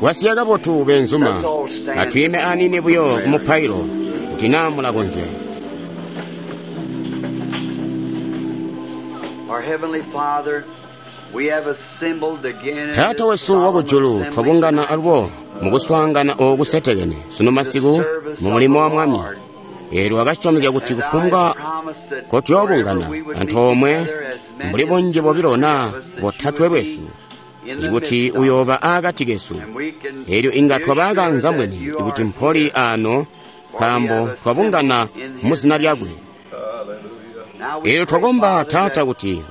Kwasiya kabotu beenzuma, atwiime aniini buyo ku mupailo, kuti naa mulakonzya. Our Heavenly Father, we have assembled again in Taata this wesu solemn wakujulu, assembly twabungana alubo mukuswaangana ooku kusetekene sunu masiku mu mulimo wa Mwami. Eelyo wakasyomezya kuti And I kufumbwa promise that kotuyoobungana wherever we would meet antoomwe together as many mbuli as bunji two or bobilo three naa of us, that you botatwe would be bwesu, in the ikuti midst of us. uyooba aakati kesu. And we can Eelyo inga be twaba assured akanza that mbweni you kuti are mpoli here, aano for we nkaambo have twabungana assembled in mu his zina name. lyakwe. Now we Eelyo pray, twakomba Father, Taata that kuti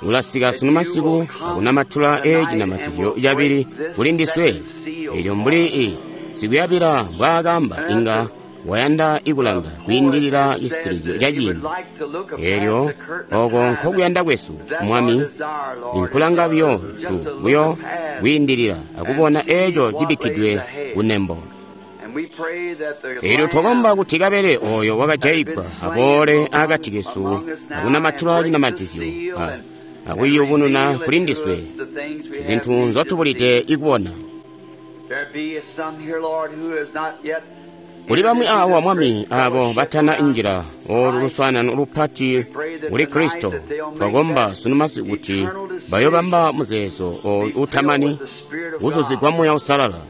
ulasika that sunu you masiku will come akunamatula tonight and ecinamatizyo will cabili break this kuli ndiswe. second seal Eelyo for mbuli us. i sikuyabila mbwaakamba And inga as wayanda the ikulanga poet kwiindilila has said cisitilizyo that ca he would ciindi. like to look past Eelyo the curtain of oko time, nkokuyanda kwesu that's our Mwami, desire, Lord, is nkulanga buyo just tu to look buyo past kwiindilila and akubona see eco what lays cibikkidwe ahead. kunembo. And we pray that the Eelyo twakomba Lamb kuti kabele oyo that had been wakajayigwa slain aboole akati among, kesu among us now and akunamatula break the cinamatizyo seal and akuyubununa reveal kuli it to ndiswe us the things we have zinthu need to nzotubulide see. ikubona. There be some here, Lord, who has not yet Kuli entered bamwi into awa this Mwami great abo fellowship batana around injira olu Christ. luswaanano We lupati pray that kuli tonight Kristo, that they'll make twakomba that sunu masiku kuti eternal decision bayobamba muzeezo oyu be filled utamani with the Spirit of kuzuzigwa God. Muuya Uusalala.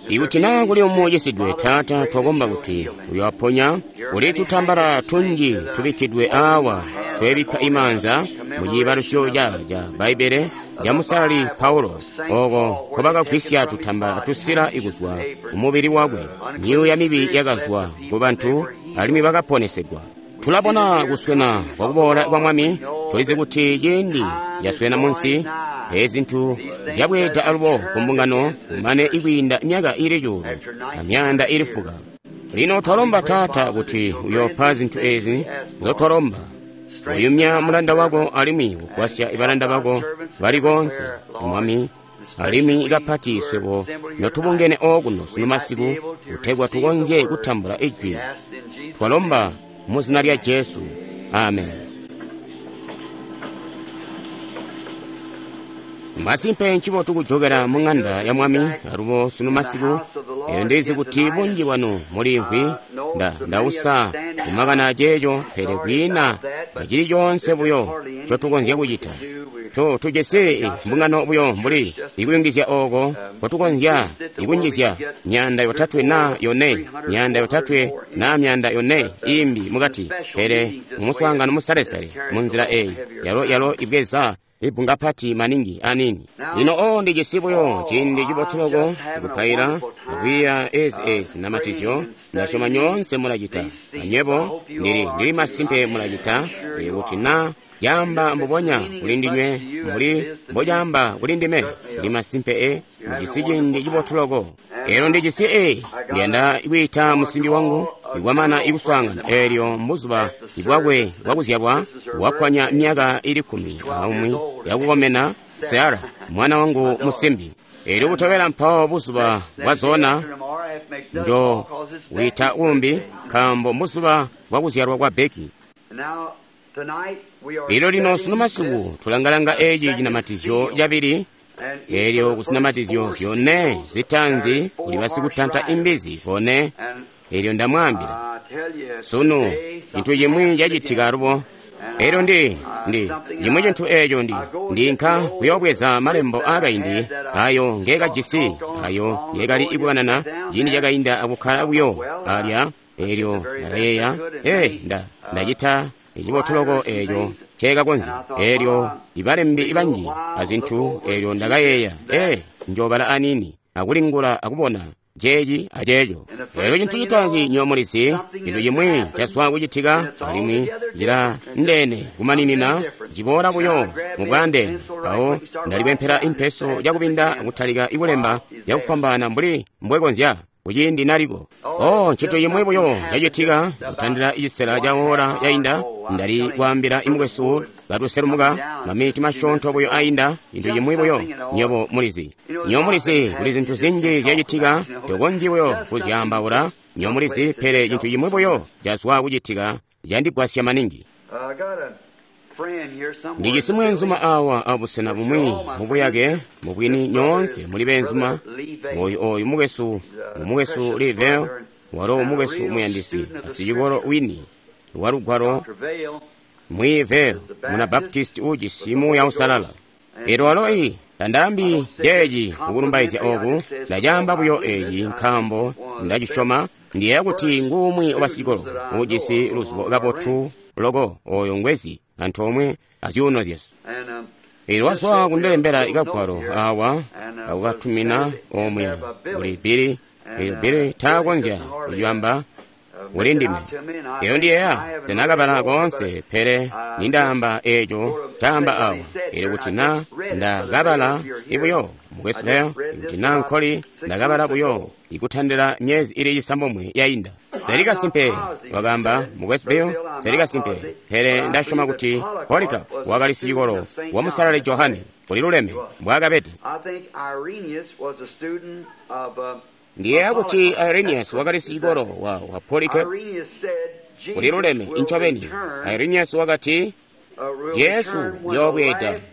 If there Ikuti be naa any kuli umwi sick, ucisidwe, Father, we Taata, pray that twakomba you'll kuti heal them. uyowaponya. Here are Kuli many tutambala handkerchiefs tunji that are tubikkidwe holding awa our hands twebikka on imaanza mu commemoration ciibalusyo of ca the Bbaibbele of ca the Musalali Bible Paulo of St. oko Paul, where they taken nkobakagwisya from his tutambala body tusila handkerchiefs ikuzwa and ku aprons. mubili wakwe. Myuuya Unclean mibi spirits left the yakazwa people ku and they bantu were alimwi healed. bakaponesegwa. We see the Tulabona near kuswena coming kwa of the kuboola kwa Lord. We Mwami, know tulizi that kuti ciindi time is caswena drawing munsi, nigh. ezi zintu These things zyabweeda has alubo ku returned mbungano again to the kumane church ikwiinda myaka ili cuulu after na myaanda 1900 ili years. fuka. Lino Now we twalomba pray, Taata Father, that kuti you'll grant uyoopa these zinthu things we ezi ask for. nzotwalomba. Strengthen Uyumya thy mulanda wako servant alimwi and kugwasya help balanda thy bako servants bali konse, everywhere, Lord, Mwami, alimwi especially we kapati who are swebo assembled here tonight, notubungene okuno we sunu might be masiku able to kutegwa receive the tukonzye word. kutambula We ijwi. ask in Jesus' name. Twalomba mu zina lya Amen. Jesu. Amen. Masimpe ncibotu kujokera Certainly mu good ng'anda to ya be Mwami back alubo sunu in the masiku. house of the Eyo Lord ndizi again kuti tonight. bunji bwanu mulimvwi Know so many of you ndausa standing kumakana up. aceeco, I'm pele sorry kwiina about that, but acili coonse there's just buyo hardly anything ncotukonzya more we kucita. can do. We Tujisi we got the mbungano buyo church mbuli just ikuyungizya oko nkotukonzya increased it to where we could ikunjizya get myanda 3 or yotatwe na 4, yone, 300, myanda 400 yotatwe more in na it. myanda yone But imbi the mukati, special pele meetings this way, mumuswaangano it musalesale carries mu a nzila little eyi heavier yalo crowd. yalo ibweza ibbunga pati maningi anini. Lino Now, o ndijisi buyo oh, ciindi cibotu I'm loko just having a kupaila wonderful time akwiiya ezi namatizyo. praying and Ndasyoma studying nyoonse mulacita these seals. I anyebo hope you ndili all are ndili too. masimpe I'm mulacita sure you kuti are. na And caamba if it's mbubonya meaning kuli as much ndinywe to you as it mbuli is to me, mbocaamba kuli ndime, certainly ndili masimpe you're having a mujisi wonderful ciindi time. cibotu loko. And Elo ndijisi I got a ndiyanda kwiita I want to musimbi wangu call a ikwamana girlfriend ikuswaangana of mine eelyo mbuzuba at the bwakwe service. That bwakuzyalwa this is her wakkwanya birthday. myaka ili She's 10 12 years aumwi old. yakukomena, Sarah, Sara mwana my wangu daughter. musimbi. Eelyo And kutobela mpawo buzuba next bwa day zona after tomorrow, I have to make dust njo call because it's wita Becky's umbi birthday. nkaambo mbuzuba bwakuzyalwa kwa Beki. And now tonight we are Ilo lino sunu studying this masiku tulangalanga eci second cinamatizyo seal. cabili. And each of Eelyo the first kusinamatizyo 4 zyone seals, there zitanzi is kuli 4 harsh basikutanta riders. imbizi bone. And Eelyo ndamwaambila I tell you, sunu today cintu something cimwi happened cacitika again. alubo. And Eelyo ndi something cimwi cintu eeco ndi I go and get the ndinka old kuyobweza script malembo that I aakaindi had that I ayo ngeekajisi talked on ayo long ago ngeekali and just ikukanana sat down ciindi there. cakainda I akukkala thought, buyo well, I alya. I did the Eelyo very best I ndakayeeya could, and many ndacita cibotu loko writers and eeco things. And nceekakonzya. I thought, Eelyo well, ibalembi read a little banji while, look azintu. over and Eelyo see this ndakayeeya and that. njoobala anini akulingula akubona ceeci aceeco. And the Eelyo first cintu thing you citaanzi know, nyomulizi something cintu has cimwi happened, caswa and kucitika it's alimwi altogether cila different, and just ndene something kumaninina different. ciboola And I buyo grabbed me a mubwaandeene. pencil right Mpawo quick and started writing ndalikwempela down just impeso fast as I cakubinda can akutalika ikulemba while he's there. cakufwambaana mbuli mbwekonzya kuciindi naliko. Oh, O ncintu just cimwi buyo something happened cacitika just about kutandila icisela ca one half ora hour yainda. ago. I was Ndali telling kwaambila Brother imukwesu Woods coming katuselumuka down just maminiti a few minutes masyoonto buyo ago. ainda cintu Just cimwi buyo something at all. nyobo mulizi You know, there's nyobo a lot of mulizi things kuli happen zintu you just zinji can't talk zyacitika about. You know, tokonzyi buyo just something kuzyaambaula just nyobo took mulizi place that pele cintu helped cimwi so buyo much. cazwa kucitika candigwasya maningi. I got a Ndijisi mweenzuma awa abusena bumwi mubuyake, mubwini nyoonse muli beenzuma. Oyu mukwesu, mukwesu Lee Vayle, walo mukwesu muyandisi, sicikolo wini wa lugwalo, Mwi Vayle, muna Baptist ujisi Muuya Uusalala. Elyo walo tandaambi ceeci mukulumbaizya oku, ndacaamba buyo eeci nkaambo ndacisyoma. Ndiyeeya kuti nguumwi wabasicikolo ujisi luzibo kabotu loko oyo ngwezi antoomwe azyuuno zyesu. Elyo wazwa kundilembela ikagwalo awa akukatumina omuya kuli Billy. Elyo Billy taakonzya kucibamba kuli ndime. Elyo ndiyeeya tanakabala koonse, pele nindaamba eeco caamba awa. Elyo kuti na ndakabala ibuyo mukwesu Leo, ikuti na nkoli ndakabala buyo ikutandila myezi ili 9 yainda. Zali kasimpe, wakaamba mukwesu Bill, zali kasimpe, pele ndasyoma kuti Polycarp wakali sicikolo wa Musalali Johane kuli luleme mbwaakabede. Ndiyeeya kuti Irenaeus wakali sicikolo wa Polycarp kuli luleme incobeni. Irenaeus wakati Jesu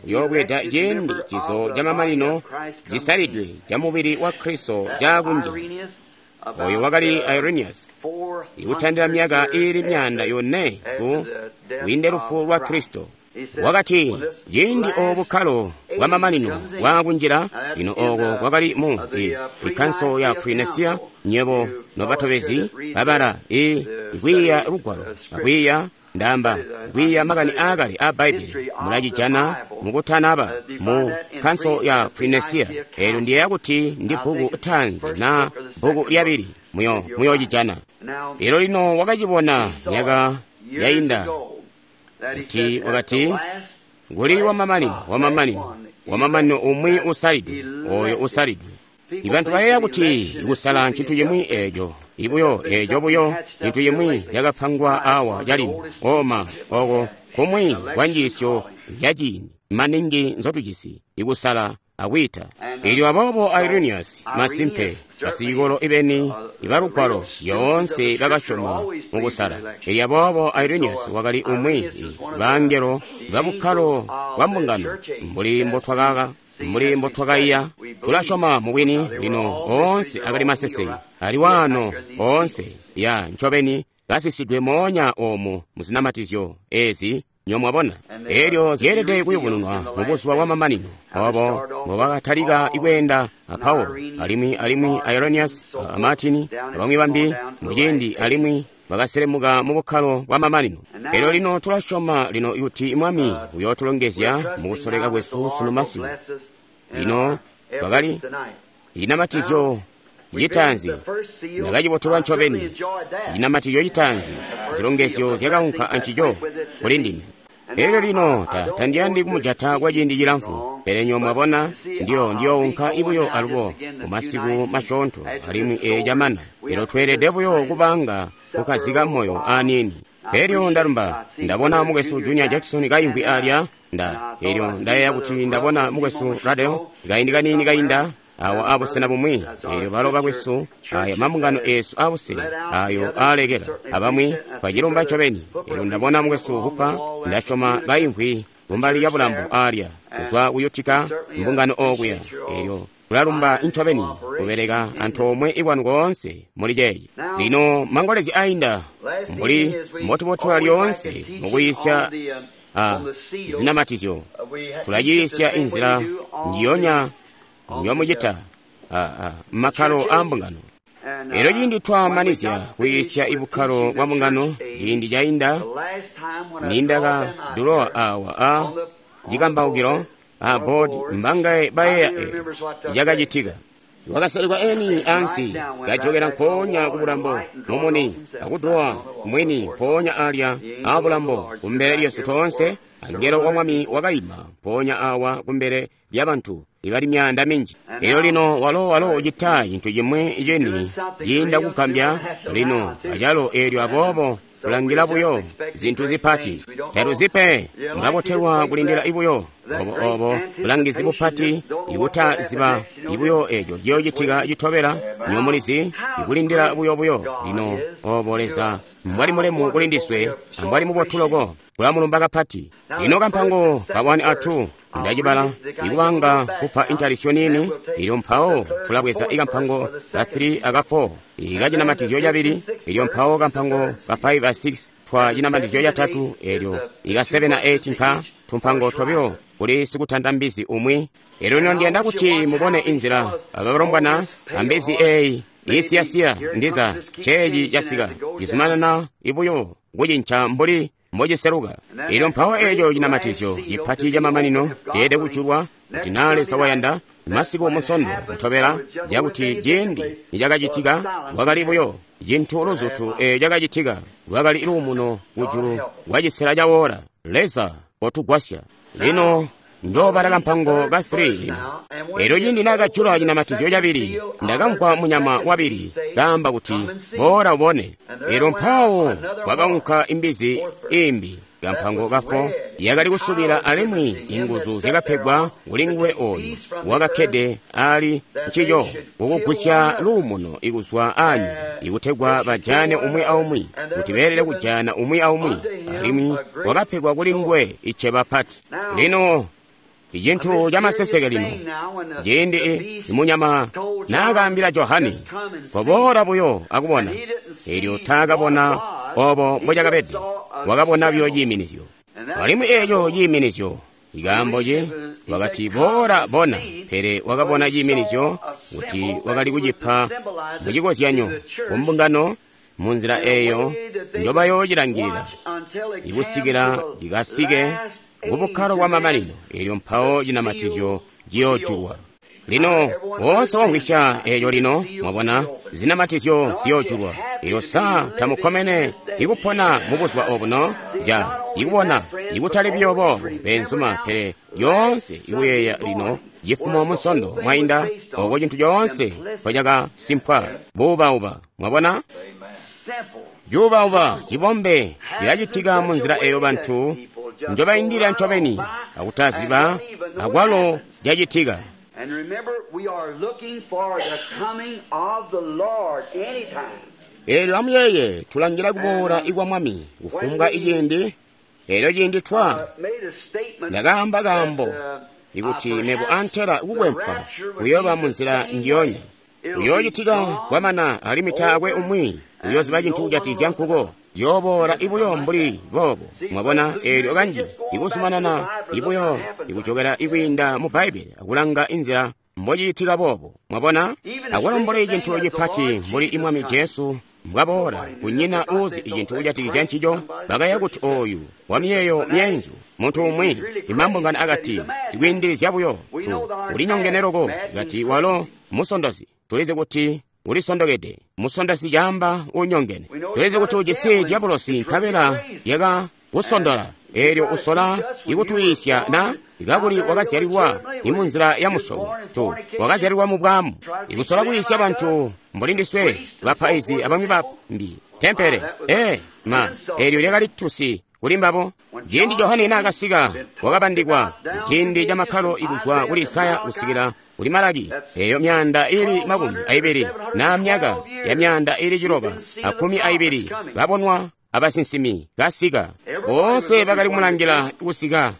uyoobweeda ciindi cizo camamanino cisalidwe ca mubili wa Kristo caakunjila. Oyo wakali Irenaeus, ikutandila myaka iili 400 ku kwiinde lufu lwa Kristo. Wakati ciindi obu bukkalo bwa mamanino bwaakunjila, lino oko kwakali mu ikanso ya Pre-Nicene, nyebo nobatobezi babala ikwiiya lugwalo akwiiya ndaamba kwiiya makani aakale a Bbaibbele mulacijana mukutanaba mu kanso ya Pre-Nicene. Eelyo ndiyeeya kuti ndi bbuku taanzi na bbuku lyabili muyocijana. Eelyo lino wakacibona myaka yainda kuti wakati kuli wamamanino wamamanino wamamanino umwi usalidwe, oyo usalidwe. Ibantu bayeeya kuti ikusala ncintu cimwi eeco ibuyo eeco buyo cintu cimwi cakapangwa awa calino oma oko kumwi kwa njiisyo zyaciindi maningi nzotujisi ikusala akwiita. Elyo aboobo Irenaeus masimpe basicikolo ibeni ibalugwalo yoonse bakasyoma mukusala. Elyo aboobo Irenaeus wakali umwi bangelo babukkalo bwa mbungano mbuli mbotwakaiya. Tulasyoma mubwini lino oonse akali maseseke ali waano oonse ya ncobeni kasisidwe moonya omu muzinamatizyo ezi nyomwabona. Elyo zyeelede kuyubununwa mubuzuba bwa mamanino obo mbobakatalika ikweenda a Paulo alimwi Irenaeus a Martin abamwi bambi muciindi alimwi bakaselemuka mu bukkalo bwa mamanino. Elyo lino tulasyoma lino kuti Mwami uyootulongezya mukusoleka kwesu sunu masiku. Lino twakali cinamatizyo citaanzi ndakacibotelwa ncobeni. Cinamatizyo citaanzi zilongezyo zyakaunka ancico kuli ndime. Elyo lino tandiyandi kumujata kwa ciindi cilamfu, pele nyo mwabona ndiyounka ibuyo alubo mumasiku masyoonto alimwi camana. Elyo tweelede buyo kubanga kukkazika moyo aniini. Elyo ndalumba ndabona mukwesu Junior Jackson kaimvwi alya elyo ndayeeya kuti ndabona mukwesu Radel kaindi kaniini kainda awa abusena bumwi. Elyo balo bakwesu aya mambungano eesu abusena ayo aalekela abamwi twacilumba ncobeni. Elyo ndabona mukwesu Hupa ndasyoma kaimvwi kumbali lya bulambo alya kuzwa kuyutika mbungano okuya. Elyo tulalumba ncobeni kubeleka antoomwe ikwanu koonse muli ceeci. Lino mangolezi ainda mbuli mbotubotola lyoonse mukuyisya zinamatizyo, tulayiisya inzila njiyonya njomucita makkalo a mbungano. Elyo ciindi twamanizya kuyisya ibukkalo bwa mbungano ciindi cainda nindakadulowa awa a cikambaukilo a board mbangaye bayeeya cakacitika. Wakasalekwa eni ansi kajokela nkoonya ku bulambo mumuni akudulowa mwini mpoonya alya a bulambo kumbele lyesu toonse. Angelo wa Mwami wakaima mpoonya awa kumbele lyabantu ibali myaanda minji. Elyo lino walo ucita cintu cimwi cini ciinda kugambya lino acalo. Eelyo aboobo Tulangila buyo zintu zipati. Tatuzipe. Mulabotelwa kulindila ibuyo. Obo obo bulangizi bupati ikutaziba ibuyo eco ciyoocitika citobela nyomulizi ikulindila buyo buyo. Lino obo Leza mbwali mulemu kuli ndiswe ambwali mubotu loko. Kulamulumba kapati. Lino kampango ka 1 a 2 ndacibala ikubanga kupa intalisyo nini ilyo mpawo tulabweza ikampango ka 3 aka 4 ikacinamatizyo cabili ilyo mpawo kampango ka 5 a 6 twa cinamatizyo catatu elyo ika 7 a 8 nka tumpango tobilo kuli sikutanda mbizi umwi. Elyo lino ndiyanda kuti mubone inzila abalombwana ambizi eyi isiyasiya ndiza ceeci casika cizumanana ibuyo kucinca mbuli mbociseluka. Elyo mpawo eco cinamatizyo cipati camamanino ceelede kujulwa kuti naa Leza wayanda masiku musondo kutobela cakuti ciindi nicakacitika lwakali buyo cintu luzutu eeco cakacitika lwakali luumuno kujulu lwacisela cawola. Leza kotugwasya. Lino njoobala kampango ka 3 lino. Elyo ciindi naakajula cinamatizyo cabili ndakamvwa munyama wabili kaamba kuti boola ubone. Elyo mpawo kwakaunka imbizi imbi kampango ka 4 yakali kusubila alimwi inguzu zyakapegwa kuli nguwe oyu wakakkede ali ncico kukugwisya luumuno ikuzwa anyika ikutegwa bajane umwi aumwi kuti beelele kujana umwi aumwi alimwi wakapegwa kuli nguwe iceba pati. Lino icintu camaseseke lino ciindi imunyama naakaambila Johane koboola buyo akubona, elyo taakabona obo mbocakabede, wakabona buyo ciiminizyo. Alimwi eco ciiminizyo ikaambo ce wakati boola bona, pele wakabona ciiminizyo kuti wakali kucipa mucikozyanyo kumbungano munzila eyo njobayoocilangilila ikusikila cikasike kubukkalo bwa mamanino, elyo mpawo cinamatizyo ciyoojulwa. Lino woonse wamvwisya eeco lino mwabona zinamatizyo ziyoojulwa. Elyo sa tamukkomene ikupona mu buzuba obuno ja ikubona ikutali buyo boobo beenzuma, pele yoonse ikuyeeya lino cifumo musondo mwainda oko cintu coonse mpocakasimpwa buubauba. Mwabona cuubauba cibombe cilacitika munzila eyo bantu njobaindila ncobeni akutaziba akwalo cacitika. And remember, we are looking for the coming of the Lord anytime. Elyo amuyeeye tulangila kuboola ikwa Mwami kufumbwa iciindi. Elyo ciindi twa ndakaamba kaambo ikuti mebo antela kukwempwa kuyooba munzila njiyonya kuyoocitika kwamana alimwi taakwe umwi uyooziba cintu kujatikizya nkuko. Yooboola ibuyo mbuli boobo. Mwabona eelyo kanji ikuzumanana ibuyo ikujokela ikwiinda mu Bbaibbele akulanga inzila mbociitika boobo. Mwabona akwalo mbuli cintu cipati mbuli imwami Jesu mbwaboola kunyina uuzi icintu kujatikizya ncico. Bakaya kuti oyu wamiyeeyo myeenzu muntu umwi imambungano akati sikwiindilizya buyo tu ulinyongene loko kati walo musondozi. Tulizi kuti ulisondokede. Musondosi caamba unyongene. Tulizi kuti ujisi dyabulosi nkabela yaka kusondola. Eelyo usola ikutwiisya na ikakuli wakazyalilwa imunzila ya musyobo tu wakazyalilwa mu bwaamu ikusola kwiisya bantu mbuli ndiswe bapaizi abamwi bambi tempele ma eelyo lyakali tusi kuli mbabo. Ciindi Johane naakasika wakabandikwa ciindi camakkalo ikuzwa kuli Isaya kusikila kuli Malaki, eyo myaanda ili 20 na myaka ya myaanda ili 912 babonwa abasinsimi kasika. Boonse bakali kumulangila kusika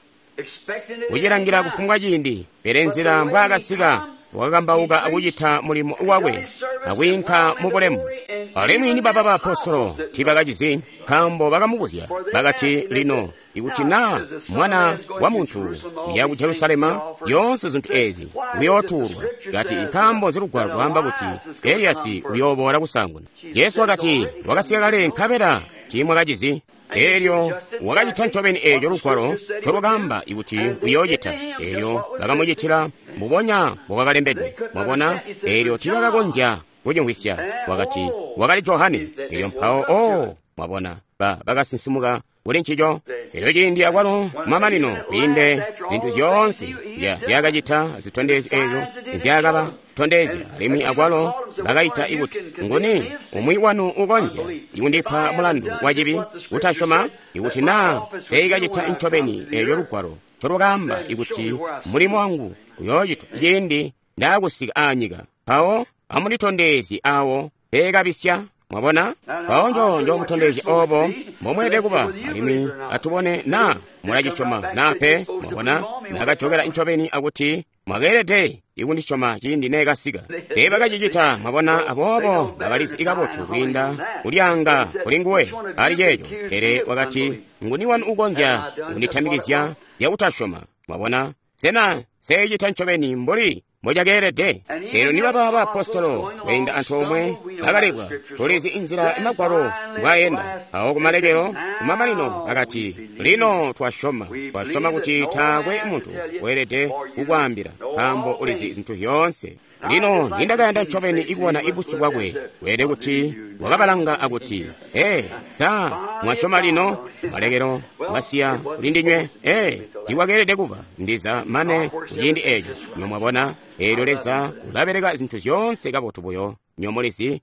kucilangila kufumbwa ciindi, pele nzila mbwaakasika wakakambauka akucita mulimo wakwe akwiinka mu bulemu. Alimwi ni baba baapostolo tiibakacizi nkaambo bakamubuzya bakati, lino ikuti naa mwana wa muntu uya ku Jerusalema zyoonse zintu ezi uyootuulwa, kati nkaambo zilugwalo lwaamba kuti Eliyasi uyooboola kusaanguna. Jesu wakati wakasika kale nkabela tiimwakacizi. Eelyo wakacita ncobeni eeco lugwalo ncolwakaamba ikuti uyoocita. Eelyo bakamucitila mbubonya mbokwakalembedwe. Mwabona, eelyo tiibakakonzya kucimvwisya. Wakati wakali Johane. Eelyo mpawo mwabona bakasinsimuka kuli ncico. Elyo ciindi akwalo mamanino kwiinde zintu zyoonse zyakacita zitondezyo ezyo nzyakaba tondezya, alimwi akwalo bakaita ikuti, nguni umwi wanu ukonzya ikundipa mulandu wa cibi kutasyoma? Ikuti naa nseikacita ncobeni eeco Lugwalo ncolwakaamba ikuti mulimo wangu uyoocitwa ciindi ndaakusika aanyika, mpawo amunditondezye awo peekabisya. Mwabona? Mpawo njomutondezye obo mbomweelede kuba, alimwi atubone naa mulacisyoma naa pe. Mwabona? Nakajokela ncobeni akuti mwakeelede ikundisyoma ciindi neekasika. Teebakacicita, mwabona, aboobo bakalizi kabotu kwiinda kulyaanga kulinguwe ali ceeco. Pele wakati, nguni wanu ukonzya kunditamikizya zyakutasyoma? Mwabona? Sena nseecita ncobeni mbuli mbocakeelede? Elyo nibaba baapostolo kweenda antoomwe bakalebwa, tulizi inzila Magwalo mbwaayenda. Awo kumalekelo kumamanino bakati, lino twasyoma, twasyoma kuti taakwe muntu weelede kukwaambila, nkaambo ulizi zintu zyoonse. Lino nindakayanda ncobeni ikubona ibusyu bwakwe, weelede kuti wakabalanga akuti, ee, sa mwasyoma lino? Malekelo mwasiya kulindinywe. Ee, tiwakeelede kuba ndiza mane kuciindi eeco. Nyo mwabona, eelyo Leza ulabeleka zintu zyoonse kabotu buyo. Nyo mulizi,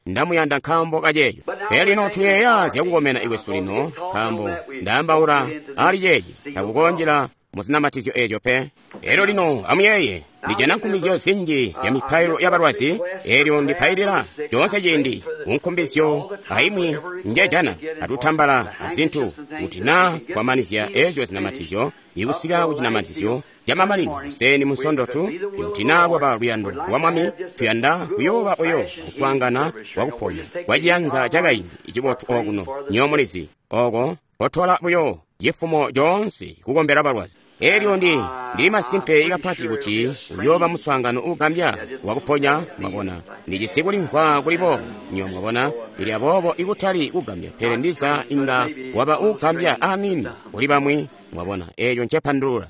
ndamuyanda nkaambo kaceeco. Pele lino tuyeeya zyakukomena ikwesu lino, nkaambo ndaambaula ali ceeci, takukonjela muzinamatizyo eeco pe. Elyo lino amuyeeye, ndijana nkumbizyo zinji zya mipailo ya balwazi, elyo ndipailila coonse ciindi kunkumbizyo aimwi njejana atutambala azintu, kuti naa twamanizya ezyo zinamatizyo ikusika ku cinamatizyo camamanino kuseni Munsondo tu, ikuti naa kwaba luyando lwa Mwami, tuyanda kuyooba buyo kuswaangana kwakuponya kwa ciyanza cakaindi icibotu okuno. Nyo mulizi, oko kotola buyo cifumo coonse kukombela balwazi. Elyo ndili masimpe kapati kuti uyooba muswaangano uugambya wakuponya. Mwabona, ndijisi kulimvwa kuli boobo, nyo mwabona, ili aboobo ikutali kugambya, pele ndiza inga waba uugambya amini kuli bamwi. Mwabona, eeco ncepandulula.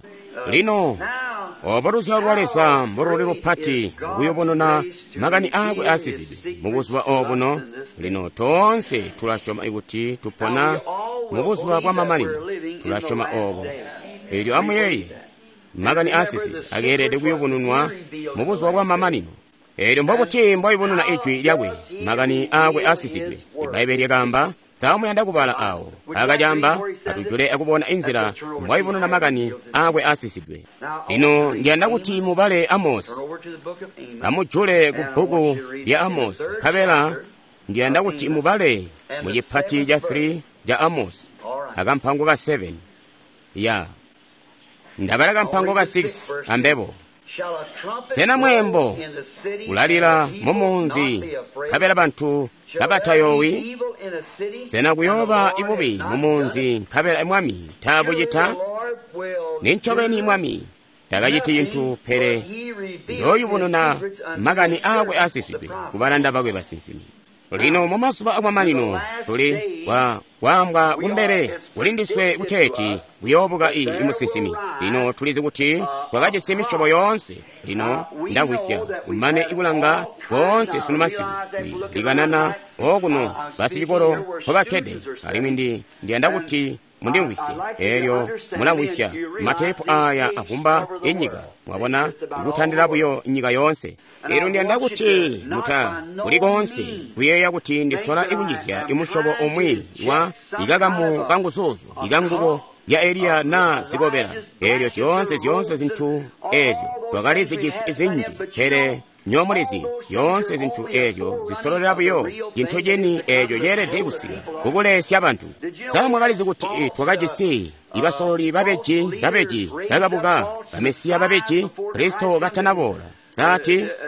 Lino obo luzyalo lwa Leza mboluli lupati kuyubununa makani aakwe aasizidwe mubuzuba obuno. Lino toonse tulasyoma ikuti tupona mubuzuba bwamamanino, tulasyoma obo. Elyo amuyeeye, makani aasisi akeelede kuyubununwa mubuzuba bwamamanino. Elyo mbobuti mbwayubununa ijwi lyakwe, makani aakwe aasisidwe? Ibbaibbele lyakaamba, sa muyanda kubala awo akacamba atujule akubona inzila mbwayubununa makani aakwe aasisidwe. Lino ndiyanda kuti mubale Amosi, amujule ku bbuku lya Amosi, nkabela ndiyanda kuti mubale mu cipati ca 3 ca Amosi akampango ka 7. Ya ndabala kampango ka 6 ambebo. Sena mweembo ulalila mumunzi nkabela bantu kabatayowi? Sena kuyooba ibubi mumunzi nkabela Mwami taabucita? Nincobeni Mwami takaciti cintu, pele uyooyubununa makani aakwe aasisidwe kubalanda bakwe basinsimi. Lino mumazuba amamanino tuli kwaambwa kumbele kulindiswe kuteeti kuyoobuka imusinsimi. Lino tulizi kuti twakajisi misyobo yoonse. Lino ndamvwisya kumane ikulanga koonse sunu masiku ndikanana okuno basicikolo mpobakkede, alimwi ndiyanda kuti mundimvwisye. Elyo mulamvwisya mateepu aya avumba inyika, mwabona, ikutandila buyo nyika yoonse. Elyo ndiyanda kuti muta kuli koonse kuyeeya kuti ndisola ikunjizya imusyobo umwi wa ikakamu kanguzuzu ikangubo ya Eliya naa zikobela. Elyo zyoonse zintu ezyo twakali zijisi zinji, pele nyomulizi zyoonse zintu ezyo zisololela buyo cintu cini eco ceelede kusika kukulesya bantu. Sa mwakalizi kuti twakajisi ibasololi babeji bakabuka, bamesiya babeji, Kristo katanaboola?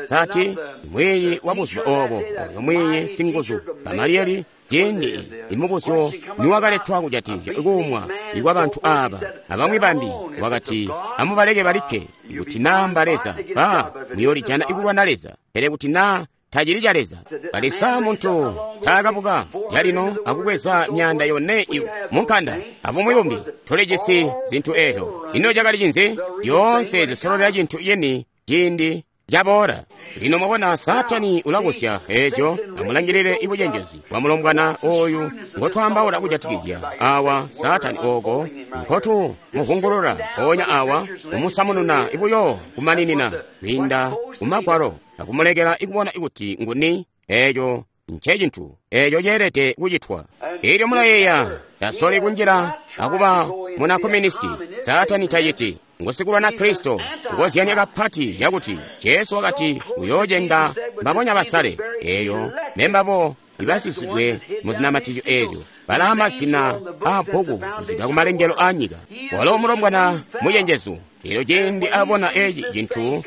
Sati mwiiyi wa buzuba obo, oyo mwiiyi singuzu Gamaliyeli, ciindi imubuzyo niwakaletwa kujatikizya kuumwa ikwa bantu aba abamwi bambi, wakati, amubaleke balikke. Ikuti naa mba Leza, ba muyoolijana ikulwana Leza, pele kuti naa tacili ca Leza. Kali sa muntu taakabuka calino akubweza myaanda yone munkanda abumwi bumbi, tulijisi zintu eezyo. Ino cakali cinzi? Zyoonse zisololela cintu cini ciindi caboola. Lino mwabona Saatani ulabusya ezyo. Amulangilile ibucenjezi bwa mulombwana oyu ngotwaambaula kujatikizya awa. Saatani oko nkotu muvungulula mpoonya awa, kumusamununa ibuyo kumaninina kwiinda kumagwalo akumulekela ikubona ikuti nguni. Eeco ncecintu eeco ceelede kucitwa. Elyo mulayeeya, tasoli kunjila akuba muna komunisti. Saatani taciti. Ngusikulwana Kristo, kukozyanya kapati cakuti Jesu wakati uyoocenga mbabonya basale. Eeyo mbembabo ibasisidwe muzinamatizyo eezyo, balaa mazina aabbuku kuzwida kumalengelo aanyika. Walo mulombwana mucenjezu. Elyo ciindi abona eci cintu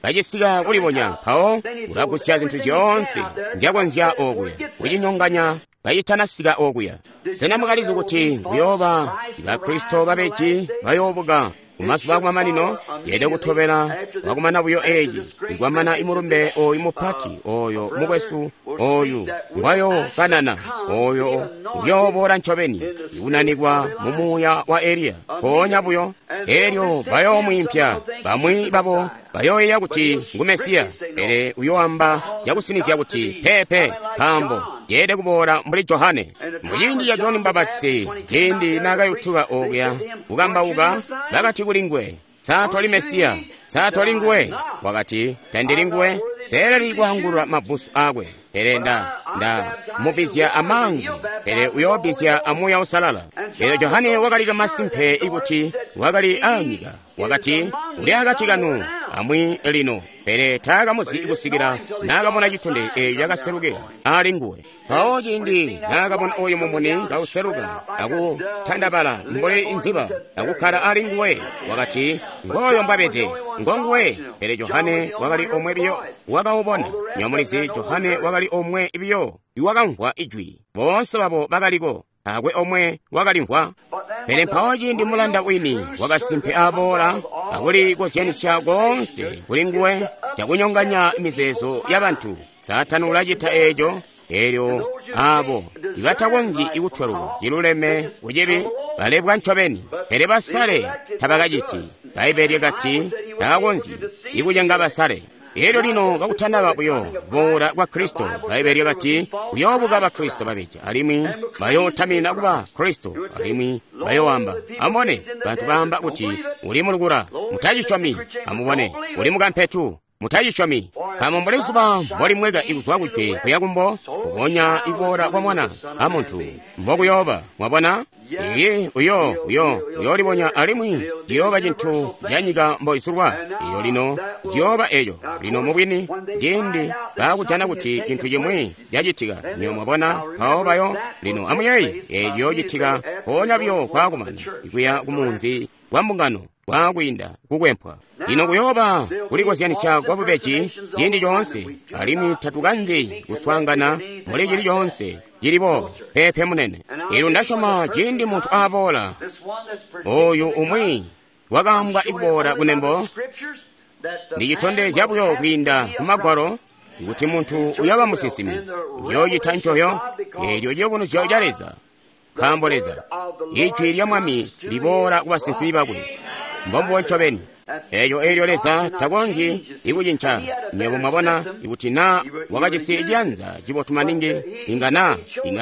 kacisika kulibonya, mpawo ulagusya zintu zyoonse nzyakonzya okuya kucinyonganya kacitanasika okuya. Sena mwakalizi kuti kuyooba Bakristo babeji bayoobuka kumazuba akumamanino? Yeelede kutobela wakumana buyo eci, ikwamana imulumbe oyu mupati oyo mukwesu oyu ngwayokanana, oyo uyooboola ncobeni ikunanikwa mu muuya wa Eliya mpoonya buyo. Elyo bayoomwiimpya. Bamwi babo bayooyeeya kuti ngu Mesiya, pele uyoamba cakusinizya kuti peepe, nkaambo yeelede kuboola mbuli Johane. Muciindi ca Joni Mbapatizi, ciindi naakayutuka okuya kukambauka, bakati kuli nguwe, "Sa toli Mesiya? Sa toli nguwe?" Wakati, "Tandili nguwe. Teeleli kwaangulula mabbusu aakwe, pele nda mubbizya amaanzi, pele uyoobbizya a Muuya Uusalala." Elyo Johane wakali kamasimpe ikuti wakali aanyika. Wakati, "Uli akati kanu amwi lino," pele taakamuzi kusikila naakabona citondezyo eeco cakaselukila ali nguwe. Mpawo ciindi naakabona oyo mumuni kauseluka akutandabala mbuli nziba akukkala ali nguwe, wakati, "Ngooyo mbwabede, ngonguwe." Pele Johane wakali omwe biyo wakawubona. Nyomulizi, Johane wakali omwe biyo iwakamvwa ijwi. Boonse babo bakaliko, taakwe omwe wakalimvwa. Pele mpawo ciindi mulanda wini wakasimpe aboola akulikozyanisya koonse kuli nguwe cakunyonganya mizeezo yabantu, Saatani ulacita eeco. Elyo abo ibatakonzyi kutweluka ciluleme kucibi balebwa ncobeni, pele basale tabakaciti. Bbaibbele lyakati takakonzyi ikucenga basale. Elyo lino kakutanaba buyo kuboola kwa Kristo, Bbaibbele lyakati kuyoobuka Bakristo babeja, alimwi bayootamina kuba Kristo, alimwi bayooamba, "Amubone, bantu baamba kuti uli mulukula, mutacisyomi. Amubone, uli mukampetu, mutacisyomi." Nkaambo mbuli zuba mbolimweka ikuzwa kujwe kuya kumbo, mbubonya ikuboola kwa Mwana a Muntu mbokuyooba. Mwabona? Iye uyoolibonya, alimwi ciyooba cintu ca nyika mboisulwa. Iyo lino ciyooba eco. Lino mubwini, ciindi baakujana kuti cintu cimwi cacitika, nyo mwabona, mpawo bayo. Lino amuyeeye, eeci ciyoocitika mpoonya buyo kwaakumana ikuya kumunzi wa mbungano kwaakwiinda kukwempwa. Lino kuyooba kulikozyanisya kwa bubeji ciindi coonse, alimwi tatukanzi kuswaangana muli cili coonse cili boobo. Peepe munene. Elyo ndasyoma ciindi muntu aboola, oyu umwi wakaambwa ikuboola kunembo, ndicitondezya buyo kwiinda kumagwalo kuti muntu uyooba musinsimi, uyoocita ncoyo. Eelyo ciyubunuzyo ca Leza, nkaambo Leza, ijwi lya Mwami liboola ku basinsimi bakwe. Mbombubo ncobeni. Eeco eelyo Leza takonzyi ikucinca. Nywebo mwabona, ikuti naa wakajisi ciyanza cibotu maningi, inga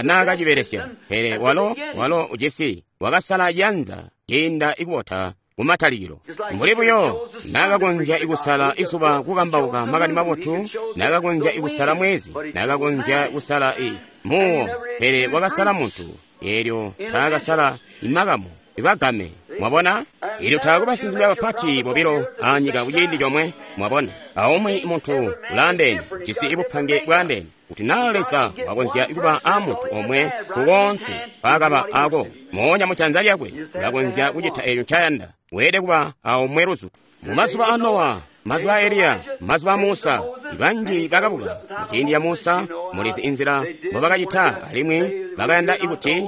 naa kacibelesya. Pele walo ujisi, wakasala ciyanza ciinda ikubota kumatalikilo. Mbuli buyo naakakonzya ikusala izuba kukambauka makani mabotu, naakakonzya ikusala mwezi, naakakonzya kusala muwo, pele wakasala muntu. Eelyo taakasala imakamu ibagame. Mwabona? Elyo taakwe basinsimi bapati bobilo anyika kuciindi comwe. Mwabona? Aumwi muntu ulaandeene, jisi ibupange bwaandeene. Kuti naa Leza wakonzya kuba a muntu omwe kukoonse mpaakaba ako, moonya mujanza lyakwe ulakonzya kucita eeco ncayanda. Weelede kuba aomwe luzutu. Mumazuba a Nowa, mazuba a Eliya, mazuba a Musa, banji bakabuka. Muciindi ya Musa, mulizi inzila mbobakacita, alimwi bakayanda ikuti,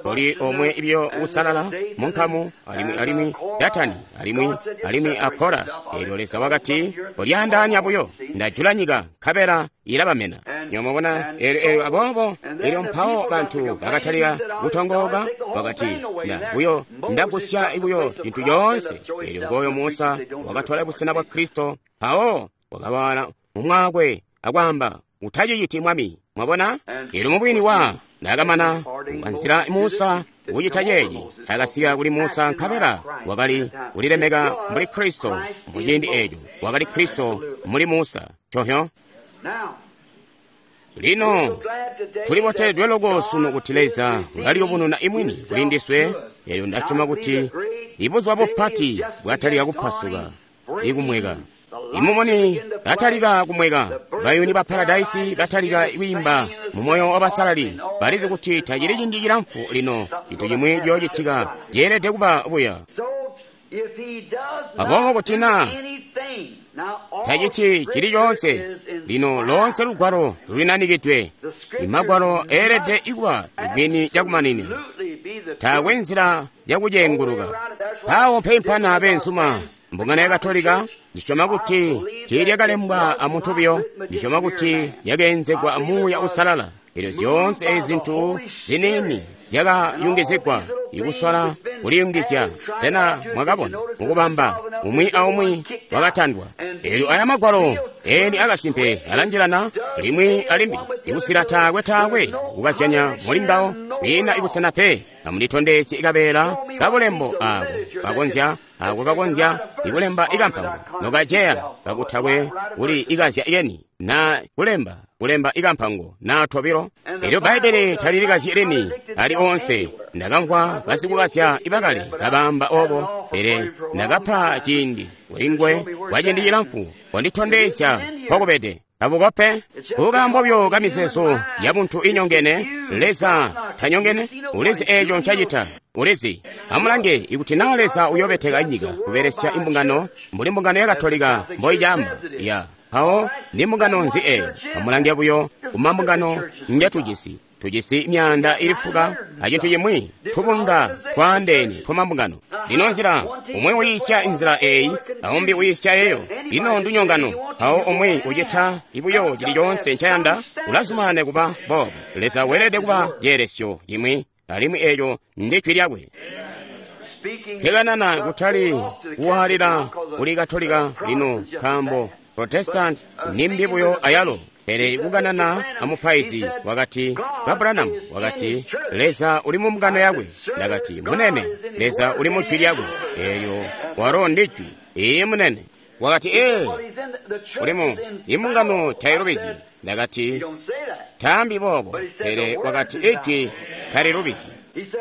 koli omwe ibyo usalala munkamu, alimwi Datani, alimwi a Kora. Elyo Leza wakati, "Kolyaandaanya buyo, ndajula nyika, nkabela ilabamena." Nyomubona, elyo aboobo, elyo mpawo bantu bakatalika kutongooka, bakati, ndagusya buyo cintu coonse. Elyo ngoyo Musa wakatwala busena bwa Kristo, mpawo Wakawala mumwaakwe akwaamba, utaciciti Mwami. Mwabona? Elyo mubwini wa nakamana kukanzila Musa kucita ceeci, akasika kuli Musa nkabela wakali kulilemeka mbuli Kristo mu ciindi eeco. Wakali Kristo muli Musa. Chohyo. Lino tuliboteledwe loko sunu kuti Leza ulaliyubununa imwini kuli ndiswe. Elyo ndasyoma kuti ibuzuba bupati bwatalika kupasuka ikumweka. Imumuni batalika kumweka, bayuni ba paradaisi batalika kwiimba mu moyo wabasalali. Balizi kuti tacili ciindi cilamfu lino, cintu cimwi ciyoocitika ceelede kuba buya. Aboobo kuti naa taciti cili coonse, lino loonse lugwalo lulinanikidwe. Imagwalo eelede kuba bwini cakumaninina, taakwe nzila yakucenguluka. Mpawo mpeimpana beenzuma. Mbungano ya Katolika ndisyoma kuti tiilyakalembwa amuntu buyo, ndisyoma kuti lyakeenzegwa amuuya usalala. Elyo zyoonse ezi zintu ziniini zyakayungizigwa, ikusola kuliyungizya. Sena mwakabona mukubamba umwi aumwi wakatandwa? Elyo aya magwalo eni akasimpe alanjilana limwi alimbi, ikusila taakwe taakwe kukazyanya muli ngawo, kwiina ibusena pe. Amunditondezye ikabeela kabulembo aako kakonzya ako kakonzya ikulemba ikampango nokaceya kakutakwe kuli ikazya yeni na kulemba kulemba ikampango na tobilo. Elyo Bbaibbele talilikazyi lini ali onse. Ndakamvwa basikukazya ibakale kabaamba obo, pele ndakapa ciindi kulingwe kwa ciindi cilamfu konditondezya mpokubede. Abukope kukaambo byo kamizeezo ya buntu inyongene. Leza tanyongene, ulizi eeco ncacita, ulizi. Amulange, ikuti naa Leza uyobeteka nyika kubelesya imbungano mbuli mbungano ya Katolika mboicaamba ya mpawo ni mbungano nzi eeyo? Amulange buyo kumambungano njatujisi. Tujisi myaanda ili fuka acintu cimwi, tubunga twaandeene twamambungano. Lino nzila umwi uyiisya nzila eeyi, aumbi uyiisya eyo. Ino ndunyongano. Mpawo umwi ucita ibuyo cili coonse ncayanda, ulazumanana kuba boobo. Leza weelede kuba ceelesyo cimwi, alimwi eeco ndi jwi lyakwe. Kekanana kutali kuwaalila kuli Katolika lino, nkaambo Protestant nimbi buyo ayalo. Pele kukanana amupaizi wakati, ba Branham wakati, Leza uli mu mbungano yakwe. Ndakati, munene, Leza uli mu jwi lyakwe. Elyo walo ndi jwi. Iye munene. Wakati, ee, ulimu imbungano tailubizi. Ndakati, taambi boobo. Pele wakati, ijwi talilubizi.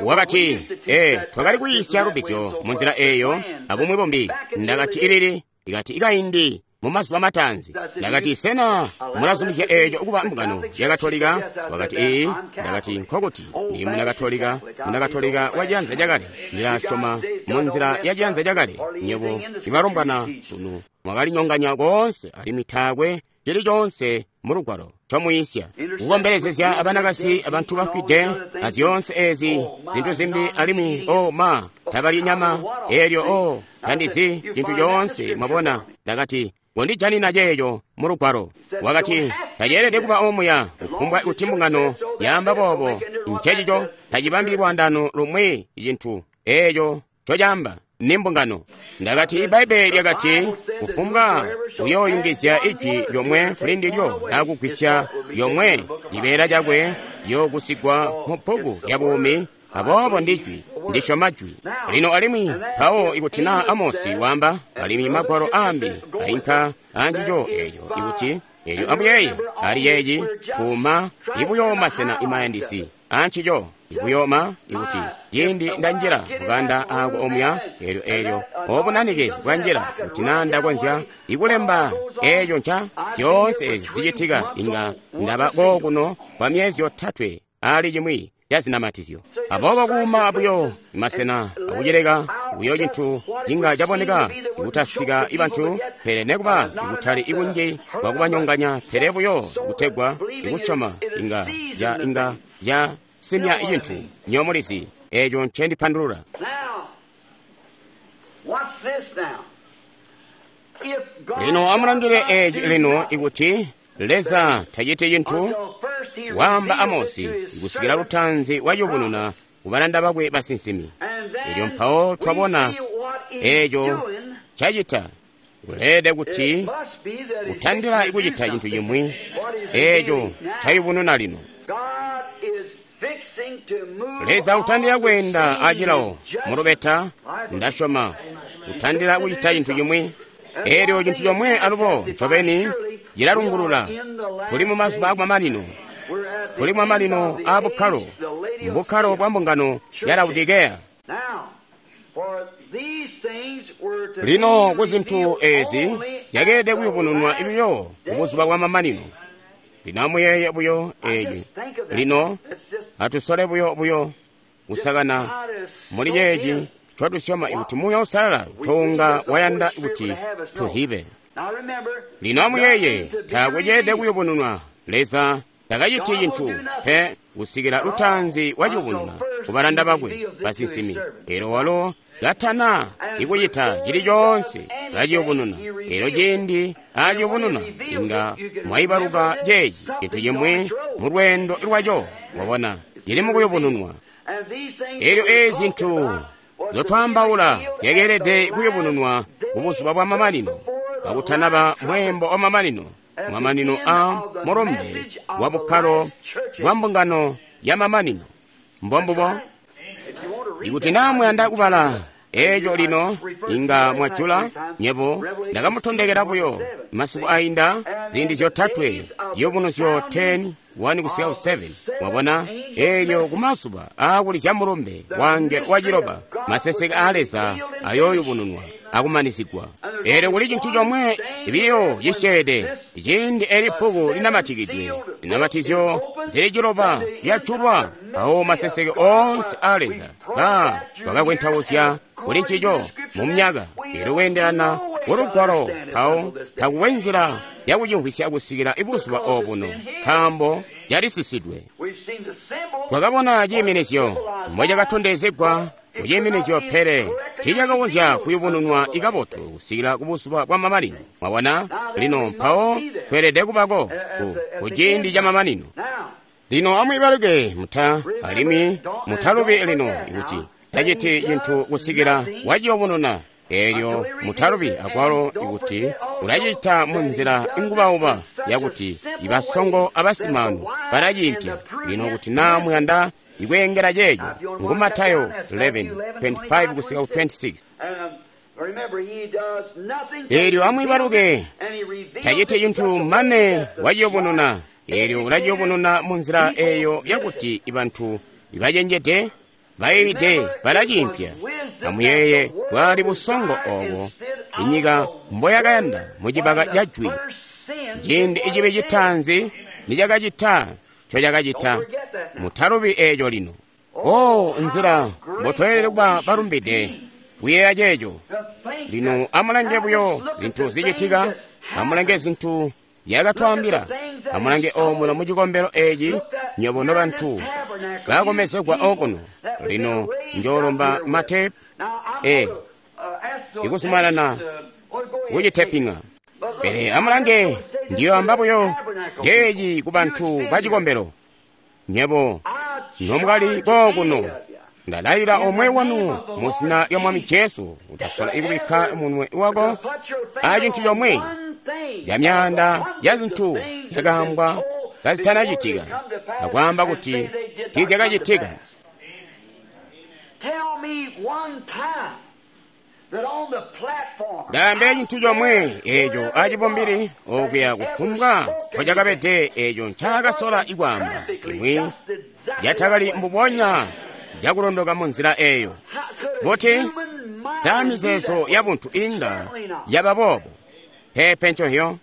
Wakati, ee, twakali kuyiisya lubizyo mu nzila eeyo abumwi bumbi. Ndakati, ilili. Ikati, ikaindi mu mazuba mataanzi. Ndakati, sena mulazumizya eeco kuba mbungano ya Katolika? Wakati, ee. Ndakati, nkokuti ndi muna Katolika, muna Katolika wa ciyanza cakale. Ndilasyoma mu nzila ya ciyanza cakale. Nywebo ibalombwana sunu mwakalinyonganya koonse, alimwi taakwe cili coonse mu lugwalo comuyisya kukombelezezya abanakasi abantu bafwide azyoonse ezi zintu zimbi, alimwi o ma tabalyi nyama elyo o tandizi cintu coonse. Mwabona? Ndakati, kondijanina ceeco mu lugwalo. Wakati, taceelede kuba omuya kufumbwa kuti mbungano yaamba boobo. Ncecico tacibambi lwaandano lumwi cintu eeco ncocaamba ni mbungano. Ndakati, Ibbaibbele lyakati kufumbwa uyooyungizya ijwi lyomwe kuli ndilyo na kugwisya lyomwe, cibeela cakwe ciyoogusigwa mu bbuku lya buumi. Aboobo ndi jwi, ndisyoma jwi lino. Alimwi mpawo ikuti naa Amosi waamba, alimwi magwalo aambi ainka aancico eeco, ikuti elyo amuyeeye ali yeeci tuuma ibuyo masena imayandisi aancico ikuyooma, ikuti ciindi ndanjila mukanda aako omuya, elyo elyo obunanike bwanjila, kuti naa ndakonzya ikulemba eeco nca zyoonse ezi zicitika, inga ndaba kookuno kwa myezi yotatwe ali cimwi ca zinamatizyo. Aboobo kuuma buyo masena akuceleka buyo cintu cinga caboneka ikutasika ibantu, pele nekuba ikutali ikunji bwakubanyonganya, pele buyo kutegwa ikusyoma inga ya inga ya simya cintu. Nyomulizi eeco ncendipandulula. Lino amulangile eeci lino, ikuti Leza taciti cintu, waamba Amosi kusikila lutanzi wayubununa kubalanda bakwe basinsimi. Elyo mpawo twabona eeco cacita. Uleelede kuti utandila kucita cintu cimwi eeco ncayubununa lino. Leza utandila kweenda acilawo mulubeta, ndasyoma, utandila kucita cintu cimwi. Eelyo cintu comwe alubo ncobeni cilalungulula. Tuli mu mazuba akumamanino. Tuli mu mamanino aa bukkalo, mbukkalo bwa mbungano ya Laodikeya. Lino ku zintu ezi zyakeelede kuyubununwa buyo ku buzuba bwa mamanino. Lino amuyeeye buyo eeci. Lino atusole buyo kusakana muli ceeci ncotusyoma kuti Muuya Uusalala toonga wayanda kuti tuhibe. Lino amuyeeye, taakwe ceelede kuyubununwa. Leza takaciti cintu pe kusikila lutaanzi waciyubununa ku balanda bakwe basinsimi. Elyo walo katana ikucita cili coonse kaciyubununa. Elyo ciindi aciyubununa, inga mwaibaluka ceeci cintu cimwi mu lweendo lwaco, mwabona, cili mukuyubununwa. Elyo eezi zintu nzyotwaambaula zyakeelede kuyubununwa ku buzuba bwa mamanino, kakutanaba mweembo wa mamanino, mamanino a mulumbe wa bukkalo bwa mbungano ya mamanino. Mbombubo. Ikuti naa muyanda kubala eeco lino, inga mwajula. Nyebo ndakamutondekela buyo masiku ainda ziindi zyotatwe, ziyubunuzyo 10, 1 kusika ku 7. Mwabona, eelyo kumazuba aakulizya mulumbe wa waciloba, maseseke aa Leza ayooyubununwa akumanizigwa. Eelyo kuli cintu comwe biyo cisyeede, ciindi eli bbuku linamatikidwe, zinamatizyo zili ciloba lyajulwa, mpawo maseseke oonse aa Leza bakakwentauzya kuli ncico mu myaka. Eelyo kweendelana ku Lugwalo, mpawo takuwe nzila yakucimvwisya kusikila buzuba obuno, nkaambo yalisisidwe. Twakabona ciiminizyo mbocakatondezegwa kuciiminizyo, pele tiicakakonzya kuyubununwa ikabotu kusikila kubuzuba bwa mamanino. Mwabona? Lino mpawo kweelede kubako ku ciindi ca mamanino. Lino amwiibaluke alimwi mutalubi lino kuti taciti cintu kusikila waciyubununa. Eelyo mutalubi akwalo kuti ulacita munzila ingubauba yakuti ibasongo abasimaanu balaciimpya. Lino kuti naa muyanda ikweengela ceeco, ngu Matayo 11:25 kusika ku 26. Eelyo amwiibaluke, taciti cintu mane waciyubununa. Eelyo ulaciyubununa munzila eeyo yakuti ibantu ibacenjede bayiide balaciimpya. Amuyeeye bwali busongo oobo inyika mboyakayanda mucibaka ca jwi, ciindi icibi citaanzi nicakacita ncocakacita. Mutalubi eeco lino. O nzila mbotweelede kuba balumbide kuyeeya ceeco. Lino amulange buyo zintu zicitika, amulange zintu zyakatwaambila, amulange omuno mucikombelo eeci nywebo nobantu bakomezegwa okuno. Lino njoolomba matepu ikuzumanana kuciteping'a. Pele amulange, ndiyoamba buyo ceeci ku bantu bacikombelo. Nywebo nomwali kookuno, ndalalila omwe wanu mu zina lya Mwami Jesu utasola ikubikka munwe wako acintu comwe ca myaanda ya zintu zyakaambwa kazitanacitika, akwaamba kuti tiizyakacitika. Ndaambila cintu comwe eeco acibumbili okuya kufumbwa mpocakabede eeco ncaakasola ikwaamba imwi yatakali mbubonya cakulondoka mu nzila eeyo. Kuti saa mizeezo ya buntu inga yaba boobo? Peepe nconhyo.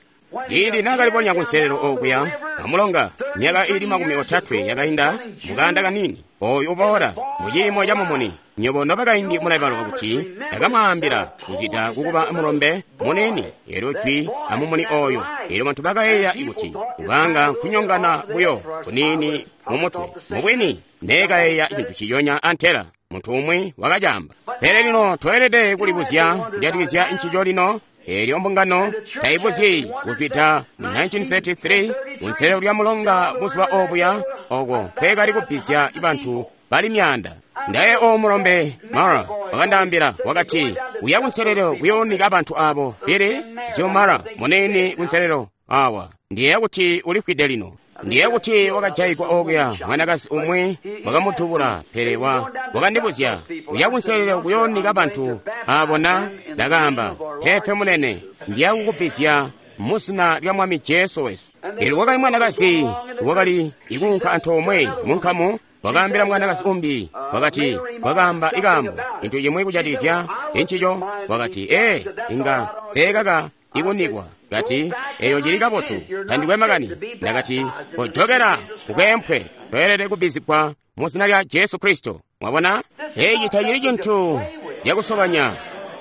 Ciindi naakalibonya kunselelo okuya amulonga myaka iili 30 yakainda mukanda kaniini, ooyu uboola muciimo ca mumuni. Nywebo nobakaindi mulaibaluka kuti ndakamwaambila kuzida kukuba mulombe muniini, eelyo jwi amumuni ooyo. Eelyo bantu bakayeeya kuti kubanga nkunyongana buyo kuniini mumutwe. Mubwini neekayeeya cintu ciyonya antela muntu umwi wakacaamba. Pele lino tweelede kulibuzya kujatikizya ncico lino. Eelyo mbungano taibuzyi kuzwida mu 1933 kunselelo lya mulonga buzuba obuya oko nkweekali kubbizya bantu bali myaanda. Ndaye o mulombe Mara wakandaambila, wakati, Uya kunselelo kuyoonika bantu abo. Pele Jomara munene kunselelo awa. Ndiyeeya kuti ulifwide lino. Ndiyeeya kuti wakajayigwa okuya mwanakazi umwi wakamutubula, pele wakandibuzya uya kunselelo kuyoonika bantu abo na? Ndakaamba, peepe munene, ndiya kukubbizya muzina lya Mwami Jesu wesu. Elyo wakali mwanakazi wakali ikuunka antoomwe munkamu, wakaambila mwanakazi umbi, wakati, wakaamba ikaambo cintu cimwi kujatikizya encico, wakati, ee, inga teekaka ikunikwa. Kati, eyo cili kabotu, tandikwe makani. Ndakati, kojokera ukeempwe, toyelede kubbizigwa muzina lya Jesu Kristo. Mwabona, eci tacili cintu cakusobanya.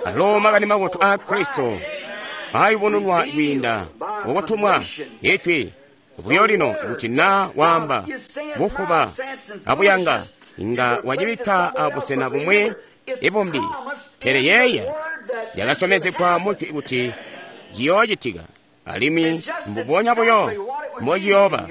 Alo makani mabotu a Kristo ayubununwa kwiinda mukutumwa ijwi buyo lino kuti na waamba bufuba abuyanga inga wacibikka abusena bumwi ibumbi, pele yeeya yakasyomezegwa mujwi kuti ciyoocitika, alimwi mbubonya buyo mbociyooba.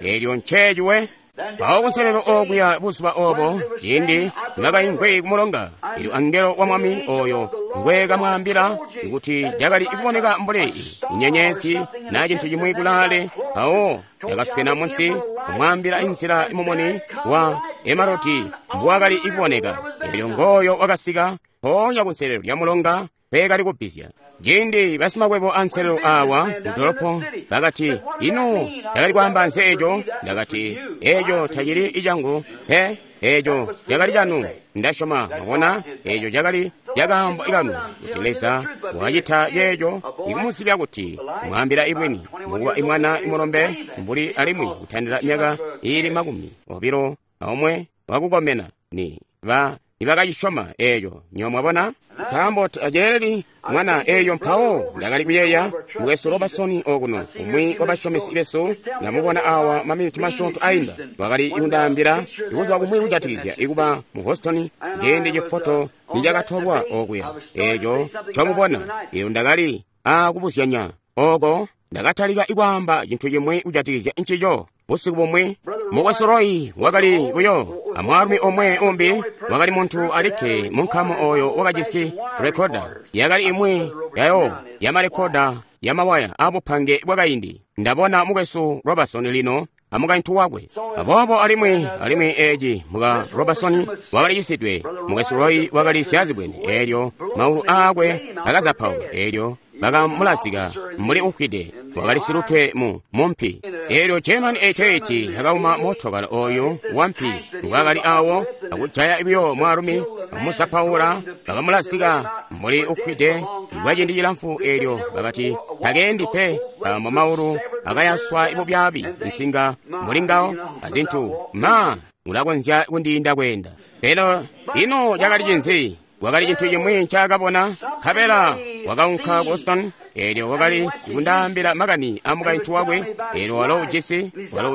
Elyo nceeciwe. Mpawo kunselelo okuya buzuba obo, ciindi nibakaimvwi kumulonga, elyo angelo wa Mwami oyo ngwe kamwaambila kuti cakali kuboneka mbuli inyenyezi na cintu cimwi kulaale, mpawo yakaswena munsi kumwaambila inzila mumuni wa emarodi mbuwakali kuboneka. Elyo ngooyo wakasika mpoonya kunselelo lya mulonga peekali kubbizya. Ciindi basimakwebo anselelo awa mudolopo bakati, ino ndakali kwaamba nzi eco? Ndakati, eco tacili icangu pe, eco cakali canu. Ndasyoma, mwabona, eco cakali cakaambo ikanu kuti Leza wakacita ceeco ikumuzibya kuti mwaambila ibwini, mukuba imwana imulombe mbuli alimwi kutandila myaka iili 21 wakukomena ni ba nibakacisyoma eeco. Nyo mwabona, nkaambo taceeleli mwana eeyo. Mpawo ndakali kuyeeya mukwesu Robertson okuno, umwi wabasyomesi besu, ndamubona awa maminiti masyoonto ainda, wakali kundaambila ikuzuba kumwi kujatikizya ikuba mu Houston ciindi cifoto nicakatolwa okuya. Eeco ncomubona. Elyo ndakali akubuzyanya oko, ndakatalika ikwaamba cintu cimwi kujatikizya ncico. Busiku bumwi mukwesu Roy wakali buyo amwaalumi omwe umbi, wakali muntu alikke munkamu oyo wakajisi rekoda. Yakali imwi yayo yamarekoda yamawaya abupange bwakaindi. Ndabona mukwesu Robertson lino amukaintu wakwe. Aboobo alimwi eci muka Robertson wakali cisidwe, mukwesu Roy wakali syazibwene, elyo maulu aakwe akazapaula, elyo bakamulazika mbuli ufwide, wakali silutwe mu mumpi. Elyo German 88 akauma motokala oyu wampi ngwakali awo, akujaya buyo mwaalumi, akumuzapaula, bakamulazika mbuli ufwide kwa ciindi cilamfu. Elyo bakati takeendi pe, nkaambo maulu akayaswa bubyaabi, nsinga mbuli ngawo azintu, ma ulakonzya kundiinda kweenda. Pele ino cakali cinzi? Wakali cintu cimwi ncaakabona, nkabela wakaunka ku Houston. Elyo wakali kundaambila makani a mukaintu wakwe. Elyo walo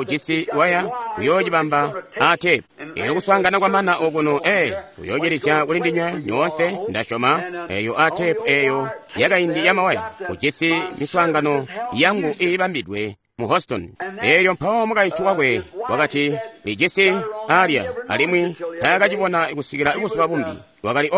ujisi waya uyoocibamba a tepu. Elyo kuswaangana kwamana okuno, uyoocilizya kuli ndinywe nyoonse, ndasyoma. Elyo a tepu eyo yakaindi yamawaya ujisi miswaangano yangu iibambidwe mu Houston. Elyo mpawo mukaintu wakwe wakati lijisi alya, alimwi taakacibona kusikila buzuba bumbi. Wakali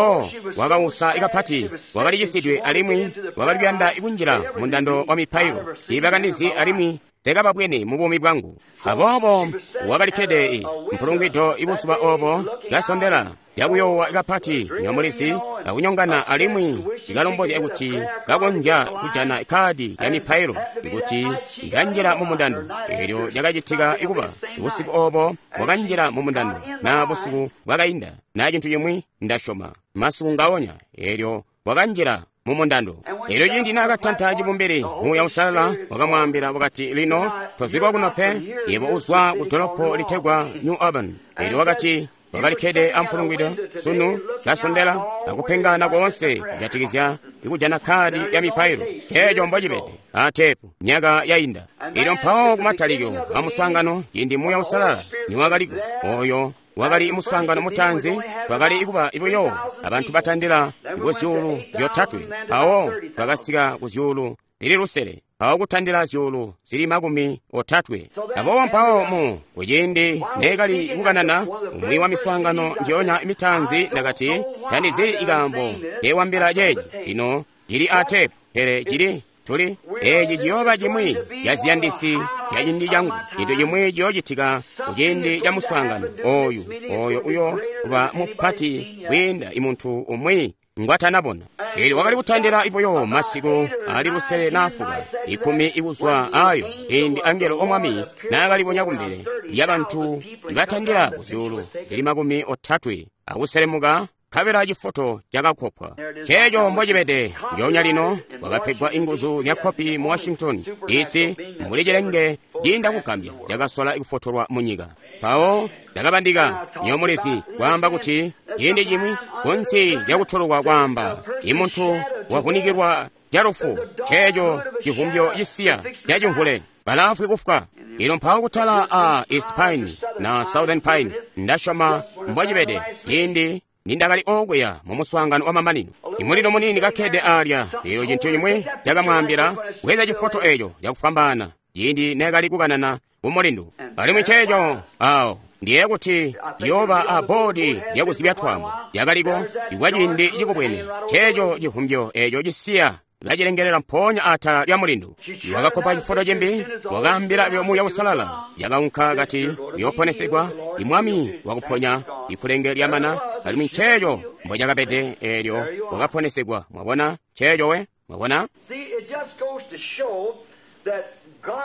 wakausa kapati, wakali cisidwe alimwi wakali kuyanda kunjila mundando wa mipailo. Tiibakandizi alimwi tekababwene mu buumi bwangu. Aboobo wakali kkede mpulungwido ibuzuba obo, kasondela yakuyoowa kapati nyomulizi akunyongana, alimwi ikalombozya kuti kakonzya kujana kkaadi ya mipailo kuti ikanjila mu mundando. Elyo lyakacitika ikuba busiku obo wakanjila mu mundando, na busiku bwakainda na cintu cimwi, ndasyoma masiku ngaonya. Elyo wakanjila mu mundando. Elyo ciindi naakatanta cibumbili, Muuya Uusalala wakamwaambila wakati, lino tozwikwa kuno pe, yebo uzwa ku dolopo litegwa New Albany. Elyo wakati wakalikkede ampulungwido sunu, kasondela akupengana koonse kujatikizya ikujana kkaadi ya mipailo. Ceeco mbocibede atepu myaka yainda. Elyo mpawo kumatalikilo amuswaangano, ciindi Muuya Uusalala niwakaliko, oyo wakali muswaangano mutaanzi, twakali kuba buyo abantu batandila ku zyuulu 3, mpawo twakasika ku zyuulu 5,000. mpawo kutandila 330. Aboobo mpawo mu kuciindi neekali kukanana umwi wa miswaangano njionya mitaanzi, ndakati, tandizi ikaambo ndeewambila ceeci. Lino cili a teepu, pele cili tuli eeci ciyooba cimwi ca ziyandisi zya ciindi cangu. Cintu cimwi ciyoocitika kuciindi ca muswaangano oyu, oyo uyo kuba mupati kwiinda imuntu umwi ngwatanabona. Elyo wakali kutandila ibuyo masiku ali lusele na fuka, 10 ikuzwa ayo ciindi angelo omwami naakalibonya kumbele lyabantu ibatandila ku 330 akuselemuka, nkabela cifoto cakakkopwa. Ceeco mbocibede njoonya lino, wakapegwa inguzu zya kopi mu Washington DC, mbuli cilenge ciinda kugambya cakasola kufotolwa mu nyika. Mpawo ndakabandika nyomulizi kwaamba kuti ciindi cimwi kunsi lyakutolokwa kwaamba imuntu wavunikilwa calufu, ceeco civumbyo cisiya cacimvule balaafwi kufwa. Ino mpawo kutala a East Pine na Southern Pine, ndasyoma mbocibede ciindi nindakali okuya mu muswaangano wa mamanino, imulilo muniini kakkede alya. Elyo cintu cimwi cakamwaambila bweza cifoto eco cakufwambaana ciindi neekali kukanana ku mulindu. Alimwi ceeco awo ndiye kuti ciyooba a boodi lyakuzibya twaambo lyakaliko ikwa ciindi cikubwene. Ceeco civumbyo eco cisiya kacilengelela mpoonya atala lya mulindu. Wakakkopa cifoto cimbi, wakaambila buyo Muuya Uusalala. Yakaunka kati uyooponesegwa, imwami wakuponya ikulenge lyamana, alimwi nceeco mbocakabede. Eelyo wakaponesegwa. Mwabona nceeco we? Mwabona?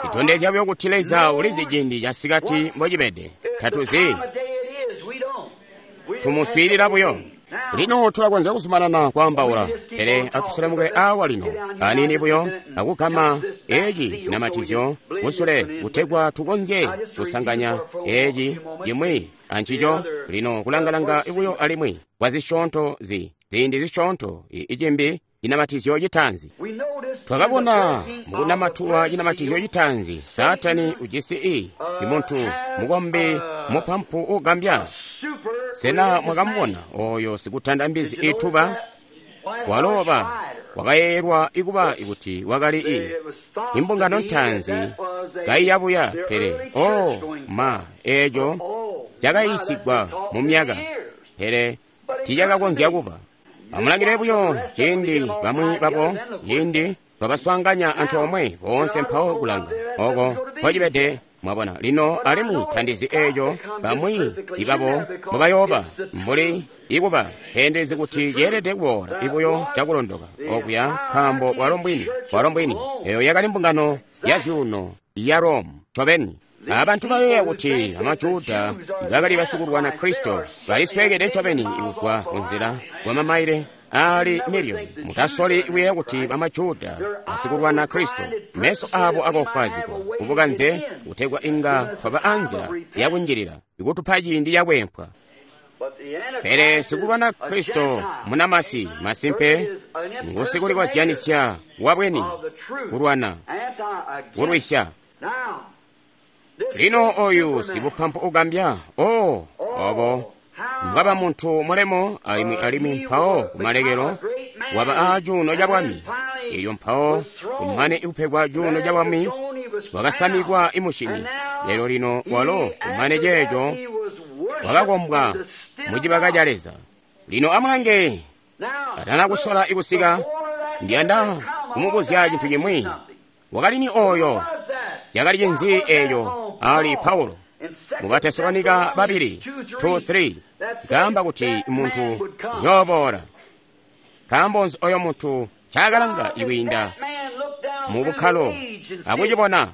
Itondezya buyo kuti Leza ulizi ciindi casikati mbocibede. Tatuzi, tumuswiilila buyo. Lino tulakonzya kuzumanana kwaambaula, pele atuselemuke awa lino aniini buyo akugama eci cinamatizyo kusule kutegwa tukonzye kusanganya eci cimwi ancico. Lino kulanga-langa buyo alimwi kwa zisyoonto ziindi zisyoonto icimbi cinamatizyo citaanzi. Twakabona mukunamatulwa cinamatizyo citaanzi, Saatani ujisi imuntu mukombi mupampu ugambya. Sena mwakamubona oyo sikutanda mbizi ituba? Waloba wakayeeyelwa ikuba ikuti wakali imbungano ntaanzi kaiyabuya, pele oh ma, eeco cakayiisigwa mu myaka, pele tiicakakonzya kuba. Amulangile buyo ciindi bamwi babo ciindi twabaswaanganya antoomwe boonse mpawo kulanga oko mpocibede. Mwabona lino, alimwi tandizi eeco bamwi ibabo mbobayooba mbuli ikuba teendelezi kuti ceelede kuboola ibuyo cakulondoka okuya, nkaambo bwalo mbwini eyo yakali mbungano ya zyuuno ya Rome ncobeni. Abantu bayeeya kuti amaJuda bakali basikulwana Kristo balisweekede ncobeni kuzwa kunzila kwa mamaile ali miliyoni. Mutasoli kuyeeya kuti bamaJuda basikulwana Kristo, meso abo akofwazigwa kubukanze kutegwa inga twaba anzila yakunjilila ikutupa ciindi cakwempwa. Pele sikulwana Kristo munamasi masimpe ngusikulikozyanisya wabweni kulwana kulwisya. Lino oyu sibupampu ugambya, oh, obo mbwaba muntu mulemo, alimwi mpawo kumalekelo waba a cuuno ca bwami. Elyo mpawo kumane ikupegwa cuuno ca bwami wakasamikwa imushini. Lelo lino walo kumane ceeco wakakombwa mucibaka ca Leza. Lino amulange, atana kusola ikusika, ndiyanda kumubuzya cintu cimwi. Wakali ni oyo? Yakali cinzi eeco ali Paulo mu Batesalonika 2, 2-3, kaamba kuti muntu yooboola. Nkaambo nzi oyo muntu ncakalanga ikwiinda mu bukkalo akucibona?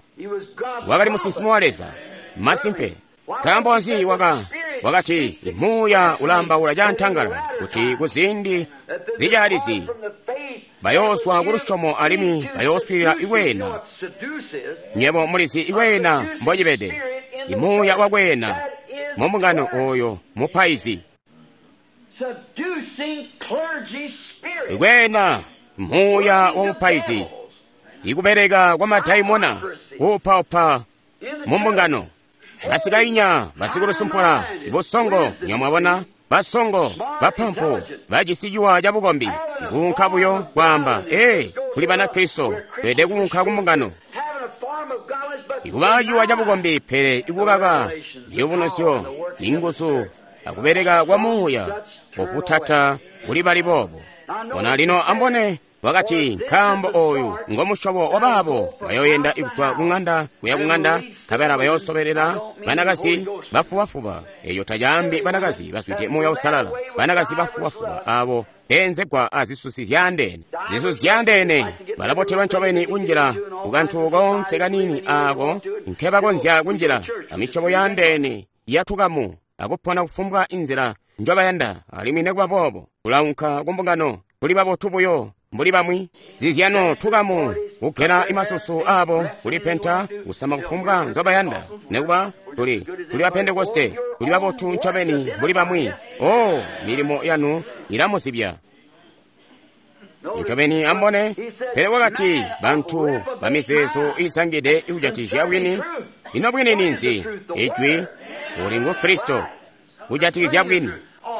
Wakali musinsimi wa Leza masimpe. Nkaambo nzi wakati muuya ulaambaula cantangala kuti kuziindi zicaalizi bayooswa ku lusyomo alimwi bayooswiilila ikweena. Nywebo mulizi ikweena mbocibede, imuuya wakweena mu mbungano oyo mupaizi. Ikweena muuya wa mupaizi, ikubeleka kwa madaimona kuupaupa mu mbungano. Basikainya, basikulusumpula, ibusongo, nyamwabona, basongo, bapampu, bajisi ciwa ca bukombi, ikuunka buyo kwaamba, ee, Tuli Banakristo, tweelede kuunka ku mbungano. Ikuba ciwa cabukombi, pele ikukaka ziyubunuzyo, inguzu, akubeleka kwa Muuya, kufutata kuli bali boobo. Bona lino ambone wakati, nkaambo oyu ngo musyobo wa baabo bayoyenda kuzwa kuŋanda kuya kuŋanda, nkabela bayoosobelela banakazi bafubafuba. Eyo tacaambi banakazi bazwide Muuya Uusalala, banakazi bafubafuba abo beenzegwa azisusi zyaandeene. Zisusi zyaandeene balabotelwa ncobeni kunjila kukantu koonse kaniini aako nkebakonzya kunjila amisyobo yaandeene yatukamu akupona kufumbwa inzila njobayanda, alimwi nekuba boobo tulaunka kumbungano tuli babotu buyo mbuli bamwi. Zizyano tukamu kugela imasusu abo, kulipenta, kusama kufumbwa nzobayanda, nekuba tuli ba Pentekoste, tuli babotu ncobeni mbuli bamwi. Oh, milimo yanu ilamuzibya ncobeni. Ambone, pele wakati bantu bamizeezo izangide ikujatikizya bwini. Ino bwini ninzi? Ijwi uli ngu Kristo kujatikizya bwini.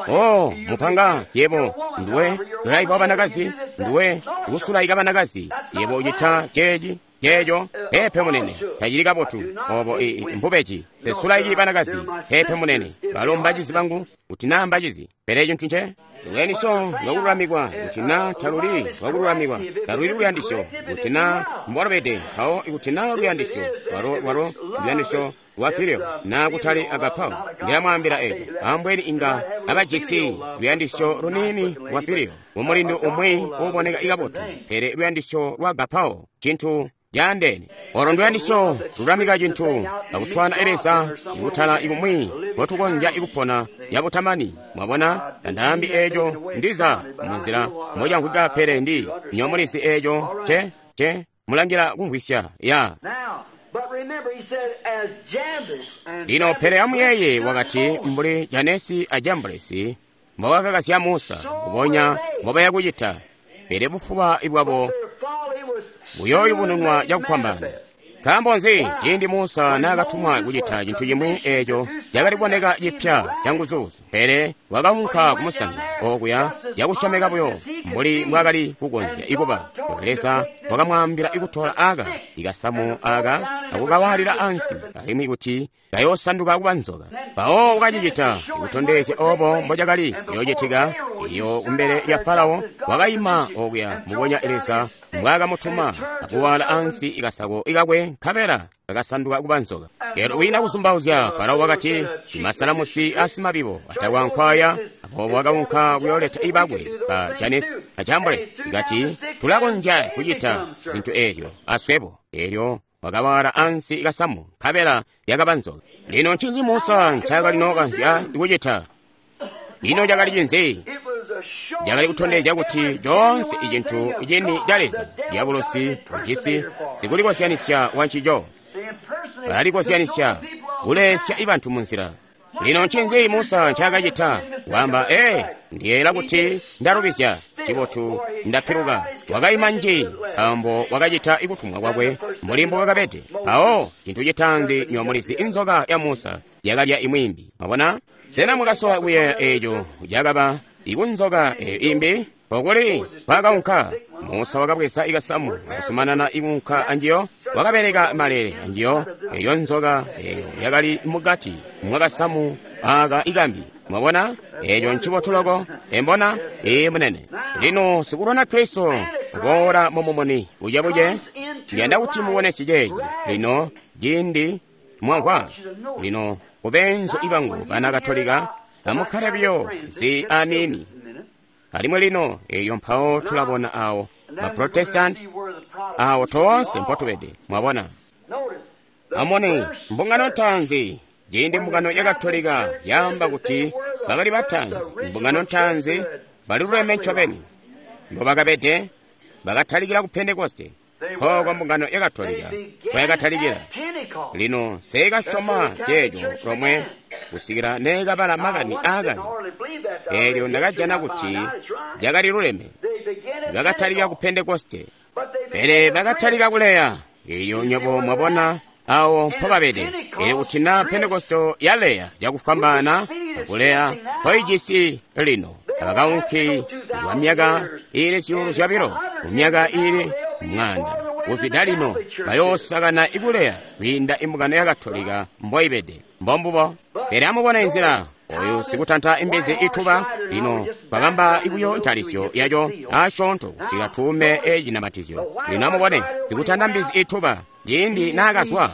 Oh, mupanga yebo nduwe dulaika wa banakazi, nduwe kusulaika banakazi, yebo ucita ceeci ceeco. Pepe munene, tacili kabotu obo. Mbubeji. Tesulaiki banakazi. Pepe munene, balo mbacizi bangu kuti naa mbacizi. Pele cintu nce luyandisyo lwakululamikwa, kuti naa taluli lwakululamikwa, taluli luyandisyo, kuti naa mbwalubede. Mpawo ikuti naa luyandisyo lwalo luyandisyo lwa filio naa kutali agapao, ndilamwaambila eco, ambweni inga abajisi luyandisyo luniini lwa filio mumulindu umwi uuboneka kabotu, pele luyandisyo lwa agapao cintu caandeene. Olo nduyandisyo lulamika cintu akuswana Leza ikutala ikumwi mbotukonzya ikupona yabutamani. Mwabona, tandaambi eco ndiza munzila mocamvwika, pele ndi nyomulizi eco ce mulangila kumvwisya ya. Lino pele amuyeeye, wakati mbuli Janesi a Jambresi mbobakakasya Musa, mbubonya mbobaya kucita, pele bufuba bwabo buyooyubununwa cakufwambaana. Nkaambo nzi? Ciindi Musa naakatumwa kucita cintu cimwi eeco cakali kuboneka cipya canguzuuzu, pele wakaunka kumusanza okuya cakusyomeka buyo mbuli mbwaakali kukonzya ikuba. Leza wakamwaambila ikutola aka ikasamu aka akukawaalila ansi, alimwi kuti kayoosanduka kuba nzoka. Mpawo wakacicita ikutondezya obo mbocakali kuyoocitika. Iyo kumbele lya Farao wakaima okuya mbubonya Leza mbwaakamutuma, akuwaala ansi ikasako ikakwe, nkabela kakasanduka kuba nzoka. Lero wina kuzumbauzya, Farao wakati, masalamusi asimabibo atakwankwaya. Aboobo wakaunka kuyooleta ibakwe ba Janesi a Jambresi, ikati tulakonzya kucita zintu eelyo aswebo. Eelyo wakawaala ansi ikasamu, nkabela yakaba nzoka. Lino ncinzi Musa ncaakali nookanzya kucita? Ino cakali cinzi? Cakali kutondezya kuti coonse icintu cini ca Leza, diabolosi ujisi sikulikozyanisya wancico. Balalikozyanisya kulesya ibantu munzila. Lino ncinzi Musa ncaakacita? Wamba, ndiyeeyela kuti ndalubizya, cibotu ndapiluka. Wakaima nji, nkaambo wakacita ikutumwa kwakwe mbuli mbwakabede. Mpawo cintu citaanzi nyomulizi, inzoka ya Musa yakalya imwiimbi. Mwabona? Sena mwakasola kuyeeya eeco cakaba ikunzoka eyo imbi? Okuli kwakaunka Musa wakabweza ikasamu akusumanana ikunka anjiyo, wakabeleka malele anjiyo. Eyo nzoka eyo yakali mukati mwakasamu aka ikambi. Mwabona? Eco ncibotu loko. Embona? Ee munene. Lino sikulwana Kristo kuboola mumumuni bucebuce, ndiyanda kuti mubone ceeci. Lino ciindi mwamvwa lino kubenzo ibangu bana Katolika, amukkale buyo zi aniini. Alimwi lino eyo mpawo tulabona awo Baprotestanti awo toonse mpotubede. Mwabona? Amone mbungano ntaanzi, ciindi mbungano ya Katolika yaamba kuti bakali bataanzi, mbungano ntaanzi baliluleme ncobeni mbobakabede, bakatalikila ku Pentekoste. Nkooko mbungano ya Katolika kwayakatalikila. Lino seekasyoma ceeco lomwe kusikila neekabala makani aakale. Eelyo ndakajana kuti cakali luleme. Bakatalika ku Pentekoste, pele bakatalika kuleya. Eyo nywebo mwabona awo mpobabede. Pele kuti na Pentekoste yaleya cakufwambaana akuleya mpoijisi lino, abakaunki kwa myaka iili 2,000, mu myaka iili mwaanda kuzwida lino bayoosakana ikuleya kwiinda imbungano ya Katolika mboibede. Mbombubo. Pele amubone nzila oyu sikutanta imbizi ituba lino twabamba ikuyo ntalisyo yaco asyoonto kusikila tuume ecinamatizyo. Lino amubone sikutanta mbizi ituba ciindi naakazwa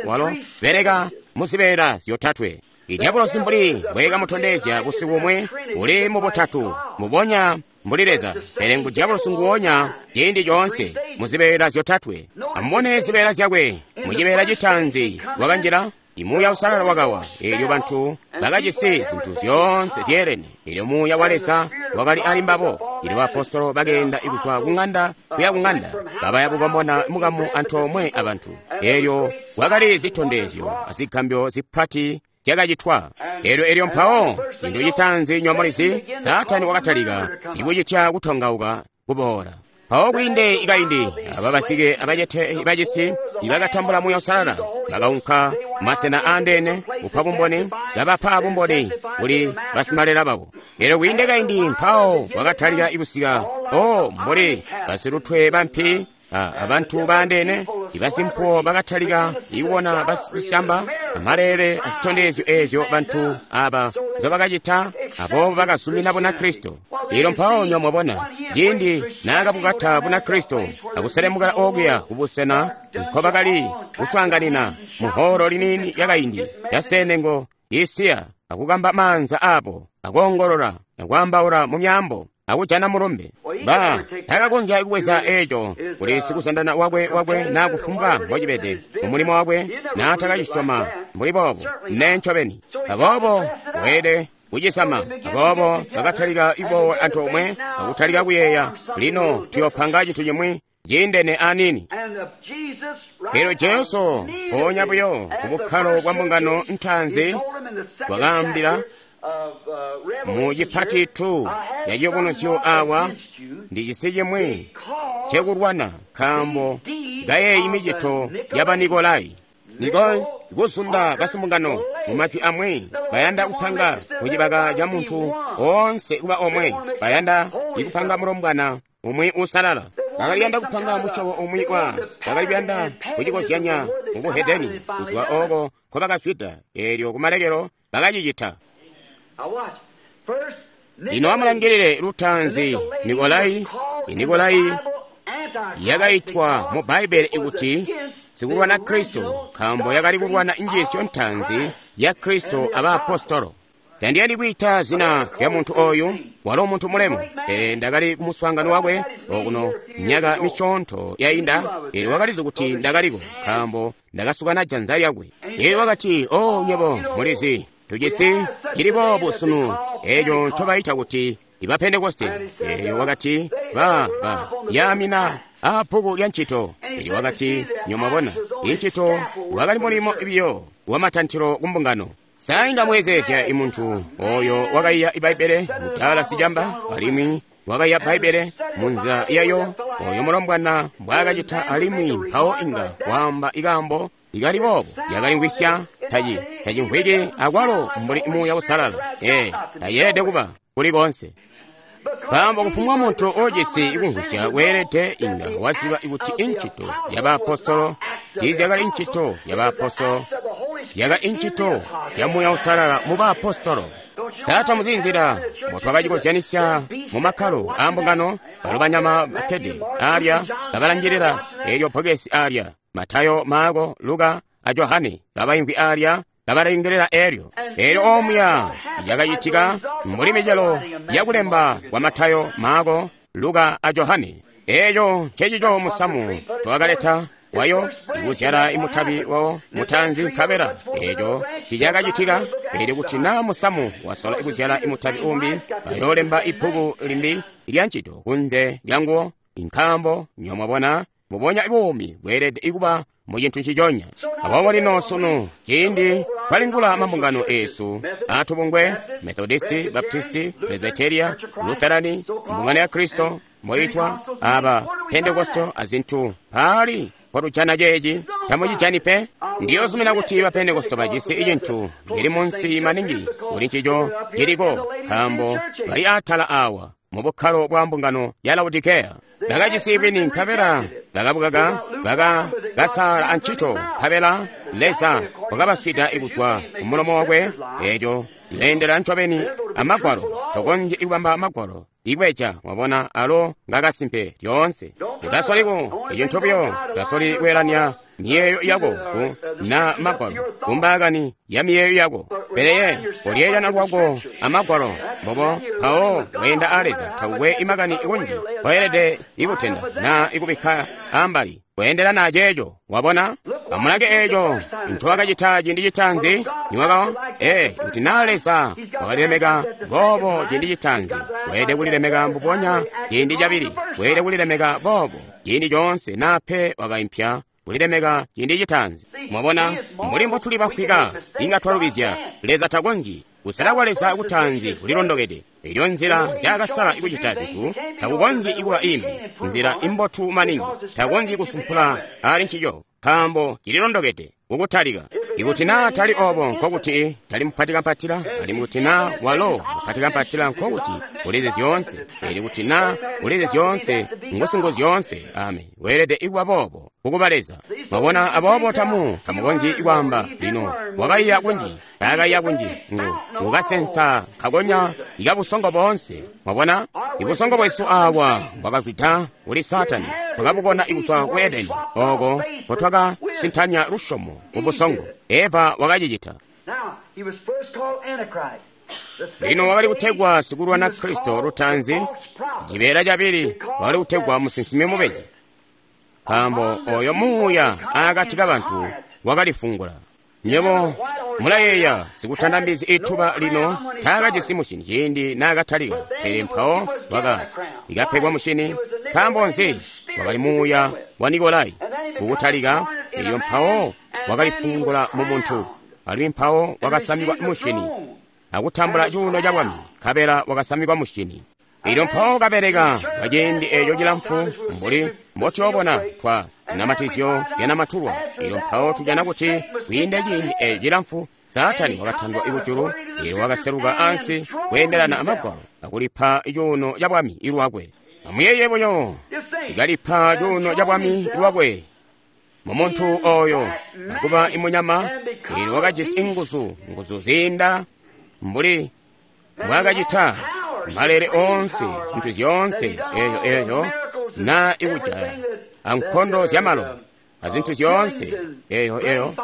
walo beleka muzibeela zyotatwe. Idyabulosi mbuli mbwekamutondezya busiku bumwe uli mubutatu mubonya mbuli Leza, pele ngu dyabulosi nguwonya ciindi coonse muzibeela zyotatwe. Amubone zibeela zyakwe. Mucibeela citaanzi wakanjila Muuya Uusalala wakawa, eelyo bantu bakajisi zintu zyoonse zyeelene. Eelyo Muuya wa Leza wakali ali mbabo. Eelyo apostolo bakeenda kuzwa kuŋanda kuya kuŋanda, kabaya bukomona mukamu antoomwe abantu. Eelyo kwakali zitondezyo azigambyo zipati zyakacitwa. Eelyo mpawo cintu citaanzi nyomulizi, Saatani wakatalika ikucitya kutongauka kuboola. Mpawo kwiinde ikaindi aba basike abacete bacisi ibakatambula Muuya Uusalala bakaunka masena aandeene kupa bumboni, kabapa bumboni kuli basimalela babo. Eelyo kwiinde kaindi mpawo wakatalika kusika mbuli basilutwe bampi abantu baandeene ibasimpuwo bakatalika ikubona basicamba amaleele azitondezyo eezyo bantu aba nzobakacita, aboobo bakazumina Bunakristo. Eelyo mpawo nyomwabona ciindi naakabukata Bunakristo akuselemukela okuya kubusena nkobakali kuswaanganina muholo liniini yakaindi yasenengo isiya, akukamba maanza aabo, akoongolola, akwaambaula mu myaambo, akujana mulumbe. Ba takakonzya kubweza eco kuli sikuzandana wakwe naa kufumbwa mbocibede mumulimo wakwe naatakacisyoma mbuli boobo ne ncobeni. Aboobo weelede kucisama. Aboobo bakatalika iboola antoomwe akutalika kuyeeya, lino tuyopanga cintu cimwi ciindene aniini. Eelyo Jesu mpoonya buyo kubukkalo bwa mbungano ntaanzi wakaambila mu cipati 2 ya ciyubunuzyo awa, ndi cisi cimwi cekulwana nkaambo kayeeyi micito ya Banikolai. Nikoi kuzunda basimbungano mu majwi amwi bayanda kupanga kucibaka ca muntu oonse kuba omwe, bayanda ikupanga mulombwana umwi uusalala. Bakali kuyanda kupanga musyobo umwi wa bakali kuyanda kucikozyanya mu buhedeni kuzwa ooko nkobakazwida. Eelyo kumalekelo bakacicita. Lino amulangilile lutaanzi Nikolai. Nikolai yakaitwa mu Bbaibbele ikuti sikulwana Kristo, nkaambo yakali kulwana njiisyo ntaanzi ya Kristo abaapostolo. Tandiyandi kwiita zina lya muntu oyu, walo muntu mulemu, pele ndakali kumuswaangano wakwe okuno myaka misyoonto yainda. Eelyo wakalizi kuti ndakaliko, nkaambo ndakasukana janza lyakwe. Eelyo wakati, "O nywebo mulizi, tujisi cili boobu sunu eeco ncobaita kuti iba Pentekoste." Eelyo wakati, ba yaamina aabbuku lya ncito. Eelyo wakati, "Nyomwabona, incito wakali mulimo biyo wamatantilo kumbungano." Sainga mwezeezya imuntu oyo wakaiya Bbaibbele mudala sicamba, alimwi wakaiya Bbaibbele munzila yayo oyo mulombwana mbwaakacita, alimwi mpawo inga waamba ikaambo ikali boobo yakalimvwisya tacimvwiki akwalo mbuli Muuya Uusalala. Tayeelede kuba kuli koonse, nkaambo kufumbwa muntu ujisi kumvwisya weelede inga waziba kuti incito yabaapostolo tiizyakali incito yabaapostolo, yakali incito ya Muuya Uusalala mu baapostolo. Sata muzinzila mbotwakacikozyanisya mu makkalo aambungano, balo banyama bakkede alya kabalangilila eelyo bbokesi alya, Matayo, Maako, Luka a Johane kabaimvwi alya kabalangilila eelyo. Eelyo omuya yakacitika mbuli micelo yakulemba kwa Matayo, Maako, Luka a Johane. Eeco ncecico musamu ncowakaleta wayo ikuzyala imutabi wawo mutaanzi, nkabela eeco ticakacitika. Eelyo kuti naa musamu wasola ikuzyala imutabi umbi, bayoolemba ibbuku limbi lya ncito kunze lyanguwo, nkaambo nyomwabona mubonya buumi bweelede ikuba mu cintu nciconya. Aboobo lino sunu ciindi twalingula mambungano eesu aatubungwe, Methodisti, Baptisti, Presbyteria, Lutherani, mbungano ya Kristo moitwa aba Pentekosto azintu paali potujana ceeci tamucijani pe. Ndiyozumina kuti ba Pentekosto bajisi icintu cili munsi maningi kuli ncico ciliko, nkaambo bali atala awa mu bukkalo bwa mbungano ya Laodikeya. Bakajisi bwini nkabela bakabukaka, bakakasaala ancito, nkabela Leza wakabaswida kuzwa ku mulomo wakwe. Eeco cileendela ncobeni amagwalo. Tokonzyi kubamba magwalo ikweja, wabona, alo ngakasimpe lyoonse. Utasoliku ecintu buyo, utasoli kweelanya miyeeyo yako ku na magwalo, kumbaakani ya miyeeyo yako. Pele ye kolyeelana lwako amagwalo mbobo, mpawo weenda a Leza. Takukwe imakani kunji koelede ikutenda na ikubikka ambali, kweendelana aceeco. Wabona, amulange eeco ncowakacita ciindi citaanzi niwaka kuti naa Leza wakalilemeka boobo ciindi citaanzi, weelede kulilemeka mbubonya ciindi cabili, weelede kulilemeka boobo ciindi coonse, naa pe wakaimpya kulilemeka ciindi citaanzi. Mwabona, mbuli mbotuli bafwika inga twalubizya. Leza takonzyi. Kusala kwa Leza kutaanzi kulilondokede. Elyo nzila njaakasala kucita zintu takukonzyi kuba imbi, nzila imbotu maningi. Takonzyi kusumpula ali ncico, nkaambo cililondokede kukutalika. Ikuti naa tali obo, nkokuti tali mupatikampatila, alimwi kuti naa walo mupatikampatila, nkokuti ulizi zyoonse. Elyo kuti naa ulizi zyoonse, ngusingu zyoonse. Amen. Weelede ikuba boobo kukuba Leza. Mwabona, aboobo tamukonzyi kwaamba lino wakaiya kunji, taakaiya kunji, ngu ngukasensa kakonya ikabusongo boonse. Mwabona, ibusongo bwesu awa bwakazwida kuli Saatani, twakabukona kuzwa ku Edeni, oko nkotwakasintanya lusyomo ku busongo. Eva wakacicita. Lino wakali kutegwa sikulwana Kristo lutaanzi, cibeela cabili wakali kutegwa musinsimi mubeji, nkaambo oyo muuya akati kabantu wakalifungula. Nywebo mulayeeya sikutanda mbizi ituba lino taakajisi mushini ciindi naakatalika, pele mpawo ikapegwa mushini. Nkaambo nzi? Wakali muuya wa Nikolai kukutalika, elyo mpawo wakalifungula mu muntu, alimwi mpawo wakasamikwa mushini akutambula cuuno ca bwami, nkabela wakasamikwa mushini. Elyo mpawo kabeleka kwa ciindi eeco cilamfu, mbuli mbotuyoobona twa zinamatizyo zyanamatulwa. Elyo mpawo tujana kuti kwiinda ciindi eeco cilamfu, Saatani wakatandwa kujulu, elyo wakaseluka ansi kweendelana amagwalo akulipa cuuno ca bwami ilwakwe. Amuyeeye buyo, ikalipa cuuno ca bwami lwakwe mu muntu oyo, akuba imunyama. Elyo wakajisi inguzu, nguzu ziinda mbuli mbwaakacita malele oonse, zintu zyoonse eeyo na ikujaya ankondo zyamalo azintu zyoonse eeyo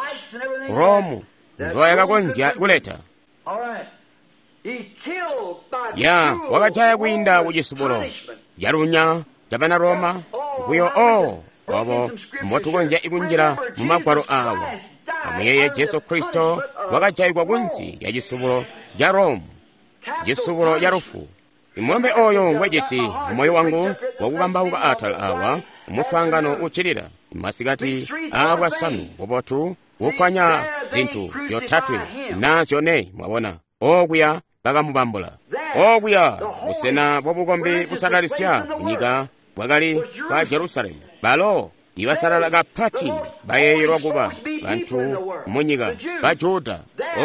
Romu nzoyakakonzya kuleta. Ya wakajaya kwiinda kucisubulo calunya cabana Roma buyo. Obo mbotukonzya ikunjila mu magwalo awo. Amuyeeye, Jesu Kristo wakajayigwa kunsi lya cisubulo ca Romu, cisubulo ca lufu. Imulumbe oyo ngwejisi mumoyo wangu wakukambauka atala awa umuswaangano uccilila masikati aabwasanu bubotu kukwanya zintu zyotatwe na zyone. Mwabona, okuya bakamubambula. Okuya busena bwabukombi busalalisya kunyika bwakali kwa Jerusalemu. Balo ibasalala kapati bayeeyelwa kuba bantu munyika, ba Juda.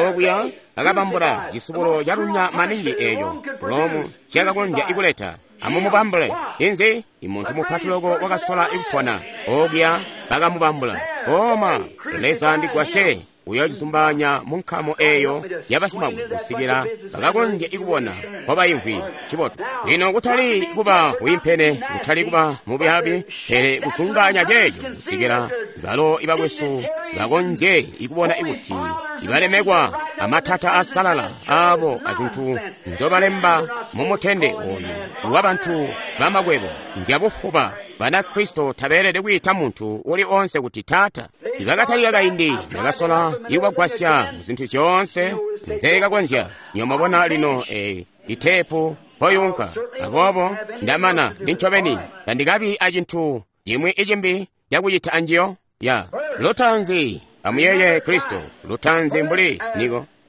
Okuya akabambula cisubulo calunya maningi eeco Romu cakakonzya ikuleta. Amumubambule. Inzi imuntu mupati loko wakasola ikupona. Okuya bakamubambula. Oma Leza ndigwasye uyoocisumbanya mu nkamo eeyo yabasimakwebo kusikila bakakonzye ikubona kwabayimvwi. Cibotu lino kutali kuba wiimpene, kutali kuba mubyaabi, pele kusunganya ceeco kusikila balo ibakwesu bakonzye ikubona ikuti ibalemekwa amatata asalala aabo azintu nzobalemba mumutende ooyu wabantu bamakwebo nzyabufuba. Banakristo tabeelede kwiita muntu uli onse kuti taata. Ibakatalika kaindi ndakasola ikubagwasya muzintu zyoonse nzeekakonzya. Nyomabona lino iteepu mpoyunka. Aboobo ndamana nincobeni tandikabi acintu cimwi icimbi cakucita anjiyo. Ya lutanzi amuyeeye Kristo, lutanzi mbuli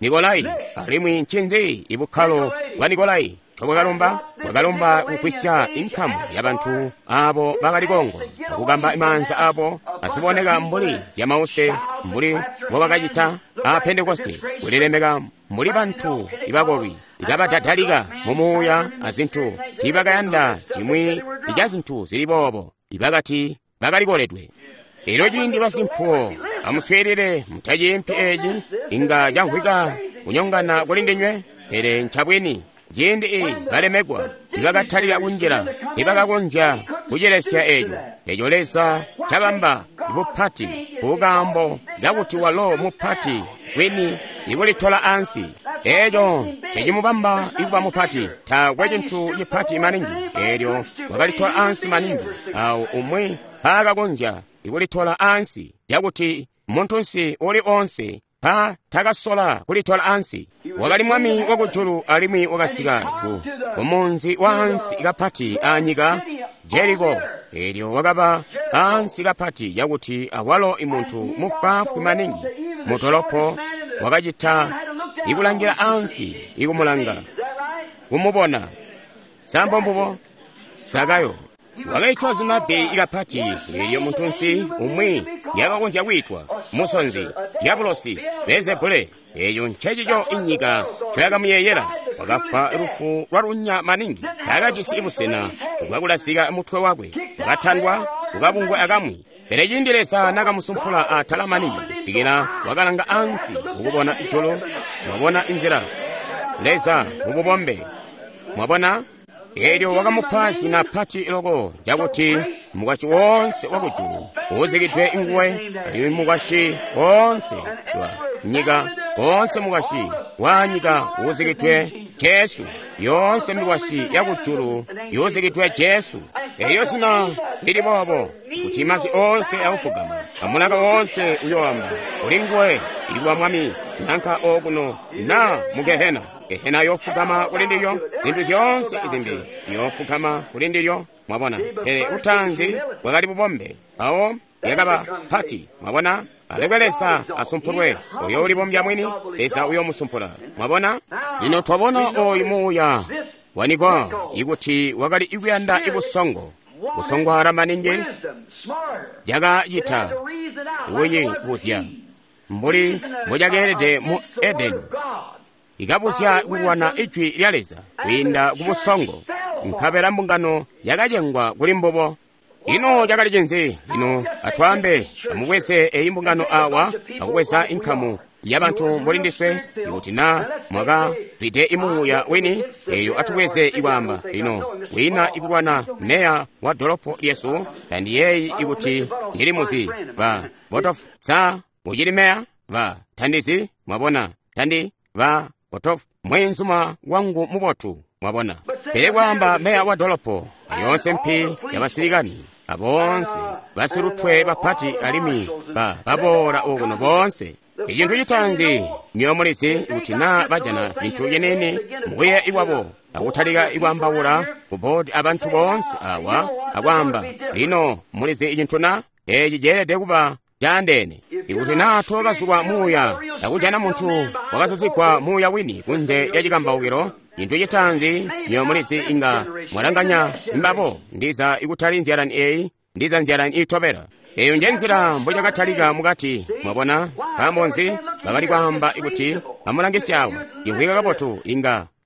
Nikolai. Alimwi ncinzi ibukkalo bwa Nikolai bwakalomba? Bwakalomba kugwisya inkamu yabantu abo bakali kongo akukamba maanza abo aziboneka mbuli zyamause, mbuli mbobakacita a Pentekoste, kulilemeka mbuli bantu ibakolwi. ikabadadalika mumuuya azintu tiibakayanda cimwi ica zintu zili boobo. Ibakati bakalikoledwe. Elyo ciindi basimpuwo, amuswiilile, mutaciimpi eci, inga camvwika kunyongana kuli ndinywe, pele ncabwini. Ciindi balemekwa nibakatalika kunjila, nibakakonzya kucilesya eco. Eco Leza cabamba bupati kukaambo kakuti walo mupati bwini ikulitola ansi. Eco cecimubamba ikuba mupati. Taakwe cintu cipati maningi. Elyo wakalitola ansi maningi awo umwi mpaakakonzya ikulitola ansi, cakuti muntunsi uli onse pa takasola kulitola ansi. Wakali mwami wakujulu alimwi wakasika ku munzi waansi kapati anyika, Jeriko. Elyo wakaba ansi kapati cakuti awalo imuntu mufwaafwi maningi mutolopo wakacita ikulangila ansi ikumulanga kumubona. Sambo mbubo Zakayo wakaitwa zina bbi kapati elyo muntunsi umwi yakakonzya kwiitwa musonzi, dyabulosi, Beelzebule. Eyo ncecico inyika ncoyakamuyeeyela. Wakafa lufu lwa lunya maningi, taakajisi busena bwakulasika mutwe wakwe, wakatandwa kukabungwe akamwi. Pele ciindi Leza nakamusumpula atala maningi kusikila wakalanga ansi kukubona ijulu, mwabona inzila Leza mububombe, mwabona. Elyo wakamupa zina pati loko cakuti mukwasyi woonse wakujulu uuzikidwe nguwe, alimwi mukwasyi woonse wa nyika, woonse mukwasyi wa nyika uuzikidwe Jesu. Yoonse mikwasyi yakujulu yuuzikidwe Jesu. Elyo zina lili boobo kuti masi oonse awufugama, amulaka woonse uyoamba uli nguwe ikuba mwami, nanka okuno na mu Gehena. Gehena yofugama kuli ndilyo, zintu zyoonse izimbi yofugama kuli ndilyo. Mwabona, pele utaanzi bwakali bubombe, mpawo yakaba pati. Mwabona, alekwe Leza asumpulwe, oyo ulibombya mwini, Leza uyomusumpula. Mwabona, lino twabona oyu muuya wanikwa ikuti wakali ikuyanda ibusongo, busongwala maningi, jakacita kuyibuzya mbuli mbocakeelede mu Edeni, ikabuzya kulwana ijwi lya Leza kwiinda kubusongo, nkabela mbungano yakacengwa kuli mbubo. Ino cakali cinzi? Lino atwaambe, amubweze eyi mbungano awa, akubweza inkamu yabantu mbuli ndiswe, ikuti na mwakazwide imuuya wini, eyo atubweze ikwaamba lino wina ikulwana meya wa dolopo lyesu, tandiyeeyi ikuti ndili muzi ba Botof sa mucili meya ba tandizi, mwabona, tandi ba Botof mwenzuma wangu mubotu, mwabona. Pele kwaamba meya wa dolopo, yoonse mpi yabasilikani, aboonse basilutwe bapati alimwi baboola okuno boonse. Icintu citaanzi myomulizi kuti naa bajana cintu cinini mukuye ikwabo akutalika ikwaambaula ku boodi abantu boonse awa akwaamba, lino mulizi icintu na eci ceelede kuba caandeene. Ikuti naa tookazulwa muuya akujana muntu wakazuzigwa muuya wini kunze lya cikambaukilo, cintu citaanzi myomulizi inga mwalanganya mbabo, ndiza ikutali nzyalani eyi, ndiza nzyalani iitobela. Eyo nje nzila mbocakatalika mukati, mwabona. Nkaambo nzi? Bakali kwaamba ikuti amulangisye awa, imvwika kabotu,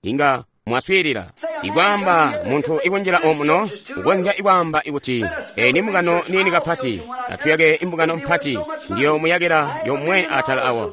inga mwaswiilila. Ikwaamba muntu ikunjila omuno ukonzya ikwaamba ikuti eyi ni mbungano niini kapati, atuyake imbungano mpati, ndiyo muyakila yomwe atala awa,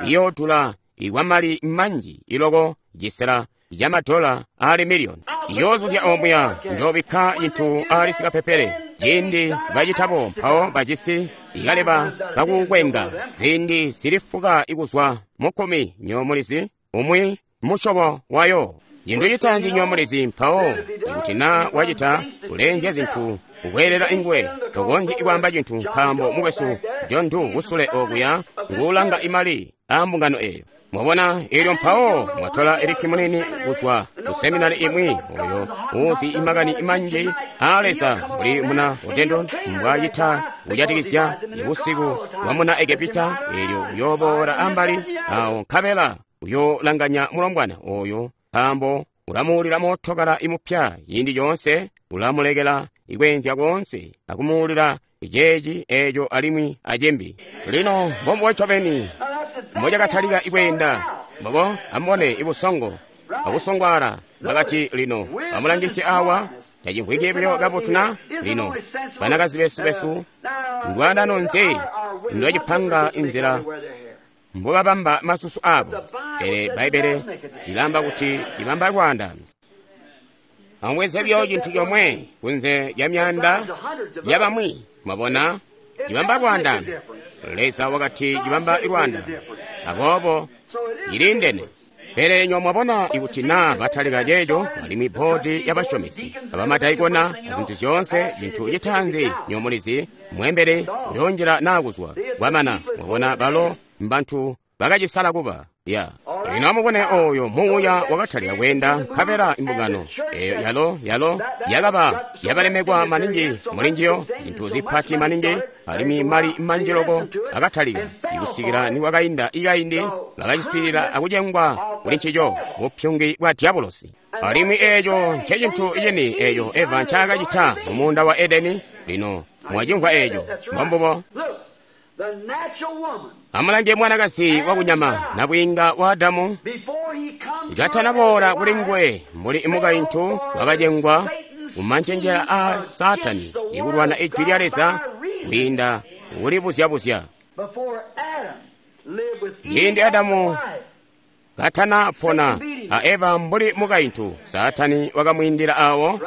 iyoodula ikwamali manji iloko cisela ya $1 miliyoni. Iyoozuzya omuya, njoobikka cintu ali sikapepele. Ciindi bacitabo mpawo bajisi ikaleba kakukwenga ziindi zili fuka ikuzwa mukkumi nyomulizi umwi musyobo wayo. Cintu citaanzi nyomulizi mpawo ikuti naa wacita kulenzya zintu kukweelela ingwe, tokonzyi ikwaamba cintu nkaambo mukwesu John Doe kusule okuya nguulanga imali aambungano eyo. Mwabona, elyo mpawo mwatola Eriki munini kuzwa ku seminari imwi oyo uuzi imakani manji aa Leza mbuli muna Odendon mbwacita kujatikizya busiku bwa muna Egepita, elyo uyooboola ambali awo nkabela uyoolanganya mulombwana oyo nkaambo ulamuulila mootokala imupya ciindi coonse, ulamulekela ikweenzya koonse akumuulila iceeci eeco alimwi acimbi. Lino mbombubo ncobeni mbocakatalika ikweenda. Mbobo amubone ibusongo akusongwaala. Bakati lino amulangisye awa, tacimvwiki buyo kabotu na? Lino banakazi besu ndwaandano nzi ndwacipanga inzila mbobabamba masusu abo? Pele Bbaibbele lilaamba kuti cibamba lwaandano. Amubweze buyo cintu comwe kunze lya myaanda yabamwi, mwabona, cibamba lwaandano. Leza wakati cibamba lwaandano, aboobo ciliindene. Pele nywa mwabona ikuti naa batalika ceeco, alimwi bboodi y'abasyomesi, abamadaikona, azintu zyoonse, cintu citaanzi nywa mulizi, mwembele uyoonjila naa kuzwa. Kwamana, mwabona balo mbantu bakacisala kuba. Ya. Lino amubone oyo muuya wakatalika kweenda nkabela imbungano eyo yalo yakaba yabalemekwa maningi mulinjiyo, zintu zipati maningi, alimwi mali manji loko akatalika ikusikila nikwakainda ikaindi bakaciswiilila akucengwa kuli ncico bupyungi bwa diabolosi. Alimwi eeco ncecintu cini eeco Eva ncaakacita mu muunda wa Edeni. Lino mwacimvwa eeco, mbombubo. Amulange mwanakazi wakunyama nabwiinga wa Adamu katanaboola kuli nguwe mbuli mukaintu wakacengwa kumancenjela a Saatani ikulwana ijwi lya Leza kwiinda kulibuzya-buzya. Ciindi Adamu katanapona a Eva mbuli mukaintu, Saatani wakamwiindila awo.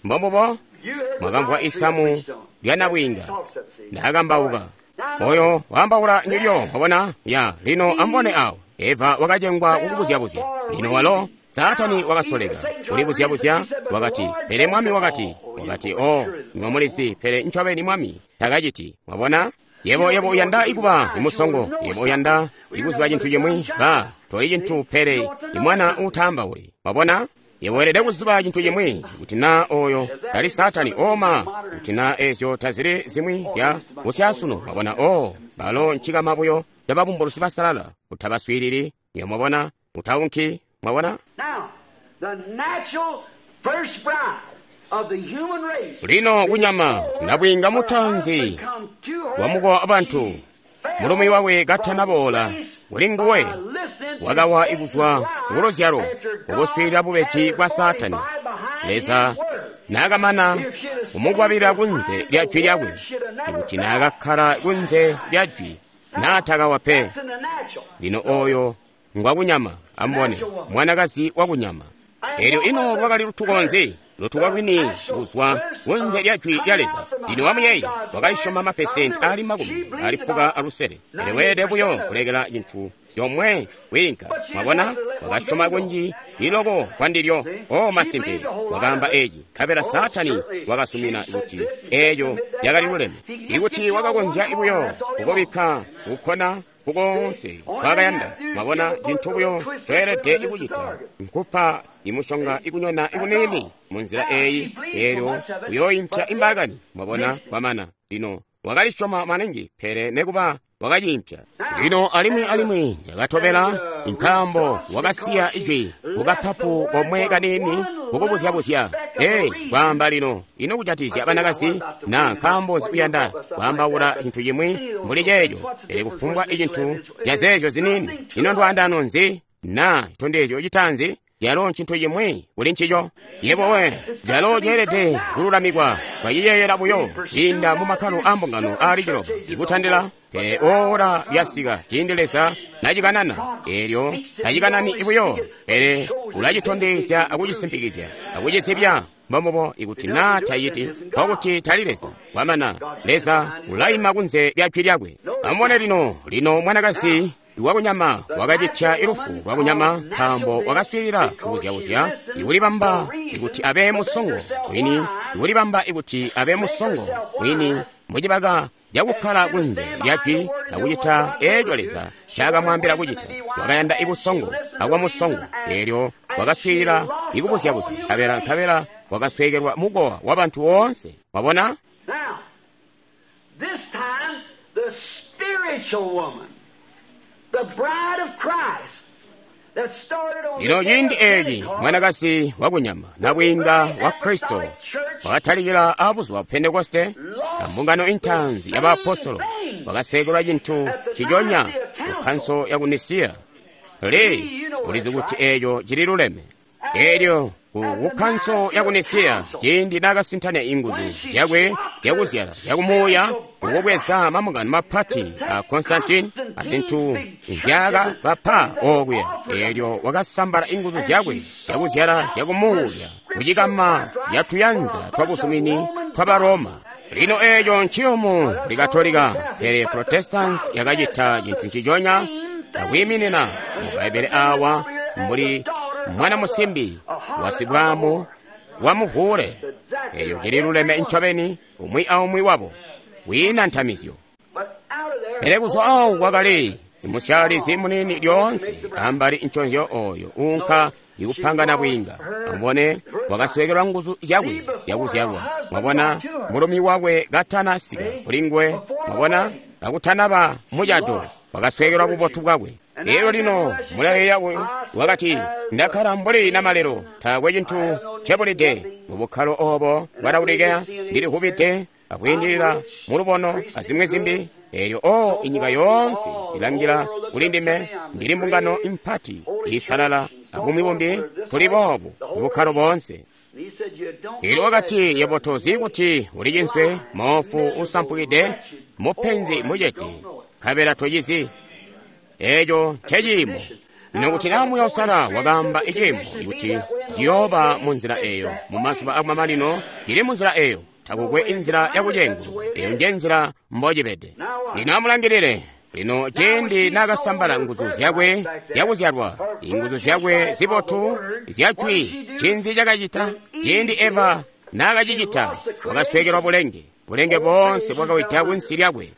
Mbombubo mwakamvwa isamu lya nabwiinga ndakambauka. Oyo waambaula ndilyo, mwabona? Ya, lino amubone awo. Eva wakacengwa kukubuzya-buzya. Lino walo Saatani wakasoleka kulibuzya-buzya, wakati, pele Mwami wakati, oh, nywa mulizi, pele ncobeni Mwami takaciti. Mwabona? Yebo uyanda ikuba imusongo, yebo uyanda ikuziba cintu cimwi, ba toli cintu pele imwana uutaambauli. Mwabona? Yebo weelede kuziba cintu cimwi, kuti naa oyo tali Saatani oma, kuti naa ezyo tazili zimwi zya busyasunu. Mwabona? Oh, balo ncikama buyo cababumbulusi basalala, utabaswiilili. Yebo mwabona? Utaunki. Mwabona? Lino kunyama nabwiinga mutaanzi wamukowa abantu, mulumi wakwe katanaboola kuli nguwe, wakawa kuzwa kuluzyalo kukuswiilila bubeji bwa Saatani. Leza naakamana kumukwabilila kunze lya jwi lyakwe, ikuti naakakkala kunze lya jwi naatakawa pe. Lino oyo ngwakunyama, amubone, mwanakazi wakunyama. Elyo ino lwakali lutuko nzi? Lutuko lwini kuzwa kunze lya jwi lya Leza. Lino wamuyeeya wakalisyoma mapesenti ali 65. Pele weelede buyo kulekela cintu comwe kwiinka. Mwabona, wakasyoma kunji iloko kwandilyo. O masimpe, wakaamba eci, nkabela Saatani wakasumina kuti eeco yakali luleme. Ikuti wakakonzya buyo kukubikka kukkona kukoonse kwakayanda. Mwabona, cintu buyo coelede kucita nkupa imushonga ikunyona ikuniini munzila eyi, eelyo uyooimpya imbaakani. Mwabona, kwamana. Lino wakalisyoma maningi, pele nekuba wakaciimpya. Lino alimwi yakatobela, nkaambo wakasiya ijwi kukapapu komwe kaniini kukubuzya-buzya. Ee, kwaamba lino, ino kujatikizya banakazi na nkaambo nzi uyanda kwaambaula cintu cimwi mbuli ceeco? Pele kufumbwa icintu cazeeco ziniini, ino ndwaandano nzi na citondezyo citaanzi? Calo ncintu cimwi kuli ncico. Yebo we, calo ceelede kululamikwa twaciyeeyela buyo kwiinda mu makkalo ambungano aali ciloba ikutandila, pele oora lyasika ciindi Leza nacikanana. Eelyo tacikanani buyo, pele ulacitondezya akucisimpikizya akucizibya. Mbombubo, ikuti naa taciti, nkokuti tali Leza. Kwamana, Leza ulaima kunze lya jwi lyakwe. Amubone lino mwanakazi wakunyama wakacitya ilufu lwakunyama, nkaambo wakaswiilila kubuzya-buzya, ikulibamba ikuti abe musongo mwini, ikulibamba ikuti abe musongo mwini mucibaka cakukkala kunze lya jwi akucita eeco Leza ncakamwaambila kucita. Wakayanda ibusongo akuba musongo, eelyo wakaswiilila ikubuzya-buzya, nkabela wakasweekelwa mukowa wabantu woonse. Wabona? Lino ciindi eeci mwanakazi wakunyama nabwiinga wa Kristo wakatalikila abuzuba Pentekoste ambungano intaanzi ya baapostolo, wakaseekelwa cintu ciconya ku kkanso yaku Nisiya. Lee ulizi kuti eeco cili luleme. Elyo ku kkanso yaku Nisiya, ciindi nakasintanya inguzu zyakwe zyakuzyala zyakumuuya kukubweza mambungano mapati a Constantine azintu nzyakabapa okuya, elyo wakasambala inguzu zyakwe zyakuzyala zyakumuuya kucikama yatuyanza twabuzumini twaba Roma. Lino eeco nciyumu likatolika, pele Protestants yakacita cintu nciconya akwiiminina mu Bbaibbele awa mbuli mwana musimbi wasibwaamu wamuvuule. Eeyo cililuleme ncobeni umwi aumwi wabo, kwiina ntamizyo. Pele kuzwa awo kwakali musyaalizi muniini lyoonse ambali nconzyo oyo uunka ikupangana bwiinga. Amubone, wakasweekelwa nguzu zyakwe zyakuzyalwa. Mwabona, mulumi wakwe katana sika kuli nguwe. Mwabona, kakutanaba mucato, wakasweekelwa bubotu bwakwe. Elyo lino mulayeeya wakati, ndakkala mbuli namalelo, taakwe cintu ncebulide mu bukkalo obo bwa Laodikeya, ndilivubide akwiindilila mulubono azimwi zimbi. Elyo o inyika yoonse ilangila kuli ndime, ndili mbungano impati iisalala abumwi bumbi, tuli boobu mubukkalo boonse. Elyo wakati, yebo tozi kuti uli cinswe, moofu usampukide, mupenzi mucete, nkabela tocizi. Eeco nceciimo. Lino kuti naa muyosala wakaamba iciimo kuti ciyooba mu nzila eyo mu mazuba akumamanino, cili mu nzila eyo, takukwe inzila yakucenguluka. Eyo nje nzila mbocibede. Lino amulangilile. Lino ciindi naakasambala nguzu zyakwe zyakuzyalwa, inguzu zyakwe zibotu zyajwi, ncinzi cakacita? Ciindi Eva naakacicita, wakasweekelwa bulenge. Bulenge boonse bwakawida kunsi lyakwe.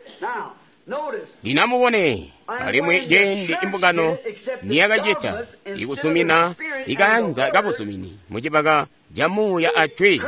Lino amubone, alimwi ciindi imbungano niyakacita ikusumina ikayanza kabuzumini mucibaka ca muuya ajwi,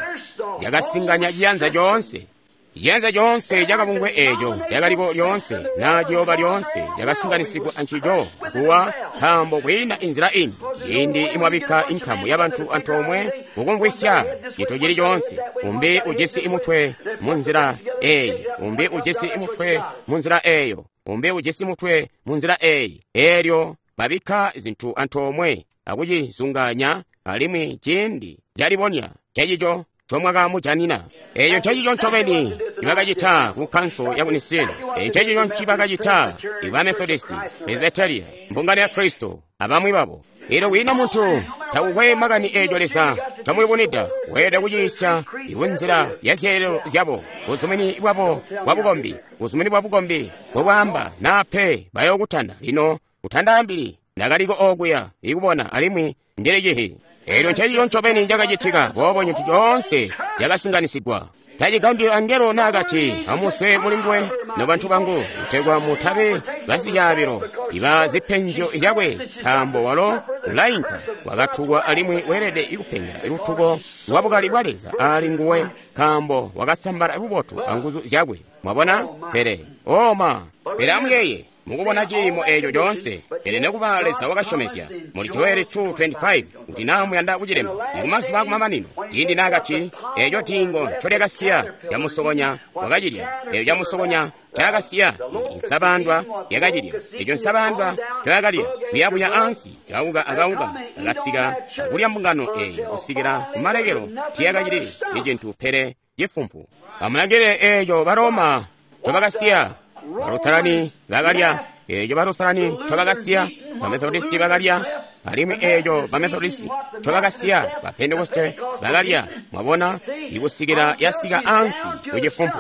yakasinganya ciyanza coonse. Ciyanza coonse cakabungwe eeco cakaliko lyoonse naa ciyooba lyoonse cakasinganisigwa ancico kuwa, nkaambo kwiina inzila imbi. Ciindi imwabikka inkamu yabantu antoomwe kukumvwisya cintu cili coonse, umbi ujisi imutwe munzila eyi, umbi ujisi imutwe munzila eyo, umbi ujisi mutwe munzila eyi, eelyo babikka zintu antoomwe akucizunganya, alimwi ciindi calibonya cecico ncomwakamujanina. Eeco ncecico ncobeni ncibakacita ku kkanso yaku Nisini. Eeco ncecico ncibakacita iba Methodisti, Presbyteria, mbungano ya Kristo, abamwi babo. Elyo kwiina muntu, takukwe makani eeco Leza ncamuyubunwida, weelede kuciisya ikunzila ya zyeelelo zyabo, buzumini bwabo bwabukombi, buzumini bwabukombi mbobwaamba naa pe bayookutanda. Lino kutandaambili ndakaliko okuya ikubona alimwi ndili cihi. Elyo ncecico ncobeni cakacitika, boobo cintu coonse cakasinganisigwa. Tacigambyi angelo naakati, amuswe mulinguwe nobantu bangu, kutegwa mutabe basicaabilo iba zipenzyo zyakwe, nkaambo walo ulainka wakatukwa alimwi weelede ikupengela lutuko lwa bukali bwa Leza ali nguwe, nkaambo wakasambala bubotu anguzu zyakwe. Mwabona? Pele oma, pele amuyeeye mukubona ciimo eeco coonse. Pele nekuba Leza wakasyomezya muli Joeli 2:25 kuti naa muyanda kucilemba ikumazuba akumamanino, ciindi naakati eeco diingo ncolyakasiya camusokonya wakacilya, eeco camusokonya ncaakasiya insabandwa yakacilya, eeco nsabandwa ncoyakalya kuyabuya ansi kauka akauka akasika akulya mbungano eeyo kusikila kumalekelo, tiyakacili icintu pele cifumpu. Amulangilile eeco Baroma ncobakasiya, Balutarani bakalya, eeco Balutarani ncobakasiya, Bamethodisti bakalya, alimwi eeco Bamethodisti ncobakasiya, Bapentekoste bakalya. Mwabona, ikusikila yasika ansi kucifumpu.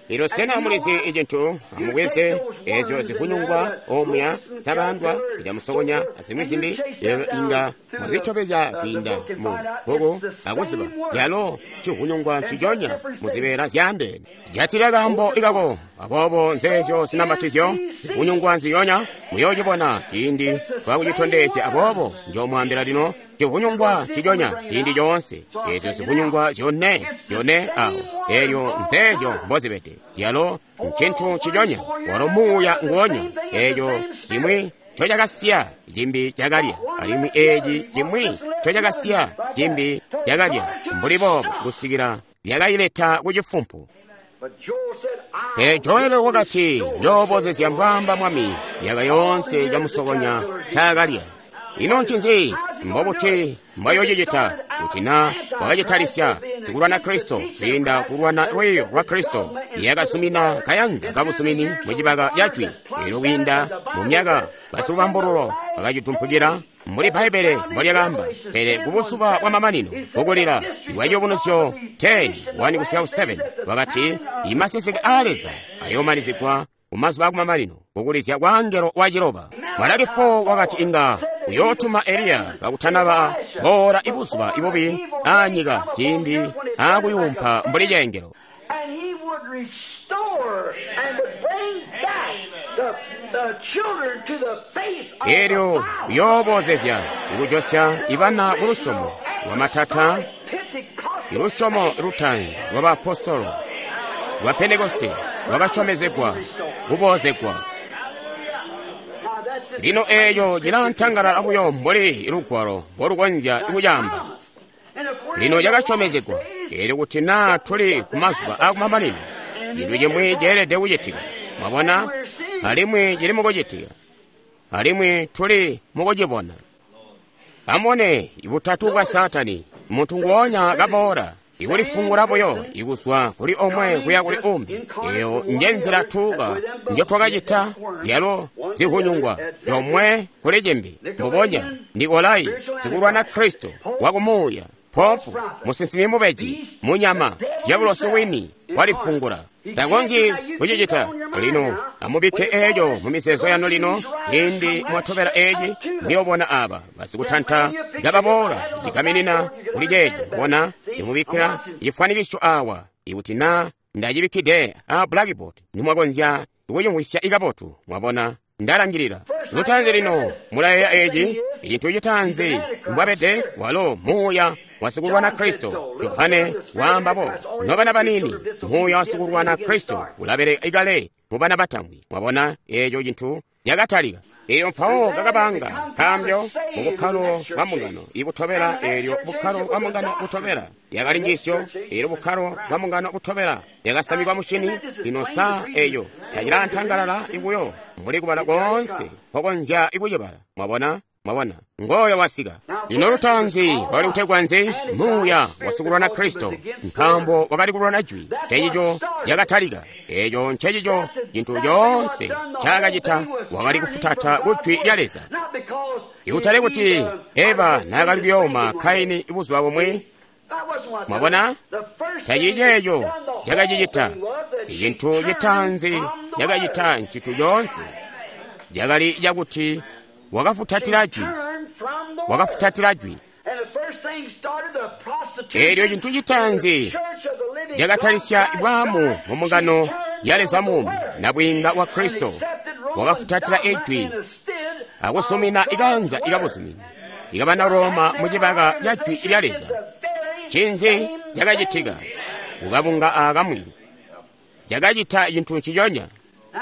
Elyo sena mulizi icintu? Amubweze ezyo zihunyungwa omuya zabandwa icamusokonya azimwi zimbi, elyo inga mwazitobezya kwiinda mu bbuku akuziba calo cihunyungwa nciconya muzibeela zyaandeene. Jatila kaambo ikako. Aboobo nzeezyo zinamatizyo zihunyungwa nziyonya muyoocibona ciindi twakucitondezya. Aboobo njoomwaambila lino, cihunyungwa nciconya ciindi coonse, ezyo zihunyungwa zyone zyone awo, elyo nzeezyo mbozibede. Yalo ncintu nciconya, walo muuya nguonya. Eeco cimwi ncocakasiya cimbi cakalya, alimwi eeci cimwi ncocakasiya cimbi cakalya, mbuli boobo kusikila zyakaileta kucifumpu. Pele Joeli wakati, njoobozezya mbwaamba Mwami myaka yoonse camusokonya ncakalya. Ino ncinzi? Mbobuti mbayocicita kuti na wakacitalisya sikulwana Kristo kwiinda kulwana lwiiyo lwa Kristo yakasumina kayanza kabusumini mucibaka ca jwi. Elyo kwiinda mu myaka basilubambululo bakacitumpukila mbuli Bbaibbele mbolyakaamba, pele kubuzuba bwa mamanino kukulila kwa Ciyubunuzyo 10:1-7 wakati imaseseke aa Leza ayoomanizigwa kumazuba akumamanino kukulizya kwa angelo waciloba. Malaki 4 wakati inga uyootuma Eliya kakutanaba boola ibuzuba ibubi aanyika ciindi aakuyuumpa mbuli ceengelo. And he would restore and would bring back the children to the faith of the Elyo Father. uyoobozezya ikujosya ibana ku lusyomo lwa matata, ilusyomo lutaanzi lwa baapostolo lwa Pentekoste lwakasyomezegwa kuboozegwa. Lino eeyo cilantangalala buyo mbuli lugwalo mbolukonzya kucaamba. Lino cakasyomezegwa eelyo kuti naa tuli ku mazuba akumamanino, cintu cimwi ceelede kucitika. Mwabona? Alimwi cili mukucitika. Alimwi tuli mukucibona. Amubone ibutatu bwa Saatani, muntu nguonya kaboola, ikulifungula buyo ikuzwa kuli omwe kuya kuli umbi. Eyo nje nzila tuuka njo twakacita zyalo zihunyungwa yomwe kuli cimbi. Mbubonya Nikolai sikulwana Kristo wakumuuya, popu, musinsimi mubeji, munyama, dyabulosi wini walifungula. Takonzyi kucicita. Lino amubikke eeco mu mizeezo yanu lino, ciindi mwatobela eeci muyobona aba basikutanta kababoola cigaminina kuli ceeci. Bona ndimubikkila cifwanikiso awa ikuti naa ndacibikkide a blackboard nimwakonzya kucimvwisya ikabotu. Mwabona, ndalangilila lutaanzi. Lino mulayeeya eeci icintu citaanzi mbwabede walo muuya wasikulwana Kristo. Yohane waambabo, nobana banini, muuya wasikulwana Kristo ulabeleka ikale mu bana batambwi. Mwabona eeco cintu cakatalika. Elyo mpawo kakabanga kambyo mu bukkalo bwa mbungano ibutobela. Elyo bukkalo bwa mbungano butobela yakali njiisyo. Elyo bukkalo bwa mbungano butobela yakasamikwa mushini. Lino saa eyo tacilantangalala ibuyo mbuli kubala koonse nkokonzya ikucibala. Mwabona? Mwabona, ngooyo wasika. Lino lutaanzi wakali kutegwa nzi? Muuya wasikulwana Kristo, nkaambo wakali kulwana jwi. Ncencico cakatalika. Eeco ncencico cintu coonse ncaakacita, wakali kufutata ku jwi lya Leza. Ikutali kuti Eva naakali kuyooma Kaini buzuba bumwi. Mwabona, taciceeco cakacicita. Icintu citaanzi cakacita ncintu coonse cakali cakuti wakafutatila jwi, wakafutatila jwi. Eelyo cintu citaanzi cakatalisya bwaamu mu mbungano ya Leza muumi, nabwiinga wa Kristo, wakafutatila ijwi akusumina ikanza ikabuzumini ikabana Roma mu cibaka ca jwi lya Leza. Ncinzi cakacitika? Kukabunga akamwi cakacita cintu nciconya.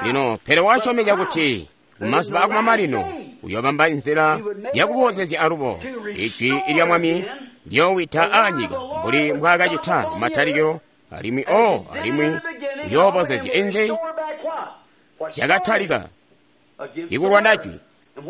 Lino pele wasyomeka kuti kumazuba akumamanino uyobamba nzila yakuboozezya alubo ijwi lya Mwami lyoowita aanyika mbuli mbwaakacita kumatalikilo, alimwi alimwi uyoobozezya inzi cakatalika ikulwana jwi.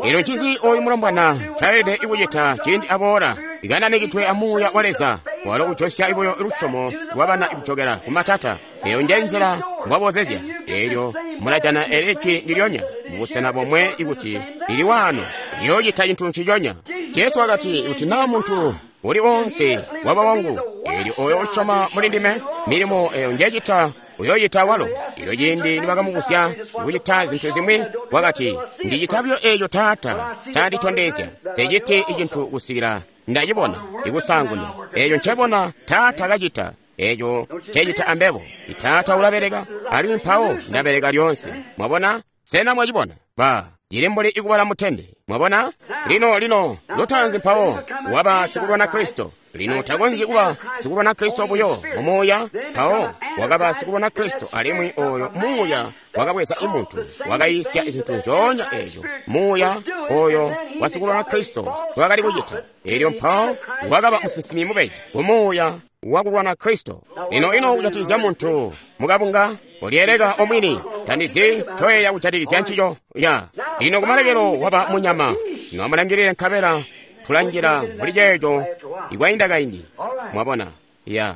Elyo ncinzi oyu mulombwana ncaelede ikucita ciindi aboola ikananikidwe amuuya wa Leza walo kujosya ibuyo lusyomo lwabana ikujokela kumatata? Eyo nje nzila mbwaboozezya. Elyo mulajana eli jwi ndilyonya mubusena bomwe ikuti lili waano liyoocita cintu nciconya. Jesu wakati, kuti naa muntu uli wonse waba wangu, eelyo oyo usyoma muli ndime, milimo eyo njecita uyoocita walo. Elyo ciindi nibakamubusya kucita zintu zimwi, wakati, ndicita buyo eeco Taata canditondezya. Nseciti icintu kusikila ndacibona ikusaanguna. Eeco ncebona Taata kacita, eeco ncecita ambebo. Taata ulabeleka, alimwi mpawo ndabeleka lyoonse. Mwabona? Sena mwacibona? Ba cili mbuli ikubala mutende. Mwabona? Lino lino lutaanzi mpawo waba sikulwana Kristo. Lino takonzyi kuba sikulwana Kristo buyo mumuuya. Mpawo wakaba sikulwana Kristo, alimwi oyo muuya wakabweza imuntu wakayiisya zintu nzyoonya eeco muuya oyo wasikulwana Kristo wakali kucita. Elyo mpawo wakaba musinsimi mubeji kumuuya wakulwana Kristo. Lino ino kujatikizya muntu mukabunga ulyeeleka omwini Tandizi ncoyeeya kujatikizya ncico ya. Lino kumalekelo waba munyama. Lino amulangilile nkabela tulanjila muli ceeco ikwainda kaindi. Mwabona? Ya.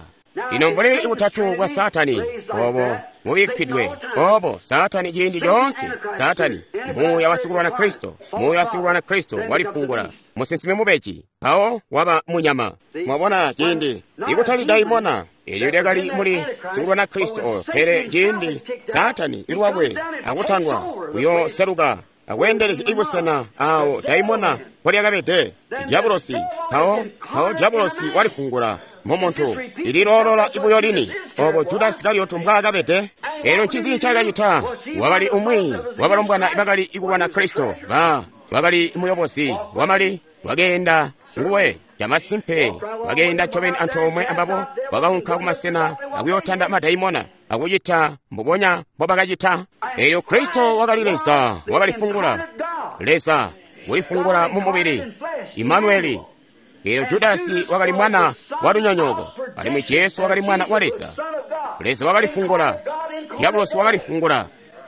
Lino mbuli butatu bwa Saatani obo bubikkidwe obo Saatani ciindi coonse. Saatani muuya wasikulwana Kristo, muuya wasikulwana Kristo walifungula musinsimi mubeji, mpawo waba munyama. Mwabona, ciindi ikutali daimona elyo lyakali muli sikulwana Kristo oyo, pele ciindi Saatani ilwakwe akutandwa kuyoseluka akweendelezya ibusena awo daimona mpolyakabede, dyabulosi. Mpawo dyabulosi walifungula mumuntu ililoolola ibuyo lini obo Judasi Isikarioti mbwaakabede. Elyo ncinzi ncakacita? Wakali umwi wabalombwana bakali ikulwana Kristo, bakali muyobozi wamali, wakeenda nguwe camasimpe, wakeenda ncobeni antoomwe ambabo, wakaunka kumasena akuyootanda madaimona akucita mbubonya mbobakacita. Elyo Kristo wakali Leza wakalifungula, Leza ulifungula mu mubili, Imanueli. Elyo Judasi wakali mwana wa lunyonyooko, alimwi Jesu wakali mwana wa Leza. Leza wakalifungula, dyabulosi wakalifungula.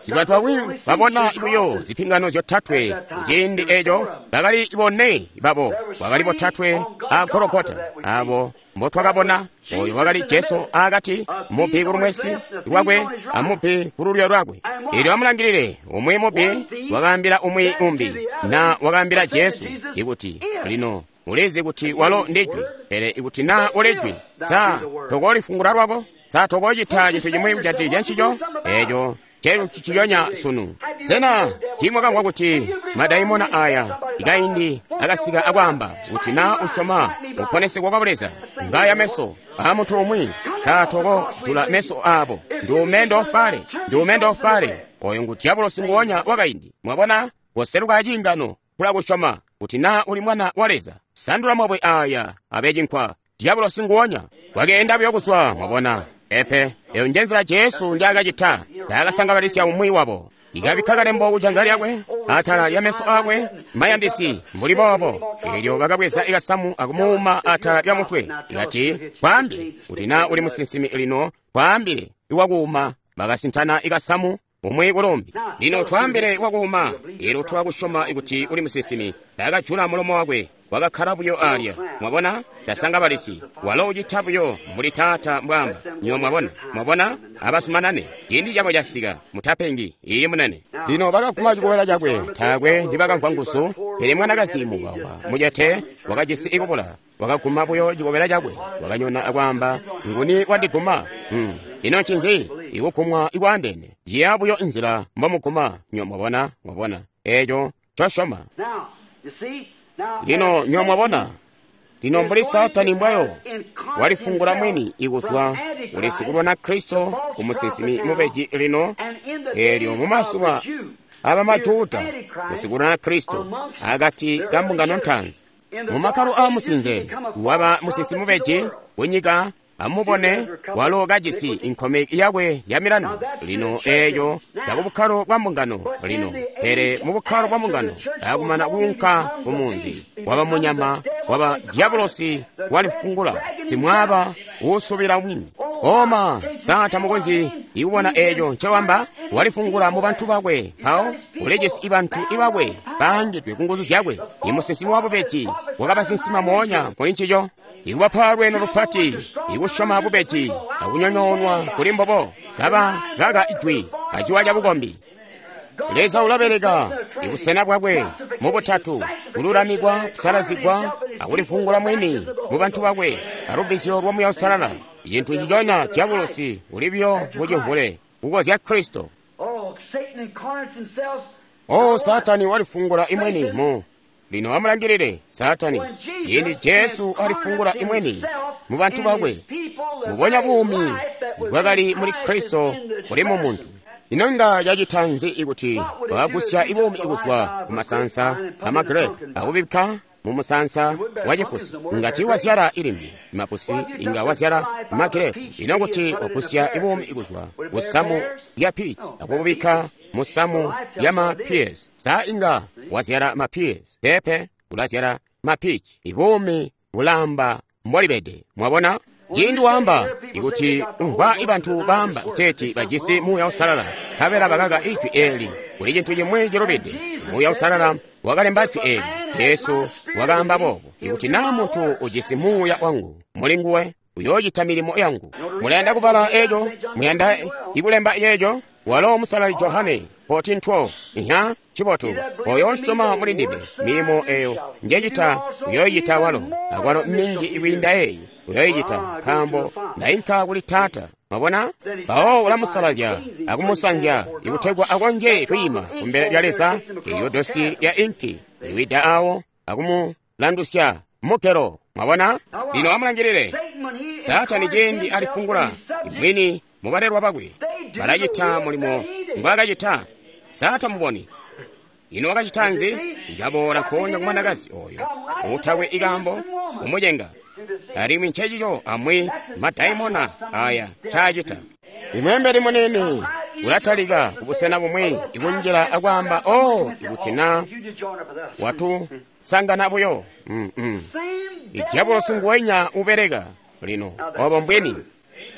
Bantu bamwi babona buyo zipingano zyotatwe kuciindi eco, bakali bone babo, bakali botatwe a Gologota, abo mbotwakabona. Oyo wakali Jesu akati, mubbi kulumwesi lwakwe amubbi kululyo lwakwe. Elyo amulangilile, umwi mubbi wakaambila umwi umbi, na wakaambila Jesu ikuti, lino ulizi kuti walo ndijwi, pele ikuti na ulijwi, sa tokolifungula lwako? Sa tokocita cintu cimwi kujatikizya ncico? Eco celu ciciyonya sunu. Sena tiimwakamvwa kuti madaimona aya ikaindi akasika akwaamba kuti na usyoma uponesegwa kwa Leza, ngaya meso a muntu umwi, sa tokojula meso abo? Ndiume ndofale. Oyo ngu dyabulosi nguwonya wakaindi. Mwabona, koseluka aciingano kula kusyoma kuti na uli mwana wa Leza, sandula mabwe aya abe cinkwa. Dyabulosi nguwonya wakeenda buyo kuzwa. Mwabona? Epe eyo njenzila Jesu njaakacita. Ndakasangabalisya umwi wabo, ikabikka kalembo kujanza lyakwe atala lya meso akwe mayandisi mbuli boobo. Elyo bakabweza ikasamu akumuuma atala lya mutwe, ikati, kwaambile kuti na uli musinsimi lino, kwaambile iwakuuma. Bakasintana ikasamu umwi kulumbi. Lino twaambile wakuuma, elyo twakusyoma kuti uli musinsimi. Ndakajula mulomo wakwe, wakakkala buyo alya. Mwabona, ndasangabalisi walo ucita buyo mbuli Taata mbwaamba. Nyo mwabona, mwabona, abasumanane, ciindi cabo casika, mutapengi. Iye munene. Lino bakaguma cikobela cakwe, taakwe ndibakamvwa nguzu, pele mwanakazi muwawa mucete wakajisi ikubula, wakaguma buyo cikobela cakwe, wakanyona akwaamba, nguni wandiguma? Ino ncinzi? Ikugumwa ikwaandene ciya buyo nzila mbomuguma. Nyo mwabona, mwabona eco ncosyoma. Lino nyo mwabona, lino mbuli Saatani mbwayo walifungula mwini ikuzwa kuli sikulwana Kristo ku musinsimi mubeji. Lino elyo mumazuba abamajuda kusikulwana Kristo akati ka mbungano ntaanzi mumakkalo a musinze waba musinsimi mubeji kunyika. Amubone, walo kajisi inkomeki yakwe ya milandu. Lino eeco cakubukkalo bwa mbungano lino, pele mubukkalo bwa mbungano akumana kuunka kumunzi waba munyama, waba dyabulosi walifungula simwaaba uusubila mwini. Oma sa tamukonzyi ikubona eeco ncewamba? Walifungula mu bantu bakwe, mpawo ulijisi ibantu ibakwe baangidwe ku nguzu zyakwe. Imusinsimi wabubeji wakabasinsima moonya kuli ncico, ikubapa lweeno lupati, ikusyoma bubeji akunyonyoonwa kuli mbobo, kaba kaka ijwi aciwa cabukombi. Leza ulabeleka ibusena bwakwe mubutatu, kululamikwa, kusalazigwa, akulifungula mwini mu bantu bakwe alubbizyo lwa Muuya Uusalala. Icintu nciconya dyabulosi uli buyo mucimvule kukozya Kristo. O Saatani walifungula imweni mu lino amulangilile Saatani ciindi Jesu alifungula imweni mu bantu bakwe, mubonya buumi bwakali muli Kristo kuli mu muntu. Ino inga cacita nzi ikuti wakagusya ibuumi kuzwa ku masansa amagirepu akubikka mu musansa wa cipusi? Inga tiiwazyala ilimbi mapusi, inga wazyala magirepu. Ino kuti wagusya ibuumi kuzwa ku samu lya peach akububikka mu samu lya ma pears, sa inga wazyala ma pears? Peepe, ulazyala ma peach. Ibuumi bulamba mbolibede. Mwabona? Ciindi waamba ikuti umvwa ibantu baamba kuteeti bajisi Muuya Uusalala, nkabela bakaka Ijwi eeli. Kuli cintu cimwi cilubide. Muuya Uusalala wakalemba Jwi eeli. Jesu wakaamba boobo. Ikuti naa muntu ujisi Muuya wangu muli nguwe, uyoocita milimo yangu. Mulayanda kubala eco? Muyanda ikulemba yeeco? Walo Musalali Johane 14:12. Iha, cibotu. Oyo usyoma muli ndime, milimo eyo njecita uyoyicita walo, akwalo minji ikwiinda eyi uyoyicita, nkaambo ndainka kuli Taata. Mwabona? Mpawo ulamusalazya akumusanzya ikutegwa akonzye kwiima kumbele lya Leza. Elyo dosi lya inki liwida awo akumulandusya mukelo. Mwabona? Lino amulangilile Saatani ciindi alifungula ibwini mubalelwa bakwe, balacita mulimo ngwaakacita. Saatani muboni. Ino wakacita nzi? Ikaboola nkoonya ku mwanakazi oyo utakwe ikambo kumucenga. Alimwi ncecico amwi madaimona aya ncaacita. Imweembeli muniini ulatalika kubusena bumwi ikunjila akwaamba, oh, ikuti na watusangana buyo. Idyabulosi nguwenya ubeleka lino, obo mbwini.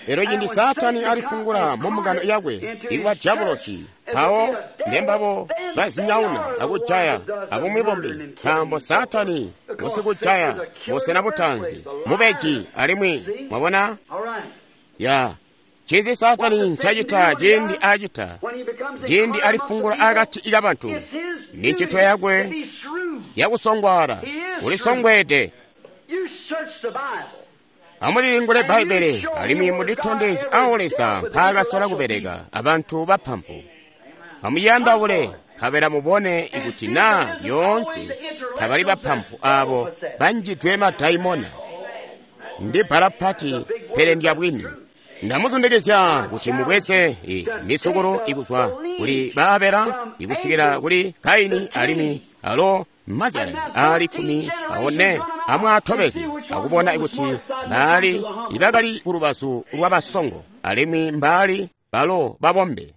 Elyo cindi Saatani alifungula mu mbungano yakwe ikuba dyabulosi, mpawo ndembabo bazinyauna akujaya abumwi bumbi, nkaambo Saatani ngusikujaya busena butaanzi, mubeji. Alimwi mwabona ya ncinzi Saatani ncacita ciindi acita, ciindi alifungula akati kabantu, ni ncito yakwe yakusongwaala. Ulisongweede. Amulilingule Bbaibbele alimwi mulitondezye awo Leza mpaakasola kubeleka abantu bapampu. Amuyandaule nkabela mubone ikuti naa lyoonse tabali bapampu aabo banjidwe madaimona. Ndi bbala pati, pele ndya bwini. Ndamuzundikizya kuti mubweze misukulu ikuzwa kuli Baabela ikusikila kuli Kaini, alimwi alo mazyalani aali 14 amwaatobeze akubona kuti baali ibakali kulubazu lwabasongo alimwi mbaali balo babombe.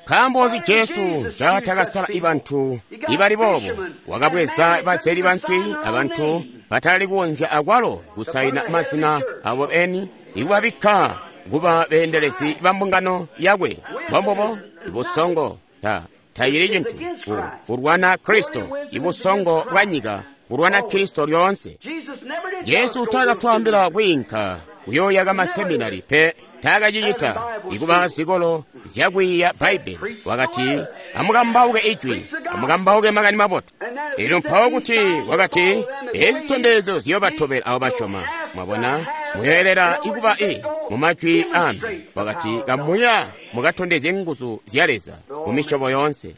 Nkaambo nzi Jesu ncatakasala ibantu ibali boobo? Wakabweza bazeli banswi abantu batali kukonzya akwalo kusaina mazina abo eni, ikubabikka kuba beendelezi ba mbungano yakwe. Mbombubo ibusongo tayili cintu kulwana Kristo. Ibusongo bwa nyika kulwana Kristo lyoonse. Jesu taakatwaambila kwiinka kuyooyaka maseminari pe, taakacicita ikuba zikolo zyakwiiya Bbaibbele. Wakati, amukambauke Ijwi, amukambauke makani mabotu. Elyo mpawo kuti wakati, ezi zitondezyo ziyoobatobela abo basyoma. Mwabona, muyoelela ikuba i mumajwi ambi. Wakati, kamuya mukatondezye nguzu zya Leza mu misyobo yoonse.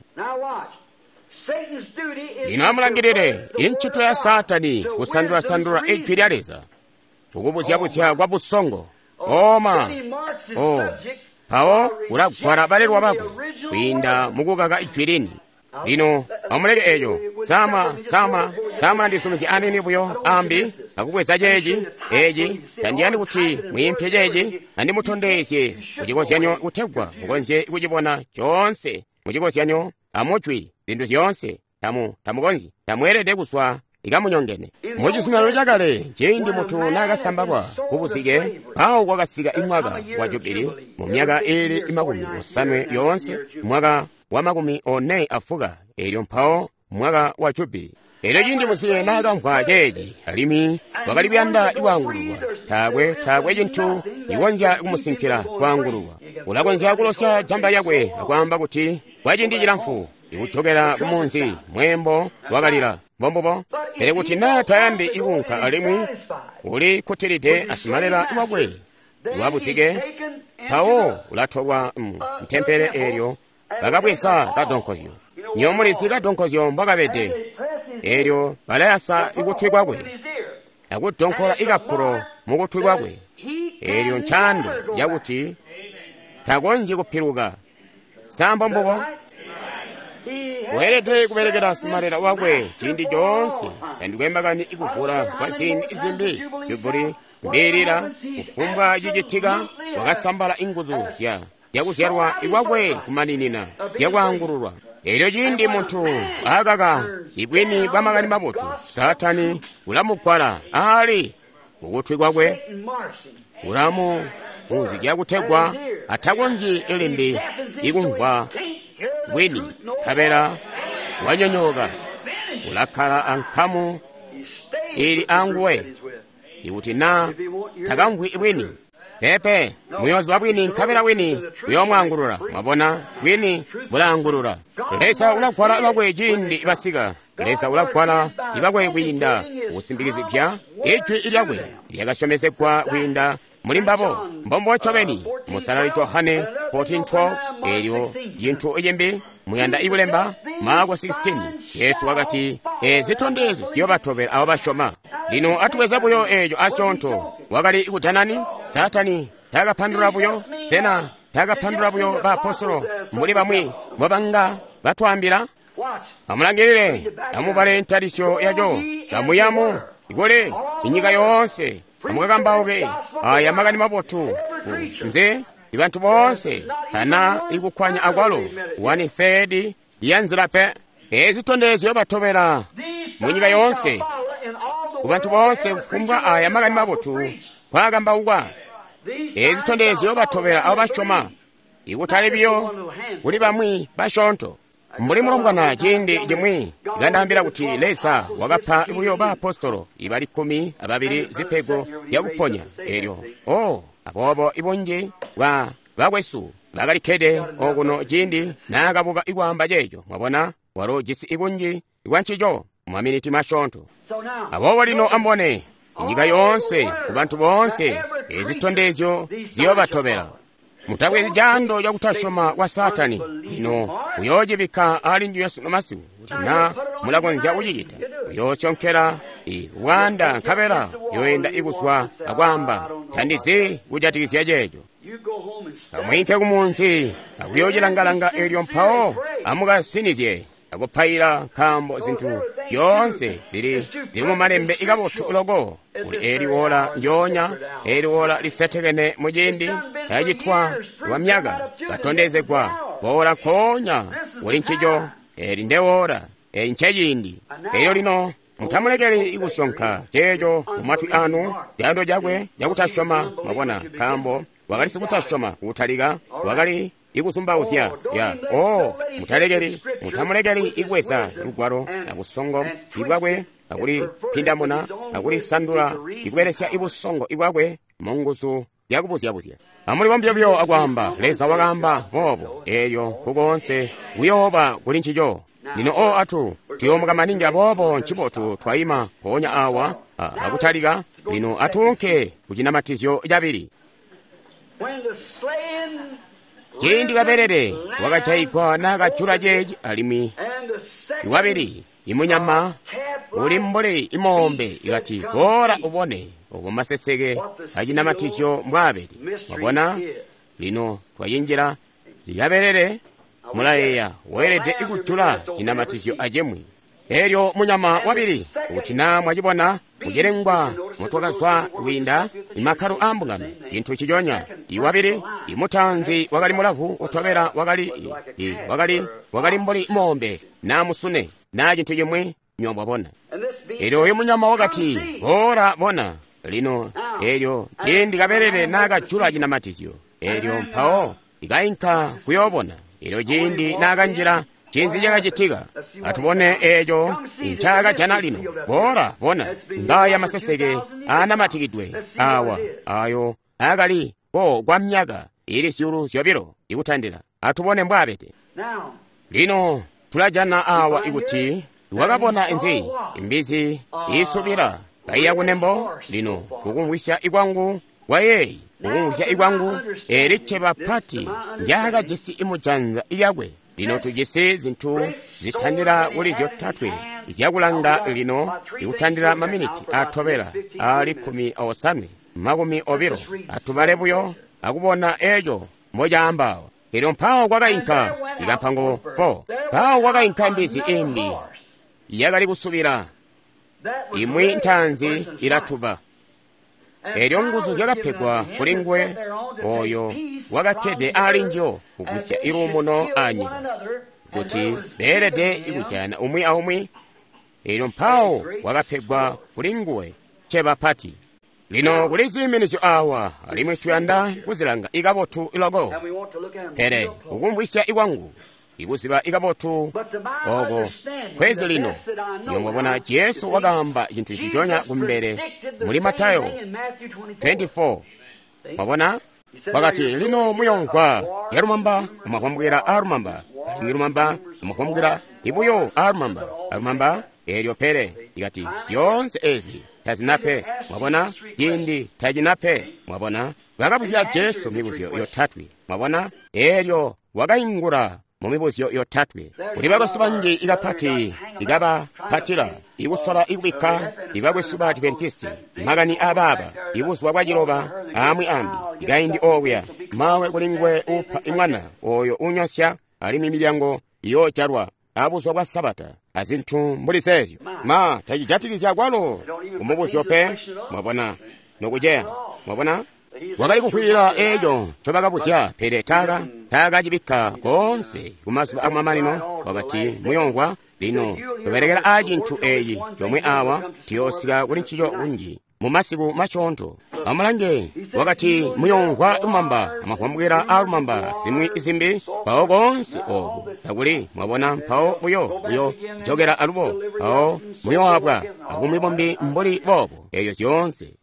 Lino amulangilile incito ya Saatani kusandula-sandula Ijwi lya Leza, kukubuzya-buzya kwa busongo. Oma, oh, mpawo ulagwala balelwa bakwe kwiinda mukukaka Ijwi lini. Lino amuleke eco. Sama ndisumizye anini buyo ambi akubweza ceeci eci. Tandiyandi kuti mwiimpye ceeci, andimutondezye mucikozyanyo kutegwa mukonzye kucibona coonse mucikozyanyo amujwi zintu zyoonse. Tamukonzyi, tamweelede kuswa ikamunyongene. Mucizuminano cakale, ciindi muntu naakasambalwa kubuzike, mpawo kwakasika imwaka wa Jubili mu myaka iili 80 yoonse, mwaka wa 44, elyo mpawo mwaka wa Jubili. Elyo ciindi muzibe naakamvwa ceeci, alimwi wakali kuyanda ikwaangululwa, taakwe cintu ikonzya kumusinkila kwaangululwa. Ulakonzya kulosya jamba lyakwe akwaamba kuti kwa ciindi cilamfu ikujokela kumunzi, mweembo wakalila. Mbombubo. Pele kuti naa tayandi ikuunka alimwi uli kkutilide asimalela wakwe wabuzike, mpawo ulatolwa mu ntempele eelyo bakabweza kadonkozyo. Nyomulizi kadonkozyo mbwakabede. Eelyo balayasa ikutwi kwakwe akudonkola ikapulo mukutwi kwakwe. Eelyo ncaando yakuti takonzyi kupiluka. Sa mbombubo? Weelede kubelekela simalela wakwe ciindi coonse. Tandikwe makani ikuvula kwa ziindi zimbi Jubili mbiilila kufumbwa cicitika, wakasambala inguzu zyakuzyalwa ikwakwe kumaninina zyakwaangululwa. Elyo ciindi muntu akaka ibwini bwa makani mabotu, Saatani ulamugwala ali kukutwi kwakwe, kunzija kutegwa atakonzyi limbi ikumvwa bwini, nkabela wanyonyooka. Ulakkala ankamu ili anguwe ikuti na takamvwi bwini. Pepe, muyoziba bwini, nkabela bwini buyoomwaangulula. Mwabona, bwini bulaangulula. Leza ulagwala bakwe ciindi basika. Leza ulagwala ibakwe kwiinda kusimbikizya ijwi lyakwe lyakasyomezegwa kwiinda muli mbabo. Mbombo ncobeni. Musalali Johane 14:12. Elyo cintu cimbi muyanda ikulemba Marko 16. Yesu wakati, zitondezyo ziyobatobela abo basyoma. Lino atubweza buyo eeco asyoonto. Wakali kudanani? Saatani takapandulula buyo. Sena takapandulula buyo baapostolo mbuli bamwi mbobanga batwaambila? Amulangilile, amubale ntalisyo yaco, kamuyamu ikole inyika yoonse, amukakambauke aya makani mabotu nze ibantu boonse tana ikukwanya akwalo 1/3 ya nzila pe. Ezi zitondezyo batobela mu nyika yoonse ku bantu boonse kufumbwa aya makani mabotu kwakambaukwa. Ezi zitondezyo batobela abo basyoma, ikutali biyo kuli bamwi basyoonto. Mbuli mulombwana ciindi cimwi ikandaambila kuti Leza wakapa buyo baapostolo ibali 12 zipego zyakuponya. Elyo aboobo ibunji bwa bakwesu bakalikkede okuno ciindi naakabuka ikwaamba ceeco. Mwabona, walo jisi ikunji ikwancico mumaminiti masyoonto. Aboobo lino ambone inyika yoonse ku bantu boonse ezitondezyo ziyobatobela. Mutabwezi caando cakutasyoma kwa Saatani. Lino uyoocibikka ali ndinywe sunu masiku kuti na mulakonzya kucicita. Uyoosonkela bwaanda nkabela uyoenda ikuswa akwaamba, tandizi kujatikizya ceeco. Amwiinke kumunzi akuyoocilangalanga elyo mpawo amukasinizye akupaila, nkaambo zintu zyoonse zili mumalembe ikabotu loko. Kuli eli wola ndyoonya, eli wola lisetekene muciindi yacitwa lwa myaka katondezegwa boola nkoonya kuli ncico. Eli ndewola, eli nceciindi. Elyo lino mutamulekeli ikusyonka ceeco mumatwi anu, caando cakwe cakutasyoma. Mwabona, nkaambo wakali sikutasyoma kutalika, wakali ikusumbauzya ya mutalekeli, mutamulekeli ikweza lugwalo na busongo ibwakwe akulipindamuna akulisandula ikubelesya ibusongo ibwakwe munguzu zyakubuzyabuzya. Amulibombye buyo akwaamba, Leza wakaamba boobo, elyo nkukoonse kuyooba kuli ncico. Lino atu tuyoomuka maningi, aboobo ncibotu twayima mpoonya awa akutalika. Lino atuunke kucinamatizyo cabili. Ciindi kabelele wakajayigwa naakajula ceeci, alimwi iwabili imunyama uli mbuli imoombe ikati, boola ubone obo maseseke acinamatizyo mbwaabele. Mwabona, lino twayinjila likabelele. Mulayeeya weelede ikujula cinamatizyo acimwi. Elyo munyama wabili, kuti na mwacibona mucilengwa mutwakazwa kwiinda imakkalo aa mbungano, cintu ciconya. Iwabili imutanzi wakali mulavu, utobela wakali mbuli moombe na musune na cintu cimwi, nywebo mwabona. Elyo oyu munyama wakati, boola bona. Lino elyo ciindi kabelele naakajula cinamatizyo, elyo mpawo ikainka kuyoobona. Elyo ciindi naakanjila, cinzi cakacitika? Atubone eeco ncaakajana lino. Boola bona, ngaya maseseke aanamatikidwe awa, ayo akali ko kwa myaka ili 2,000 ikutandila. Atubone mbwaabede. Lino tulajana awa ikuti wakabona nzi imbizi iisubila kaiya kunembo. Lino kukumvwisya ikwangu kwayeeyi, kukumvwisya ikwangu, eli cceba pati ndyakajisi imujanza lyakwe. Lino tujisi zintu zitandila kuli zyotatwe zyakulanga lino ikutandila maminiti atobela ali 18, 20. Atubale buyo akubona eeco mbocaambawa. Elyo mpawo kwakainka ikampango 4. Mpawo kwakainka mbizi imbi yakali kusubila, imwi ntaanzi ilatuba. Elyo nguzu zyakapegwa kuli nguwe oyo wakakkede ali njo kugwisya iluumuno anyika, kuti beelede ikujana umwi aumwi. Elyo mpawo wakapegwa kuli nguwe cceba pati. Lino kuli ziiminizyo awa, alimwi tuyanda kuzilanga ikabotu loko. Pele kukumvwisya ikwangu, ikuziba ikabotu oko kwezi lino, niyo Jesu wakaamba cintu nciconya kumbele muli Matayo 24. Mwabona? Wakati, lino muyomvwa zya lumamba, amahwambwila a lumamba, alimwi lumamba, amahwambwila ibuyo a lumamba, alumamba eelyo pele ikati zyoonse ezi tazinape. Mwabona? Ciindi tacinape. Mwabona? Bakabuzya Jesu mibuzyo yotatwe. Mwabona? Eelyo wakaingula mu mibuzyo yotatwe. Kuli bakwesu banji ikapati ikabapatila ikusola ikubikka ibakwesu ba Adventisti makani abaaba ibuzuba bwaciloba amwi ambi ikaindi okuya mawe kuli nguwe upa imwana oyo unyosya alimwi milyango iyoojalwa abuzuba bwa Sabata azintu mbuli zeezyo. Ma tacijatikizya kwalo kumubuzyo pe. Mwabona? Nokuceya. Mwabona? Wakali kukwiila eeco ncobakabuzya, pele taakacibikka koonse kumazuba akumamanino. Wakati muyomvwa lino tubelekela aa cintu eeci comwe awa, tuyoosika kuli ncico kunji mu masiku masyoonto. Amulange, wakati muyomvwa lumamba amahwambwila a lumamba zimwi zimbi, mpawo koonse oku takuli. Mwabona? Mpawo buyo jokela alubo, mpawo muyoabwa abumwi bumbi mbuli boobo. Eeyo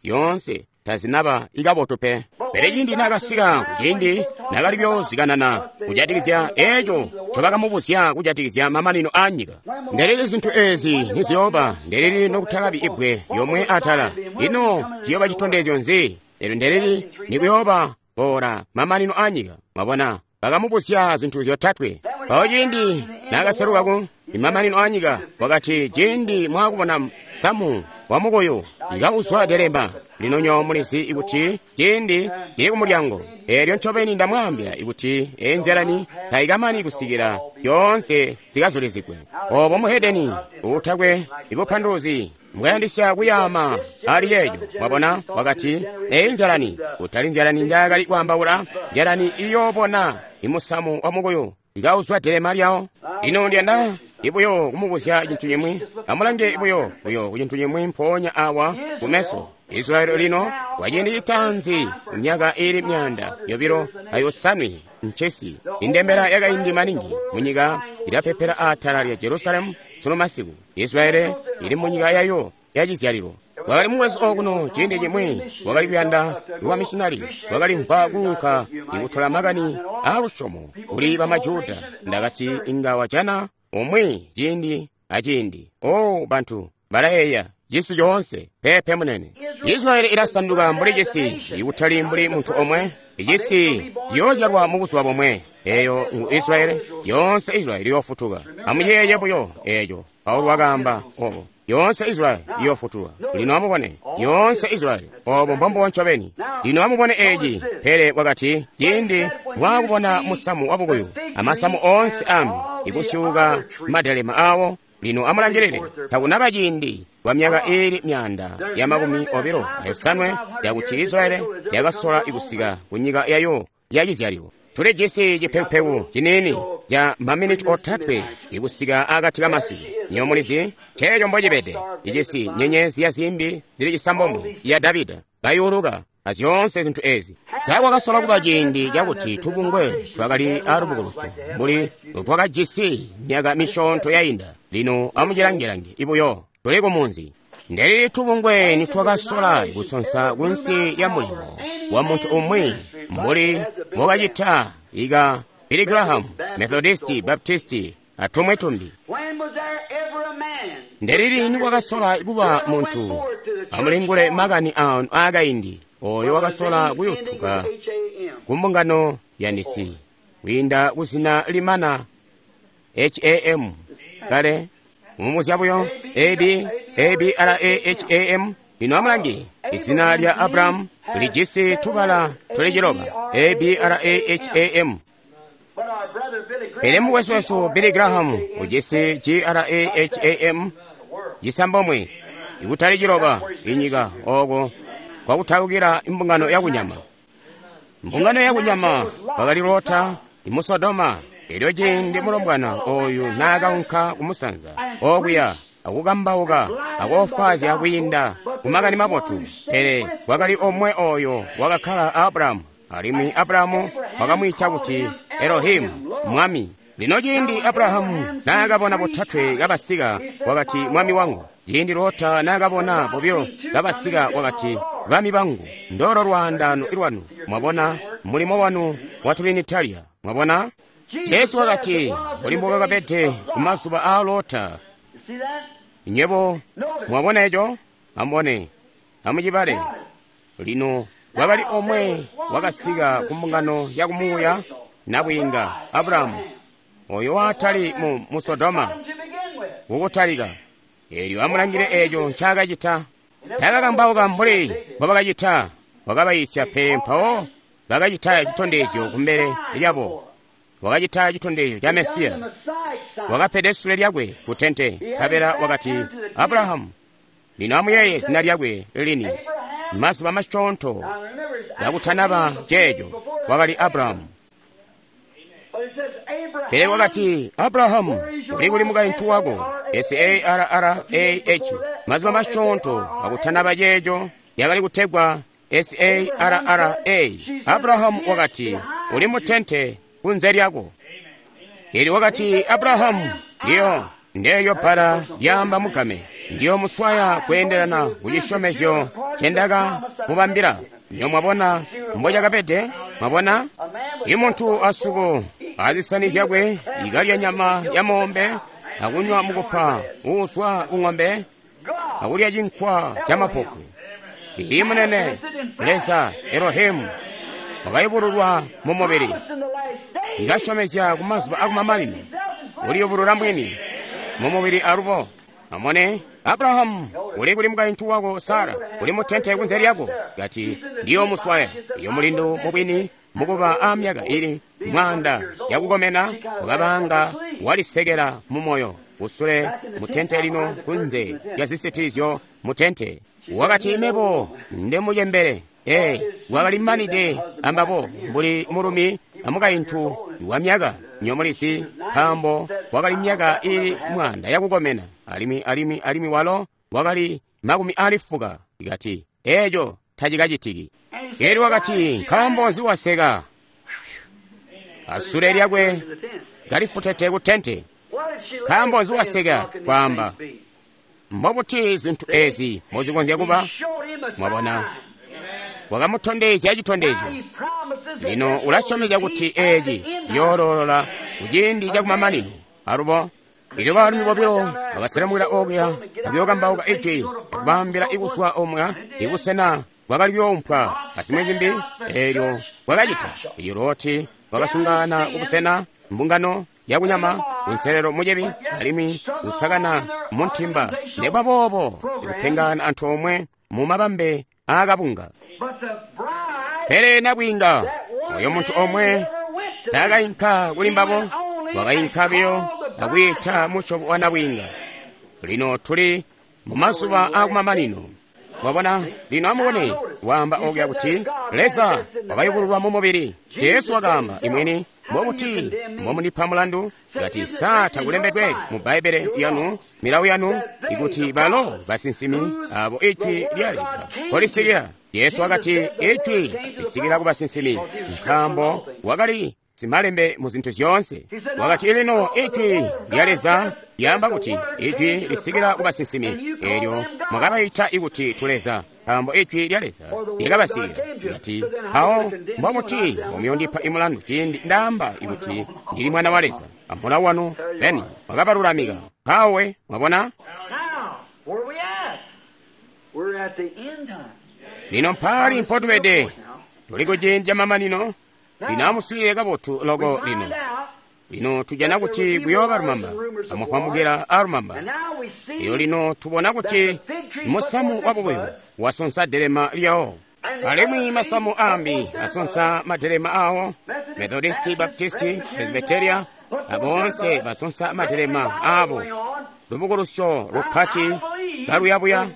zyoonse tazinaba ikabotu pe. Pele ciindi naakasika kuciindi naakali kuyoozikanana kujatikizya eeco ncobakamubuzya kujatikizya mamanino aanyika, ndelili zintu ezi niziyooba, ndelili nokutakabi ibbwe lyomwe atala, ino ciyooba citondezyo nzi? Elyo ndelili nikuyooba boola mamanino aanyika. Mwabona? Bakamubuzya zintu zyotatwe. Mpawo ciindi naakaseluka ku mamanino aanyika, wakati ciindi mwaakubona samu wa mukuyu ikauzwa delema, lino nyo mulizi ikuti ciindi cili kumulyango. Eelyo ncobeni ndamwaambila ikuti enzalani taikamani kusikila yoonse zikazulizigwe. Obo muhedeni uutakwe ibupanduluzi mbwayandisya kuyaama ali yeeyo. Mwabona? Wakati eyi nzalani, kutali nzalani njaakali kwaambaula, nzalani iyoobona imusamu wa mukuyu ikauzwa delema lyawo. Lino ndiyanda ibuyo kumubuzya cintu cimwi. Amulange buyo kucintu cimwi mpoonya awa kumeso. Israeli lino kwaciindi citaanzi myaka iili 250 ncesi indembela yakaindi maningi munyika ilapepela atala lya Jerusalemu sunu masiku. Israeli ili munyika yayo yacizyalilo. Wakali mukwesu okuno ciindi cimwi wakali kuyanda lwa missionari, wakali mva kuunka ikutola makani aalusyomo kuli bamajuda. Ndakati inga wajana umwi ciindi aciindi. O bantu balayeeya cisi coonse. Pepe munene. Israeli ilasanduka mbuli cisi, ikutali mbuli muntu omwe. Icisi ciyoozyalwa mubuzuba bomwe. Eeyo ngu Israeli, yoonse Israeli iyoofutuka. Amuyeeye buyo eeco. Paulo wakaamba obo. Yoonse Israeli iyoofutulwa. Lino amubone, yoonse Israeli. Obo mbombubo ncobeni. Lino amubone eeci. Pele wakati ciindi mwaakubona musamu wabukuyu amasamu oonse ambi ikusyuuka madelema awo, lino amulangilile, takunaba ciindi kwa myaka iili 225 yakuti Israeli yakasola ikusika kunyika yayo yacizyalilo. Tulijisi cipekupeku ciniini ca maminiti 3 ikusika akati kamasiku. Nyo mulizi ceeco mbocibede. Icisi nyenyezi ya zimbi zili 9 ya Davida kayuluka azyoonse zintu ezi. Sakwakasola kuba ciindi cakuti tubungwe twakali aalubukulusyo mbuli twakajisi myaka misyoonto yainda. Lino amucilange-lange ibuyo tuli kumunzi. Ndelili tubungwe nitwakasola kusonsa kunsi lya mulimo wa muntu umwi mbuli mbokacita ika Billy Graham, Methodisti, Baptisti atumwe tumbi. Ndelili nikwakasola kuba muntu amulingule makani aanu aakaindi oyo wakasola kuyutuka kumbungano ya Nisi kwiinda kuzina limana HAM kale mumuzya buyo A B R A H A M. Lino amulange izina lya Abrahamu lijisi tubala tuli 9 A B R A H A M. Pele mukwesu wesu Billy Graham ujisi G R A H A M 9 ikutali 9 inyika oko kwakutaukila imbungano yakunyama. Mbungano yakunyama wakali Lota imu Sodoma. Elyo ciindi mulombwana oyu naakaunka kumusanza okuya akukambauka akoofwaazya kwiinda ku Makani mabotu, pele kwakali omwe oyo wakakkala a Abrahamu, alimwi Abrahamu wakamwiita kuti Elohimu, Mwami. Lino ciindi Abrahamu naakabona botatwe kabasika, wakati, Mwami wangu. Ciindi Lota naakabona bobilo kabasika, wakati, Bami bangu. Ndolo lwaandaano lwanu. Mwabona mulimo wanu wa Trinitaria. Mwabona? Jesu wakati, mbuli mbokakabede ku mazuba aa Lota. Nywebo mwabona eco? Amubone, amucibale. Lino kwakali omwe wakasika ku mbungano ya kumuuya, nabwiinga Abrahamu, oyo watali mu Sodoma kukutalika. Eelyo amulangile eco ncaakacita. Taakakambauka mbuli mbobakacita, wakabayiisya pe. Mpawo bakacita citondezyo kumbele lyabo. Wakacita citondezyo ca Mesiya. Wakapede sule lyakwe ku tente, nkabela wakati, Abrahamu. Lino amuyeeye zina lyakwe lini. Mazuba masyoonto kakutanaba ceeco, wakali Abrahamu. Pele wakati, Abrahamu, uli kuli mukaintu wako? S-A-R-R-A-H. Mazuba masyoonto kakutanaba ceeco, yakali kutegwa S-A-R-R-A. Abrahamu wakati, uli mu tente kunze lyako. Elyo wakati, Abrahamu, ndiyo ndeelyo bbala lyaamba mugame, ndiyo muswaya kweendelana ku cisyomezyo cendaka mubambila. Ndiyo mwabona mbocakabede? Mwabona? I muntu asuko azisani zyakwe ikalya nyama ya moombe akunywa mukupa uuswa ku ng'ombe akulya cinkwa ca mapopwe. Iyi munene Leza Elohimu wakayubululwa mu mubili, ikasyomezya ku mazuba akumamanino uliyubulula mwini mu mubili alubo. Amone, Abrahamu, uli kuli mukaintu wako Sara, uli mu tente kunze lyako. Kati, ndiyo muswaya. Iyo mulindu mubwini mukuba a myaka ili mwanda yakukomena, wakabanga walisekela mu moyo kusule mu tente lino kunze lya zisitilizyo mu tente. Wakati, mebo ndi mucembele. Wakali manide ambabo mbuli mulumi amukaintu wa myaka nyomulisi, nkaambo wakali myaka ili mwanda yakukomena, alimwi walo wakali 80. Kati, eco tacikacitiki. Elyo wakati, nkaambo nzi waseka? Asule lyakwe kalifutete ku tente. Nkaambo nzi waseka? Kwaamba, mbobuti zintu ezi mbozikonzya kuba? Mwabona, wakamutondezya citondezyo. Lino ulasyomezya kuti eci ciyoolola kuciindi cakumamanino. Alubo ilyo baalumi bobilo bakaselemukila okuya akuyookambauka ijwi akubaambila ikuswa omwe ibusena bwakali kuyoompwa azimwi zimbi. Eelyo bwakacita. Elyo Loti wakasungana kubusena mbungano yakunyama kunselelo mucebi alimwi kusakana muntimba. Nekuba boobo ikupengana antoomwe mu mabambe aakabunga. Pele nabwiinga oyo muntu omwe taakainka kuli mbabo, wakainka biyo akwiita musyobo wa nabwiinga. Lino tuli mu mazuba akumamanino. Mwabona, lino amubone, waamba okuya kuti Leza wakayubululwa mu mubili. Jesu wakaamba imwini, mbobuti mbomundipa mulandu? Kati, sa takulembedwe mu Bbaibbele yanu, milawo yanu, ikuti balo basinsimi abo ijwi lya Leza kolisikila. Jesu wakati ijwi lisikila ku basinsimi, nkaambo wakali simalembe mu zintu zyoonse. Wakati lino ijwi lya Leza lyaamba kuti ijwi lisikila ku basinsimi, eelyo mwakabaita ikuti tuleza, nkaambo ijwi lya Leza lyakabasikila. Kati, mpawo mbobuti mbomuyondipa imulandu ciindi ndaamba ikuti ndili mwana wa Leza? Amulawo wanu beni mwakabalulamika. Mpawe mwabona? Lino mpaali mpotubede? Tuli kuciindi ca mamanino. Lino amuswiilile kabotu loko lino. Lino tujana kuti kuyooba lumamba, amufwamukila alumamba. Iyo lino tubona kuti musamu wabukuyu wasonsa delema lyawo, alimwi masamu ambi asonsa madelema awo. Methodisti, Baptisti, Presbyteria, aboonse basonsa madelema abo. Lubukulusyo lupati kaluyabuya.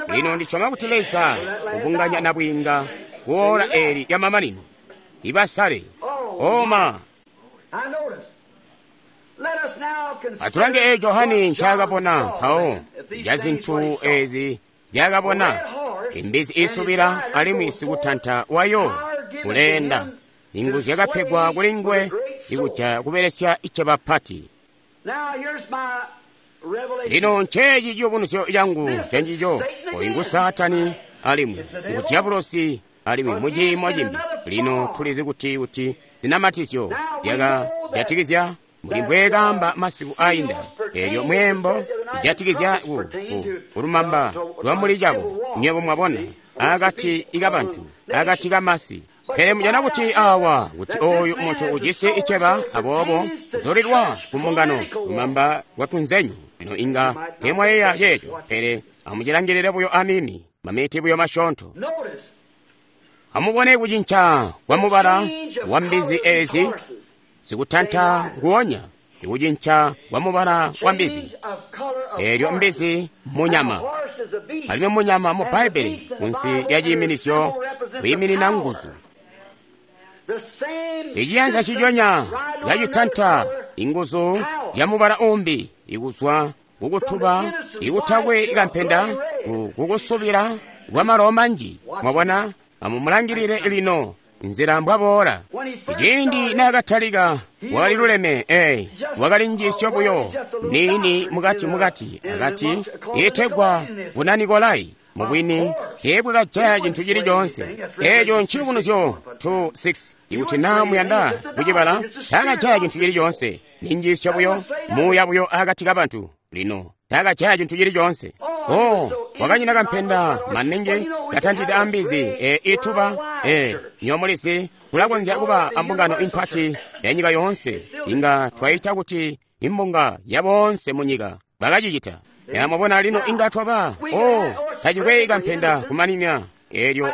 Lino ndisyoma kuti Leza ubunganya nabwiinga kuola eli lya mamanino. Ibasale. Oma. Atulange eeco Johane ncaakabona mpawo ca zintu eezi nzyaakabona. Imbizi iisubila alimwi sikutanta wayo uleenda. Inguzu zyakapegwa kuli nguwe ikuja kubelesya iceba pati. Lino nceeci ciyubunuzyo cangu cancico. Oyu ngu Saatani alimwi ngu Diabolosi alimwi muciimo cimbi. Lino tulizi kuti zinamatizyo zyakajatikizya mbuli mbweekaamba masiku ainda. Eelyo mweembo ijatikizya kulumamba lwamuli cabo, nywebo mwabona, akati kabantu, akati kamasi. Pele mujana kuti awa kuti oyu muntu ujisi iceba, aboobo uzulilwa ku mbungano lumamba lwa tunzenyu. Lino inga teemwayeeya ceeco, pele amucilangilile buyo aniini, maminiti buyo masyoonto. Amubone kucinca kwa mubala wa mbizi eezi, sikutanta nguonya, ikucinca kwa mubala wa mbizi. Eelyo mbizi munyama, alimwi munyama mu Bbaibbele kunsi lya ciiminisyo kwiiminina nguzu. Iciyanza ciconya cacitanta inguzu zya mubala umbi ikuzwa kukutuba ikutakwe kampenda kukusubila kwa malo manji. Mwabona, amumulangilile lino nzila mbwaboola. Ciindi naakatalika wakali luleme, wakali njiisyo buyo niini mukati akati iitegwa Bunanikolai. Mubwini teebwakajaya cintu cili coonse. Eeco nciyubunuzyo 2:6. Ikuti naa muyanda kucibala, taakajaya cintu cili coonse. Ni njiisyo buyo, muuya buyo akati kabantu. Lino taakajaya cintu cili coonse. Oh, wakanyina kampenda maningi katantide ambizi ituba nyomulizi. Tulakonzya kuba ambungano impati ya nyika yoonse, inga twaita kuti imbunga ya boonse munyika. Bakacicita. Mwabona lino inga twaba tacikwe kampenda kumanina. Eelyo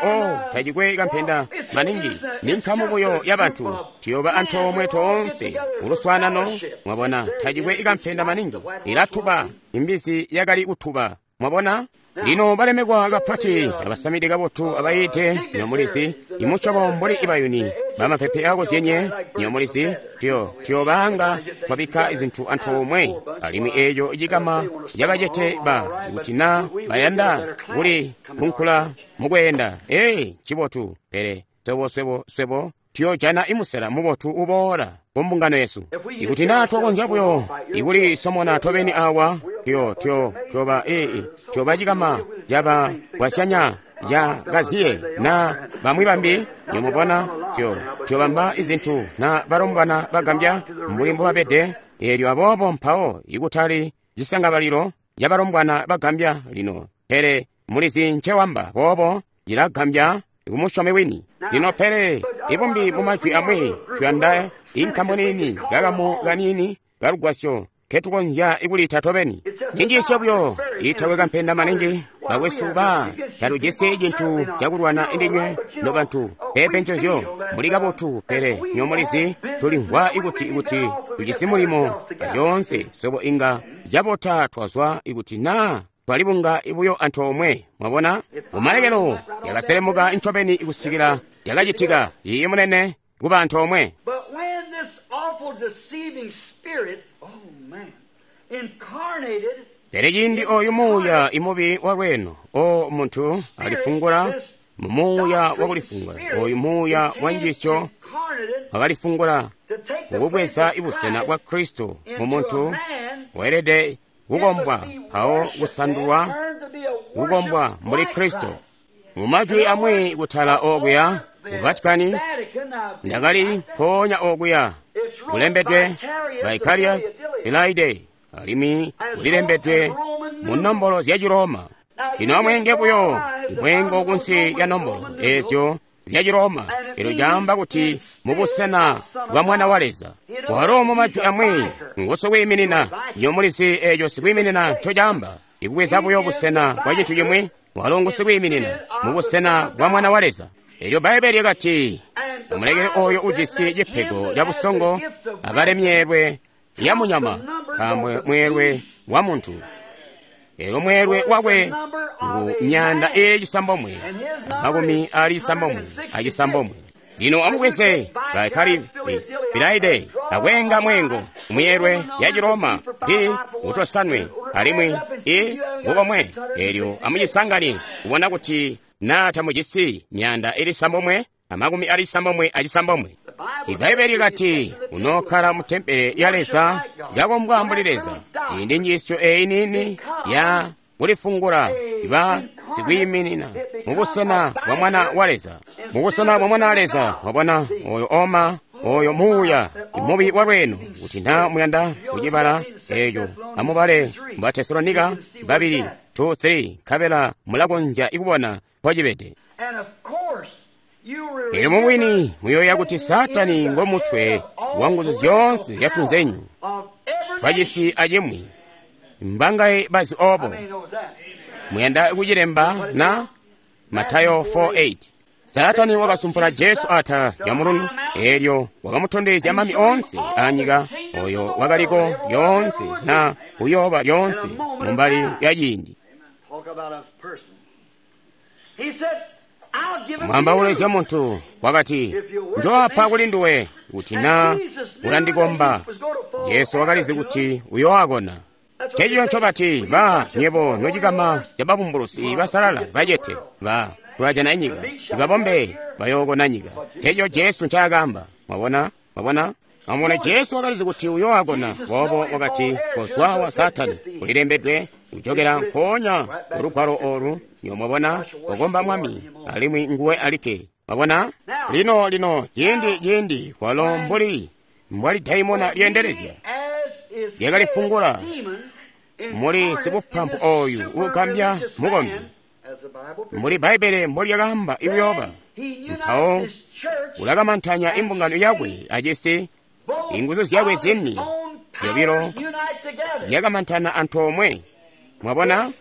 tacikwe kampenda maningi, ni nkamu buyo ya bantu, tuyoba antoomwe toonse uluswaanano. Mwabona, tacikwe kampenda maningi, ilatuba. Imbizi yakali kutuba. Mwabona? Lino balemekwa kapati abasamide kabotu abayiite nyomulizi, imusyobo mbuli ibayuni bamapepe akozyenye nyomulizi, tuyobaanga twabikka izintu antoomwe. Alimwi eeco cikama cabacete ba kuti na bayanda kuli kunkula mukweenda. Ncibotu, pele swebo tuyoojana imusela mubotu uboola ku mbungano yesu. Ikuti naa twakonzya buyo ikulisomona tobeni awa, tuyoba cikama caba bwasyanya ca kaziye na bamwi bambi. Nimubona tuyobamba izintu na balombwana bagambya mbuli mbobabede. Eelyo aboobo mpawo ikutali cisangabalilo ca balombwana bagambya lino, pele mulizi ncewamba boobo cilagambya kumusyomi wini. Lino pele ibumbi mumajwi amwi tuyanda inkamu niini, kakamu kaniini kalugwasyo ketukonzya ikulita tobeni. Ninjiisyo buyo iitakwe kampenda maningi. Bakwesu ba talujisi cintu cakulwana indinywe nobantu, pepe ncozyo muli kabotu, pele nyomulizi tulimvwa ikuti tujisi mulimo lyoonse. Swebo inga cabota twazwa ikuti naa twalibunga buyo antoomwe. Mwabona, kumalekelo yakaselemuka ncobeni ikusikila yakacitika iyi munene kuba antoomwe. Pele ciindi oyu muuya imubi wa lweeno, o muntu alifungula mu muuya wakulifungula, oyu muuya wa njiisyo wakalifungula kukubweza ibusena bwa Kristo mu muntu, weelede kukombwa mpawo kusandulwa kukombwa mbuli Kristo. Mu majwi amwi kutala okuya ku Vatikani, ndakali mpoonya okuya kulembedwe Vicarius Filii alimwi kulilembedwe mu nombolo zya Ciroma. Lino amweenge buyo imweengo kunsi lya nombolo eezyo zya Ciroma, elyo caamba kuti mubusena bwa Mwana wa Leza. Walo mu majwi amwi ngusikwiiminina. Nyomulizi eeco sikwiiminina nco caamba, ikubweza buyo busena bwa cintu cimwi. Walo ngusikwiiminina mubusena bwa Mwana wa Leza. Elyo Bbaibbele lyakati, amulekele oyo ujisi cipego ca busongo abale myeelwe ya munyama, nkaambo mweelwe wa muntu. Elyo mweelwe wakwe ngu 969. Lino amubweze Vicarius akweenga mweengo muyelwe ya Chiroma p utosanwe alimwi i ngukomwe elyo amucisangane kubona kuti na tamujisi myanda ili sambomwe amakumi ali sambomwe acisambomwe. Ibaibbele likati unokkala mu tempele ya Leza lyakombwa mbuli Leza. Iyi ndi njiisyo eyi nini ya kulifungula iba sikwiiminina mubusena bwa mwana wa Leza, mubusena bwa mwana wa Leza. Wabona oyo oma oyo muuya imubi wa lweno kuti na muyanda kucibala eco amubale mu Tesalonika 2 2-3 nkabela mulakonzya ikubona mpocibede. Elyo mubwini muyoya kuti Satani ngomutwe wa nguzu zyoonse zyatunzenyu twacisi acimwi. Mbangaye bazi obo muyanda kucilemba na Matayo 4:8. Satani wakasumpula Jesu atala lya mulundu elyo wakamutondezya mami onse anyika oyo wakaliko yoonse na uyoba lyonse mumbali ya ciindi. Mwambaule muntu wakati njoapa kuli nduwe kuti na ulandikomba. Jesu wakalizi kuti uyoakona. Chechiyo ncobati ba nyebo nocikama ca babumbulusi basalala bacete ba tulajana inyika ibabombe bayookona nyika. Chechiyo Jesu ncaakamba. Mwabona, mwabona. Amubone Jesu wakalizi kuti uyoakona boobo wakati kozwa wa Satani kulilembedwe kuchokera nkoonya kulugwalo olu. Nyo mwabona kukomba Mwami alimwi nguwe alikke. Mwabona lino lino ciindi ciindi kwalo mbuli mbwali daimona lyendelezya lyakalifungula muli sibupampu oyu uugambya mukombi muli Bbaibele mbolyakaamba ikuyoba. Mpawo ulakamantanya imbungano yakwe acisi inguzu zyakwe zini zyobilo zyakamantana antoomwe. Mwabona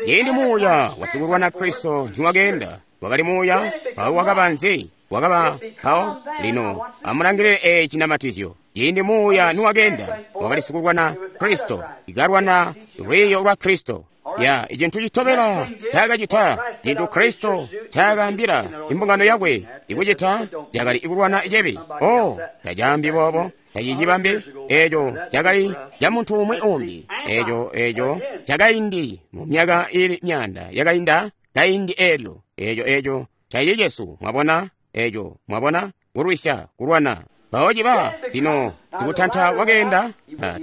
ciindi muuya wasikulwana Kristo ntiwakeenda wakali muuya mpawo wakaba nzi wakaba mpawo lino amulangilile eci cinamatizyo. Ciindi muuya niwakeenda wakali sikulwana Kristo ikalwana lwiiyo lwa Kristo. Ya icintu citobela cakacita cintu Kristo cakaambila imbungano yakwe ikucita cakali ikulwana icebi. Oh, tacaambi boobo tacicibambi eco cakali ca muntu umwi umbi. Eco eco cakaindi mu myaka ili myanda yakainda kaindi elyo eco eco caiye Jesu. Mwabona eco mwabona kulwisya kulwana. Mpawo ciba lino sikutanta wakeenda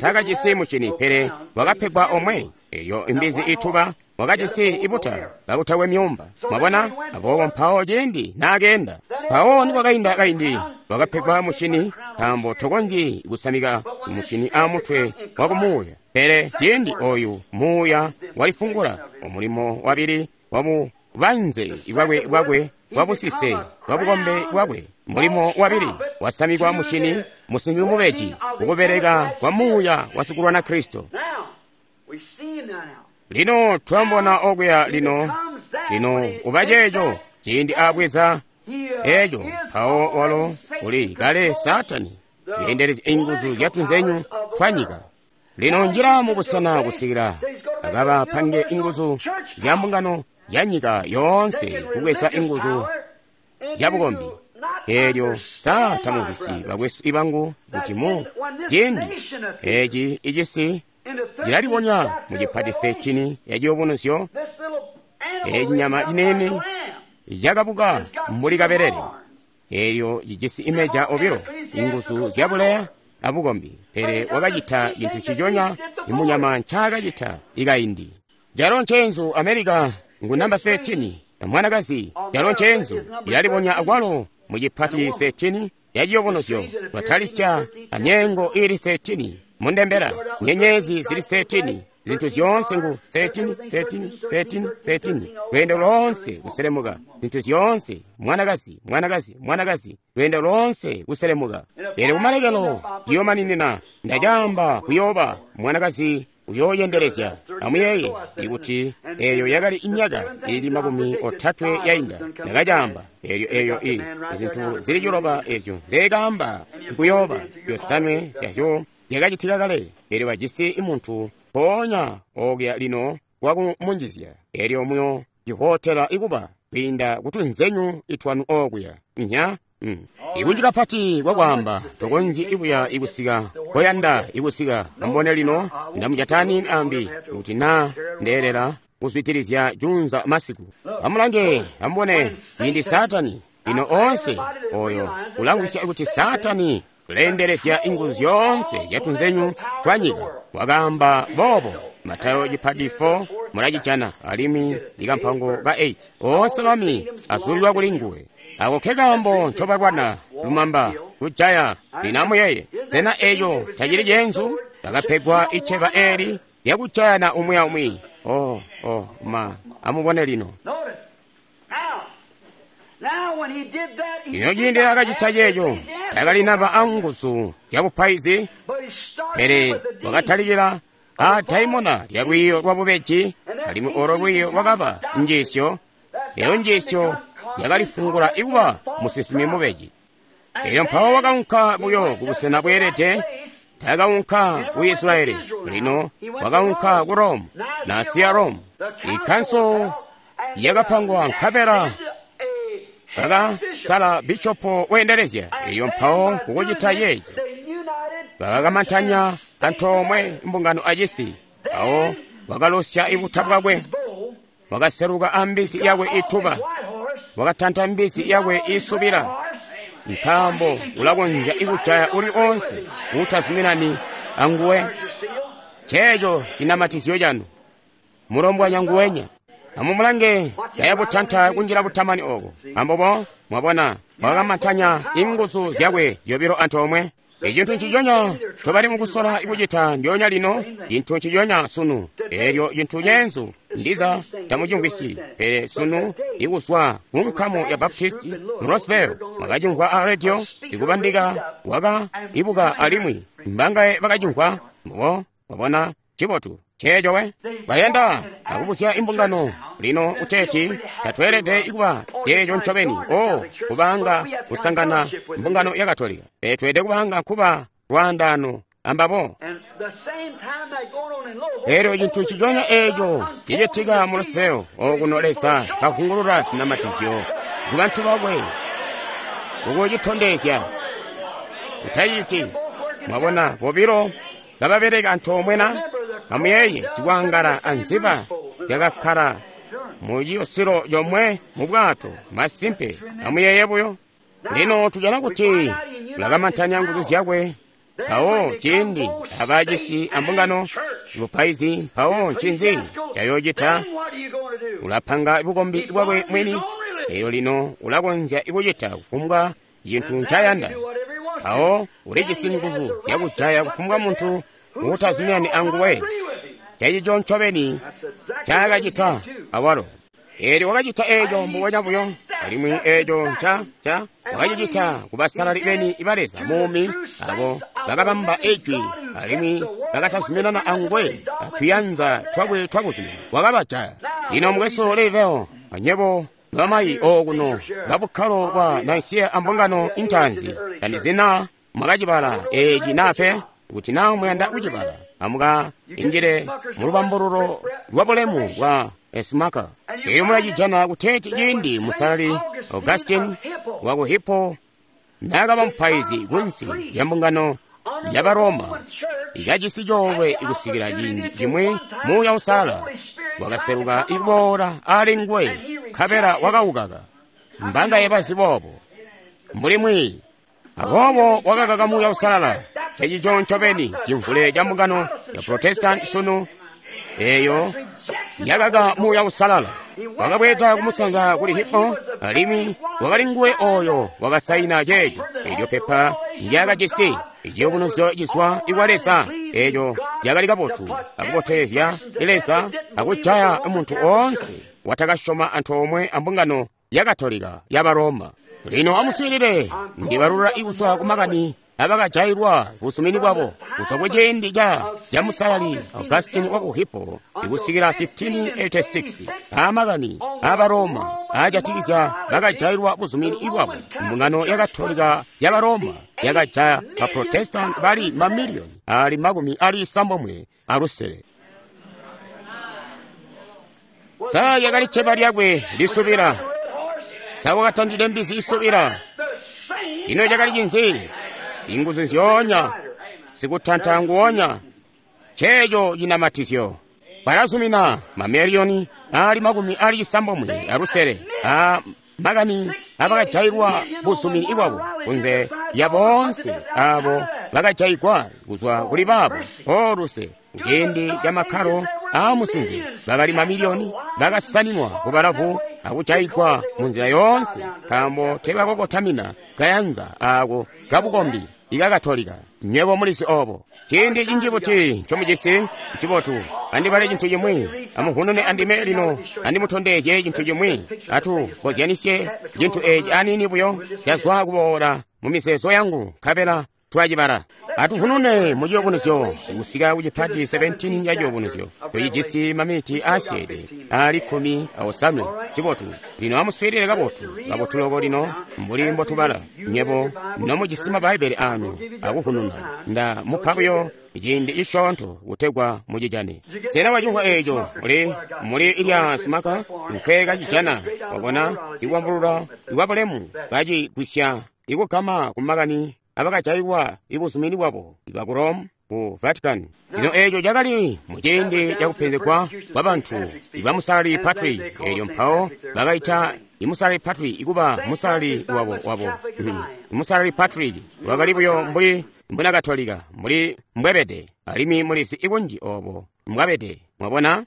takajisi mucini pele wakapegwa omwe. Eyo imbizi ituba wakajisi ibuta kakutakwe myumba. Mwabona aboobo mpawo ciindi naakenda mpawo nikwakainda kaindi wakapegwa mucini nkaambo tokonzyi kusamika mucini amutwe wakumuuya. Pele ciindi oyu muuya walifungula omulimo wabili wabubanze bwakwe bwakwe bwabusise bwabukombe bwakwe. Mulimo wabili wasamikwa mucini musimbi mubeji ukubeleka kwa muuya wasikulwana Kristo. Lino twambona okuya lino lino uba ceeco ciindi abweza eco mpawo walo uli kale Satani yendelezya inguzu zyatunzenyu twanyika. Lino njila mubusena kusikila akaba pange inguzu zya mbungano ya nyika yoonse kubweza inguzu zya bukombi. Elyo sa tamuvisi bakwesu ibangu kuti mu ciindi eci icisi cilalibonya mu cipati 13 ya ciyubunuzyo eci nyama cinene cakabuka mbuli kabelele elyo cijisi imeja obilo inguzu zyabuleya abukombi. Pele wakacita cintu ciconya imunyama ncaakacita ikaindi. Calo ncenzu America ngu namba 13 mwanakazi. Calo ncenzu ilalibonya akwalo mu cipati 13 ya ciyubunuzyo twatalisya amyengo ili 13 mundembera nyenyezi zili 13 zinthu zyoonse ngu 13 13 13 13 lwendo lonse kuselemuka zinthu zyoonse mwanakazi mwanakazi mwanakazi lwendo lonse kuselemuka. Pele kumalekelo ciyomaninina ndacamba kuyoba mwanakazi uyoyendelezya. Amuyeye ikuti eyo yakali inyaka ili 30 yainda ndakacamba elyo eyo i zinthu zili ciloba ezyo nzekamba ikuyoba yosanwe zyazyo yakacitika kale. Elyo bajisi imuntu mpoonya okuya lino wakumunjizya elyo muyo cihotela ikuba kwiinda kutunzenyu itwanu okuya nya. Ikunji kapati kwakwaamba tokonzyi ikuya ikusika koyanda ikusika. Ambone lino ndamujatani ambi kuti naa ndeelela kuzwitilizya junza masiku. Amulange, amubone ciindi Saatani lino oonse oyo ulangwisya kuti Saatani uleendelezya inguzu zyoonse zyatunzenyu twa nyika. Wakaamba boobo Matayo cipadi 4 mulacijana alimwi ikampango ka 8. Oonse bami azulilwa kuli nguwe. Ako ke kaambo ncobalwana lumamba kujaya. Lino amuyeye, sena eco tacili ceenzu? Bakapegwa iceba eli lyakujayana umwi aumwi. Oh, oh, ma, amubone lino. Lino ciindi akacita ceeco, takalinaba anguzu zyabupaizi, pele wakatalikila a daimona lya lwiiyo lwa bubeji, alimwi olo lwiiyo lwakaba njiisyo. Eyo njiisyo yakalifungula ikuba musinsimi mubeji. Elyo mpawo wakaunka buyo kubusena bweelede. Takaunka ku Israeli, lino wakaunka ku Rome, nasiya Rome. Ikanso yakapangwa nkabela bakasala bishopo weendelezya. Elyo mpawo kukucita ceeci bakakamantanya antoomwe mbungano acisi. Mpawo wakalosya ibuta bwakwe, wakaseluka ambisi yakwe ituba, wakatanta mbisi yakwe isubila, nkaambo ulakonzya ikujaya uli onse utazuminani anguwe. Ceeco cinamatizyo canu, mulombwanya nguwenya. Amumulange yayabutanta kunjila butamani oko. Ambobo mwabona wakakamantanya inguzu zyakwe zyobilo antoomwe. Icintu nciconya ncobali mukusola ikucita ndyoonya lino, cintu nciconya sunu. Elyo cintu ceenzu ndiza tamucimvwisyi, pele sunu ikuzwa ku nkamu ya Baptisti mu Roseville mwakacimvwa a radio tikubandika waka ibuka alimwi mbangaye bakacimvwa. Mbo mwabona cibotu ceeco we bayanda akubusya imbungano lino uteeti tatweelede ikuba ceeco ncobeni o kubanga kusangana mbungano ya Katolika, pele tweelede kubanga nkuba lwaandaano ambabo. Elyo cintu ciconya eeco cicitika mu Roseville okuno Leza kavungulula zinamatizyo ku bantu bakwe ukucitondezya. Utaciti mwabona bobilo kababeleka antoomwe na amuyeeye zikwangala anziba zyakakkala mu ciyosilo comwe mu bwato. Masimpe, amuyeeye buyo. Lino tujana kuti ulakamantanya nguzu zyakwe. Mpawo ciindi abajisi ambungano bupaizi, mpawo ncinzi cayoocita? Ulapanga bukombi bwakwe mwini. Eyo lino ulakonzya ikucita kufumbwa cintu ncayanda. Mpawo ulijisi nguzu zyakujaya kufumbwa muntu uutazuminani anguwe. Ceecico ncobeni ncaakacita awalo. Eelyo wakacita eeco mbubonya buyo, alimwi eeco nca wakacicita ku basalali beni ba Leza muumi, abo bakabamba ijwi alimwi bakatazuminana anguwe atuyanza twakwe twabuzumini. Wakabajaya. Lino mukwesu Leveo, anyebo bamayi okuno babukkalo bwa Nicaea ambungano intaanzi, tandizina mwakacibala eeci nape. Kuti naa muyanda kucibala, amuka injile mulubambululo lwa bulemu bwa Esmaka. Elyo mulacijana kuteeti ciindi musalali Augustine waku Hippo naakaba mupaizi kunsi lya mbungano ya Baroma, ikajisi coolwe ikusikila ciindi cimwi Muuya Uusalala wakaseluka ikuboola ali nguwe, nkabela wakaukaka. Mbangaye bazi boobo mbuli mwiiyi. Aboobo wakakaka Muuya Uusalala. Ceecico ncobeni cimvule ca mbungano ya Protestant sunu eyo yakaka Muuya Uusalala. Wakabweeda kumusanza kuli Hippo, alimwi wakali nguwe oyo wakasaina ceeco. Elyo pepa ndyakajisi iciyubunuzyo cizwa ikwa Leza, eco cakali kabotu akubotelezya Leza akujaya muntu oonse watakasyoma antoomwe ambungano ya Katolika ya Baroma. Lino amuswiilile, ndibalula ikuzwa ku makani abakajailwa busumini bwabo kuzwa kuciindi ca musalali Augustine waku Hippo ikusikila 1586 amakani aba Roma aajatikizya bakajailwa buzumini bwabo. Mbungano ya Katolika ya Baroma yakajaya ba Protestant bali mamiliyoni ali 75. Sa yakali cceba lyakwe lisubila? Sa wakatandile mbizi isubila? Ino cakali cinzi? Inguzu nzyoonya, sikutanta nguonya, ceeco cinamatizyo. Balazumina mamiliyoni ali 96 a makani abakajailwa buzumini bwabo kunze lya boonse abo bakajaigwa kuzwa kuli baabo oluse kuciindi ca makkalo aamusinze bakali mamiliyoni bakasaninwa kubalavu akujaigwa mu nzila yoonse nkaambo teebakokotamina kayanza aako kabukombi ikakatolika. Nywebo mulizi obo. Ciindi cinji buti ncomujisi ncibotu. Andibale cintu cimwi, amuvunune andime lino, andimutondezye cintu cimwi. Atu kozyanisye cintu eci aniini buyo cazwa kuboola mu mizeezo yangu, nkabela tulacibala. Atuvunune mu ciyubunuzyo kusika ku cipati 17 ca ciyubunuzyo. Tucijisi maminiti aasyeede ali 18. Cibotu. Lino amuswiilile kabotu, kabotu loko lino, mbuli mbotubala. Nywebo nomujisi Mabbaibbele anu akuvununa, nda mupa buyo ciindi cisyoonto kutegwa mucijane. Sena wacimvwa eeco? Muli ilya simaka nkwe kacijana. Wabona ikwambulula ikwabulemu kacigwisya ikugama kumakani abakajailwa ibuzumini bwabo ibaku Rome ku Vatican. Lino eeco cakali muciindi cakupenzegwa kwa bantu ibamusalali Patrick. Eelyo mpawo bakaita imusalali Patrick ikuba musalali wabo. Imusalali Patrick wakali buyo mbuli mbuna Katolika, mbuli mbwebede, alimwi mulizi ikunji obo mbwabede. Mwabona?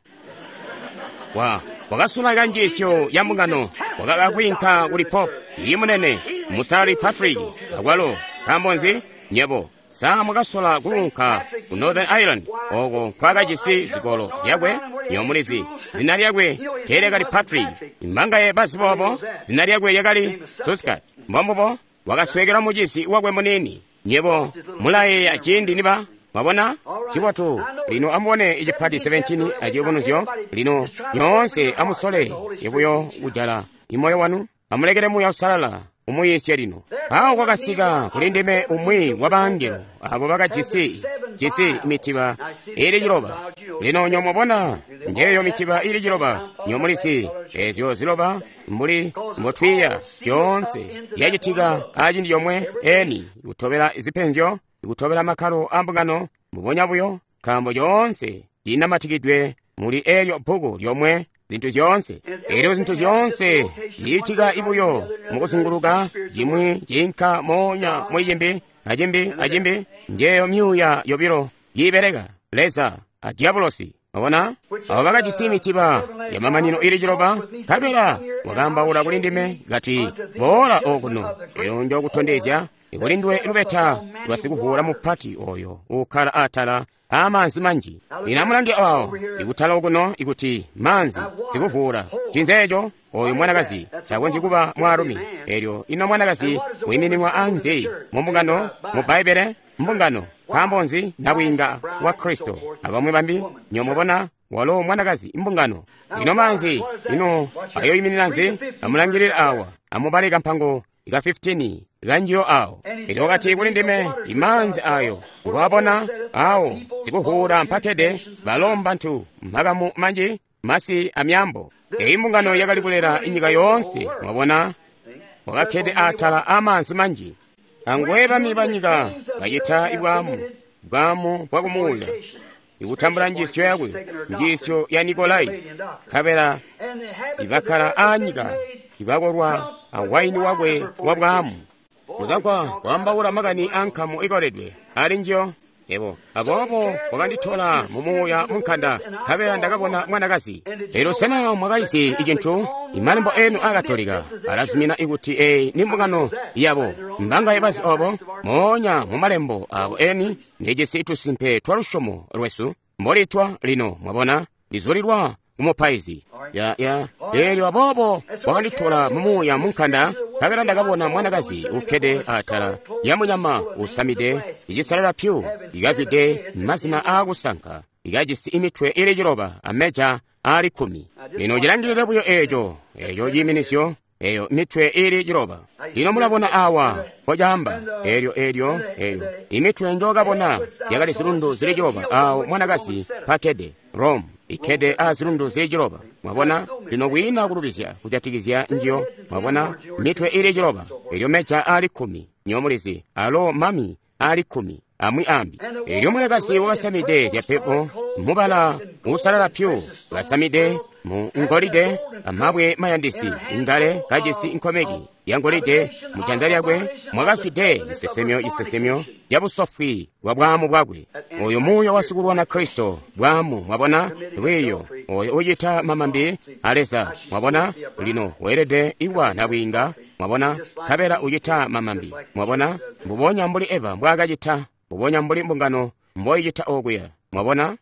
Wakasulaika njiisyo ya mbungano, wakakakwiinka kuli Pope imunene musalali Patrick akwalo. Nkaambo nzi? Nyebo sa mwakasola kuunka ku Northern Ireland oko nkwakajisi zikolo zyakwe? Nyo mulizi zina lyakwe teelekali Patrick. Imbangaye bazi boobo, zina lyakwe lyakali Suskat. Mbombubo, wakaswekela mucisi wakwe muniini. Nyebo mulayeeya ciindi niba mwabona? Cibotu. Lino amubone icipati 17 aciyubunuzyo. Lino nyoonse amusole ibuyo kujala imoyo wanu, amulekele Muuya Uusalala umuyiisye lino. Awo kwakasika kuli ndime umwi wa bangelo abo bakajisi jisi mitiba ili 7. Lino nyo mwabona njeyo mitiba ili 7. Nyo mulisi ezyo ziloba mbuli mbotwiiya yoonse yacitika aciindi yomwe eni kutobela zipenzyo, kutobela makkalo a mbungano mbubonya buyo, nkaambo yoonse inamatikidwe muli elyo bbuku lyomwe. Zintu zyoonse elyo zintu zyoonse zicitika ibuyo mukuzunguluka, cimwi ciinka moonya muli cimbi acimbi acimbi. Njeyo myuuya yobilo yiibeleka, Leza a Diabolosi. Mwabona? Abo bakajisi mitiba yamamanino ili 7, nkabela wakaambaula kuli ndime kati, boola okuno, elyo njokutondezya kuli nduwe lubeta lwa sikuvuula mupati oyo uukkala atala amaanzi manji. Lino amulange awo ikutala okuno ikuti maanzi sikuvuula. Cinzeeco oyu mwanakazi takonzyi kuba mwaalumi. Elyo ino mwanakazi wiimininwa anzi mu mbungano mu Bbaibbele? Mbungano. Nkaambo nzi? Nabwiinga wa Kristo abamwi bambi. Nyomubona walo mwanakazi mbungano. Lino maanzi ino ayoyiminina nzi? Amulangilile awa, amubale kampango ka 15 kanjiyo awo. Elyo wakati kuli ndime, imaanzi ayo ngwabona awo sikuvuula mpakede balomba ntu makamu manji masi amyambo. Eyi mbungano yakali kulela inyika yoonse. Mwabona, wakakkede atala amaanzi manji. Angwe bami banyika bacita ibwamu, bwamu bwakumuuya, ikutambula njiisyo yakwe, njiisyo ya Nikolai, nkabela ibakkala aanyika ibakolwa awaini wakwe wa bwamu. Kuzakwa kwaambaula makani ankamu ikoledwe ali njiyo. Ebo aboobo wakanditola mumuuya munkanda, nkabela ndakabona mwanakazi. Elyo sena mwakalizi icintu? Imalembo enu akatolika alazumina ikuti eyi ni mbungano yabo. Mbangaye bazi obo? Moonya mu malembo abo eni ndijisi tusimpe twa lusyomo lwesu mbolitwa lino. Mwabona, lizulilwa kumupaizi. Ya elyo aboobo wakanditola mumuuya munkanda, nkabela ndakabona mwanakazi ukkede atala ya munyama usamide icisalala pyu, ikazwide mazina aakusanka, ikajisi imitwe ili 7 ameja ali 10. Lino cilangilile buyo eeco, eco ciiminisyo, eyo mitwe ili 7. Lino mulabona awa mpocaamba elyo elyo elyo imitwe njokabona yakali zilundu zili 7 awo mwanakazi mpakkede, Rome ikkede a zilundu zili 7. Mwabona, lino kwiina kulubizya kujatikizya njiyo. Mwabona, mitwe ili 7, elyo meja ali 10. nyomulizi alo mami ali 10 amwi ambi. Elyo mwanakazi wakasamide zyapepo mubala usalala pyu, kasamide mu ngolide amabwe mayandisi, ingale kajisi nkomeki ya ngolide mu janza lyakwe, mwakazwide cisesemyo cisesemyo cabusofwi bwa bwaamu bwakwe. Oyo muuya wasikulwana Kristo, bwaamu, mwabona, lwiyo, oyo ucita mamambi a Leza, mwabona, lino weelede iwa nabwiinga, mwabona, nkabela ucita mamambi, mwabona, mbubonya mbuli Eva mbwaakacita, mbubonya mbuli mbungano mboicita okuya, mwabona.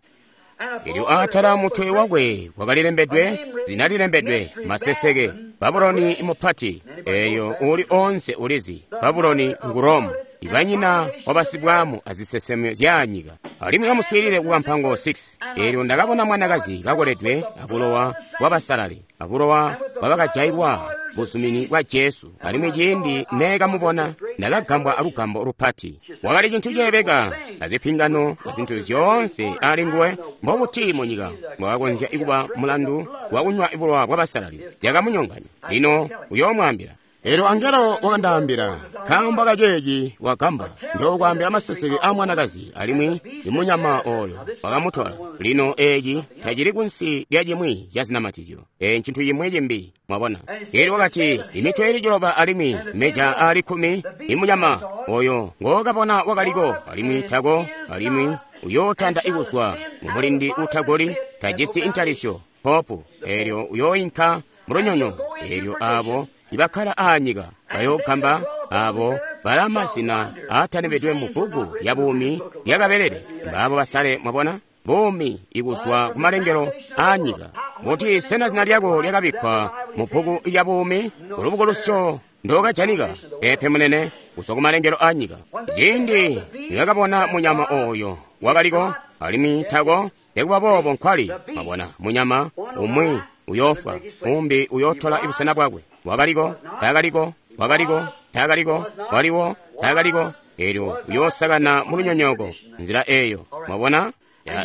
Elyo atala mutwe wakwe kwakalilembedwe zina lilembedwe maseseke, Babuloni mupati. Eyo uli onse ulizi Babuloni ngu Rome, ibanyina wabasibwamu azisesemyo zya nyika. Alimwi amuswiilile ku kampango 6. Elyo ndakabona mwanakazi kakoledwe abulowa bwabasalali, abulowa bwabakajailwa buzumini bwa Jesu. Alimwi ciindi neekamubona ndakagambwa alugambo lupati. Wakali cintu ceebeka azipingano azintu zyoonse ali nguwe. Mbobuti munyika mbwakakonzya kuba mulandu wakunywa bulowa bwabasalali? Yakamunyonganya. Lino uyoomwaambila. Elyo angelo wakandaambila, nkaambo kaceeci wagamba, njookwaambila maseseke a mwanakazi alimwi imunyama oyo wakamutola. Lino eeci tacili kunsi lya cimwi ca zinamatizyo, ee ncintu cimwi cimbi, mwabona. Elyo wakati, imitwe ili 9 alimwi meja ali 10, imunyama oyo ngookabona wakaliko alimwi tako, alimwi uyootanda ikuzwa mumulindi utagoli, tajisi intalisyo, popu. Elyo uyooinka mulunyonyo. Elyo abo ibakkala aanyika bayoogamba, abo bala mazina aatanembedwe mu bbuku lya buumi lyakabelele, mbaabo basale, mwabona, buumi ikuzwa kumalengelo aanyika. Kuti sena zina lyako lyakabikkwa mu bbuku lya buumi, ulubukulusyo ndokajanika? Peepe munene, kuzwa kumalengelo aanyika. Ciindi nibakabona munyama oyo wakaliko alimwi tako, nekuba boobo nkwali, mwabona, munyama umwi uyoofwa, umbi uyootola ibusena bwakwe. Wakaliko, taakaliko, wakaliko, taakaliko, waliwo, taakaliko. Elyo uyoosakana mulunyonyooko nzila eyo, mwabona.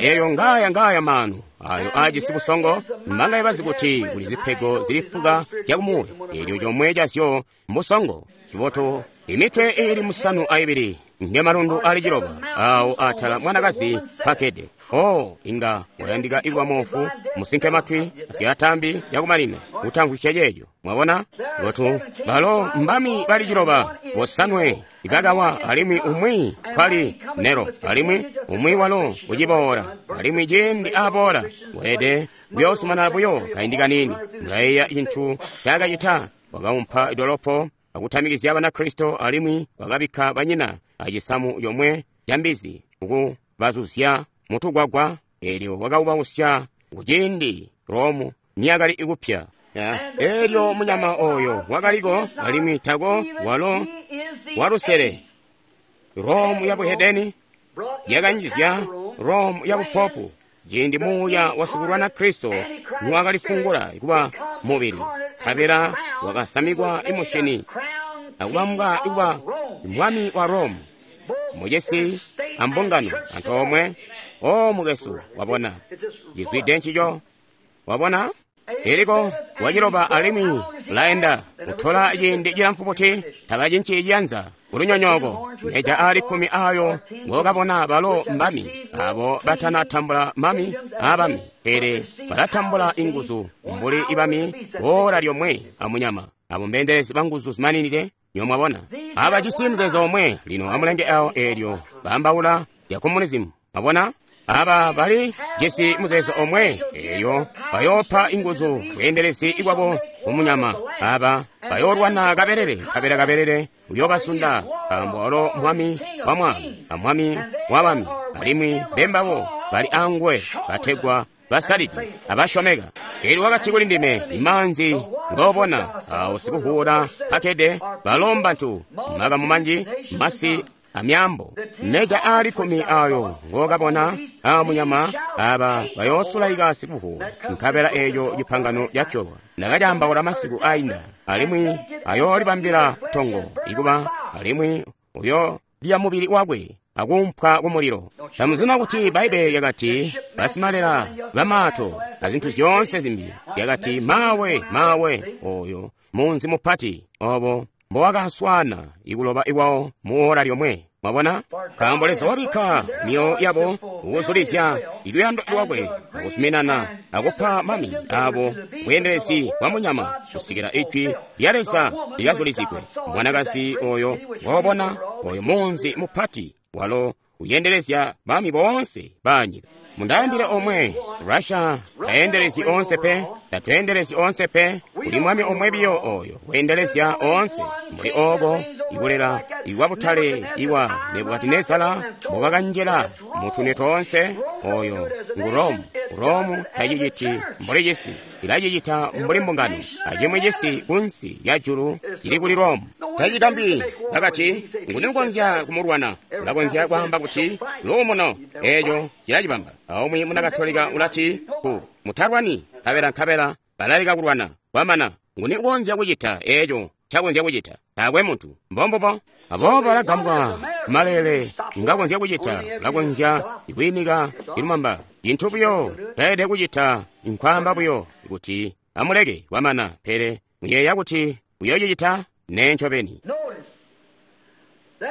Elyo ngaya ngaya maanu ayo aajisi busongo, mbanga bazi kuti kuli zipego zili fuka zyakumuuya. Elyo comwe cazyo mbusongo. Cibotu, imitwe iili 72 ngemalundu ali 9 awo atala mwanakazi pakede. Oh, inga wayandika ikuba moofu, musinke matwi, asyatambi yakumalina, kutamvwisya ceeco. Mwabona? Gotu, balo mbami bali 9, 9 ibakawa, alimwi umwi kwali Nero, alimwi umwi walo uciboola, alimwi ciindi aboola, weelede kuyoosumana buyo kaindi kaniini. Mulayeeya cintu ncaakacita, wakaumpa idolopo akutamikizya Banakristo, alimwi wakabikka banyina acisamu comwe ca mbizi kukubazuzya mutugwagwa. Elyo wakaubausya kuciindi Romu niyakali ikupya. Elyo munyama oyo wakaliko alimwi tako, walo walusele. Romu ya buhedeni yakanjizya Romu ya bupopu, ciindi muuya wasikulwana Kristo niwakalifungula kuba mubili, nkabela wakasamikwa imushini akubambwa kuba mwami wa Romu, mucisi ambungano antoomwe. O mukesu, wabona cizwide ncico, wabona eliko waciloba alimwi laenda kutola ciindi cilamfu buti, tabacinci ciyanza kulunyonyooko. Meja ali 10 ayo ngokabona balo mbami, abo batanatambula mami abami, pele balatambula inguzu mbuli ibami boola lyomwe amunyama. Abo mbeendelezi banguzu zimaninide, nyomwabona. Abajisi muzeezo omwe. Lino amulenge awo eelyo baambaula ya communism, mwabona. Aba bali jisi muzeezo omwe, eelyo bayoopa inguzu bweendelezi bwabo kumunyama. Aba bayoolwana kabelele, nkabela kabelele uyoobasunda, nkaambo walo mwami wa mwami amwami wa bami, alimwi bembabo bali anguwe bategwa basalidwe abasyomeka. Elyo wakati kuli ndime, imaanzi ngoobona awo sikuvuula pakede balo mbantu, makamu manji, masi amyaambo. Meja ali 10 ayo ngokabona amunyama, aba bayoosulaika sikuvuula, nkabela eeco cipangano catyolwa. Ndakacaambaula masiku ainda, alimwi ayoolibambila tongo ikuba, alimwi uyoolya mubili wakwe akuumpwa kumulilo. Tamuzina kuti Bbaibele lyakati basimalela bamaato azintu zyoonse zimbi, lyakati mawe mawe oyo munzi mupati obo mbowakaswaana ikuloba ikwawo mu ora lyomwe. Mwabona? Nkaambo Leza wabikka myoyo yabo kukuzulizya iluyando lwakwe akuzuminana akupa mami abo bweendelezi bwa munyama kusikila ijwi lya Leza likazulizigwe. Mwanakazi oyo ngoobona, oyo munzi mupati walo uyendelezya bami boonse ba nyika. Mundaambile omwe, Russia tayendelezi onse pe, tatweendelezi onse pe, kuli mwami omwe biyo oyo weendelezya onse. Mbuli ooko ikulela ikwa butale iwa Nebukadinezara mbokakanjila mutune toonse, oyo ngu Rome. Rome taciciti mbuli cisi, ilacicita mbuli mbungano, acimwi cisi kunsi lya julu cili kuli Rome. Tacikambi bakati, nguni ukonzya kumulwana? Ulakonzya kwaamba kuti luumuno, eeco cilacibamba. Aumwi muna Katolika ulati ku mutalwani, nkabela nkabela balaleka kulwana. Kwamana, nguni ukonzya kucita eeco ncakonzya kucita? Taakwe muntu. Mbombubo. Aboobo balagambwa maleele ngakonzya kucita. Ulakonzya kwiimika ilumamba. Cintu buyo taelede kucita nkwaamba buyo kuti amuleke kwamana, pele muyeeya kuti uyoocicita? Nee ncobeni.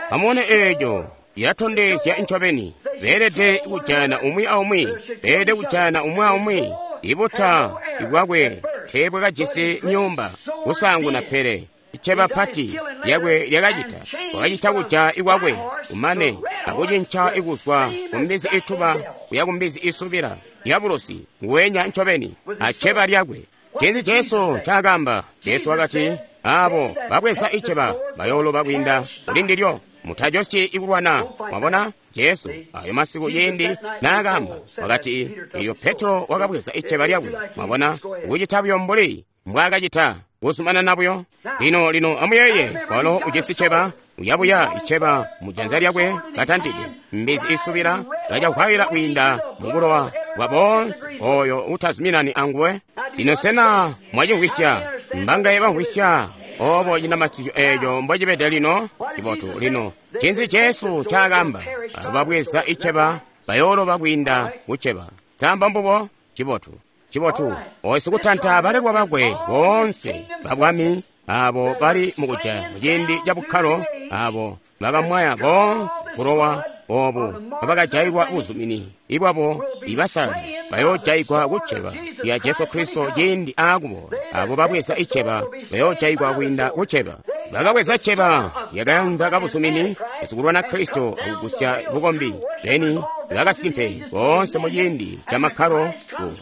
Amubone eeco cilatondezya ncobeni. Beelede kujana umwi aumwi, beelede kujana umwi aumwi. Ibuta bwakwe teebwakajisi myuumba kusaanguna, pele iceba pati lyakwe lyakacita. Wakacita kuja ikwakwe kumane akucinca ikuzwa kumbizi ituba kuya kumbizi isubila yabulosi nguwenya ncobeni aceba lyakwe. Ncinzi Jesu ncaakaamba? Jesu wakati, aabo babweza iceba bayooloba kwiinda kuli ndilyo. Mutajosyi ikulwana. Mwabona Jesu ayo masiku ciindi naakaamba wakati, elyo Petro wakabweza iceba lyakwe. Mwabona, kucita buyo mbuli mbwaakacita, kuzumanana buyo. Lino lino amuyeeye, walo ujisi ceba, uyabuya iceba mujanza lyakwe katantide mbizi isubila kacahwayila kwiinda mubulowa bwa boonse oyo utazuminani anguwe. Lino sena mwacimvwisya? Mbangaye bamvwisya obo cinamatizyo eeco mbocibede lino? Cibotu. Lino ncinzi Jesu ncaakaamba? Ababweza iceba bayooloba kwiinda kuceba. Samba mbubo? Cibotu. Cibotu. Oyo sikutanta balelwa bakwe boonse babwami abo bali mukuja muciindi ca bukkalo, abo bakamwaya boonse bulowa obo abakajaigwa buzumini ibwabo ibasalali bayoojaigwa kuceba lya Jesu Kristo ciindi aakuboola. Abo babweza iceba bayoojaigwa kwiinda kuceba. Bakabweza ceba lyakayanza kabuzumini basikulwana Kristo akugusya bukombi beni bakasimpe boonse muciindi ca makkalo ku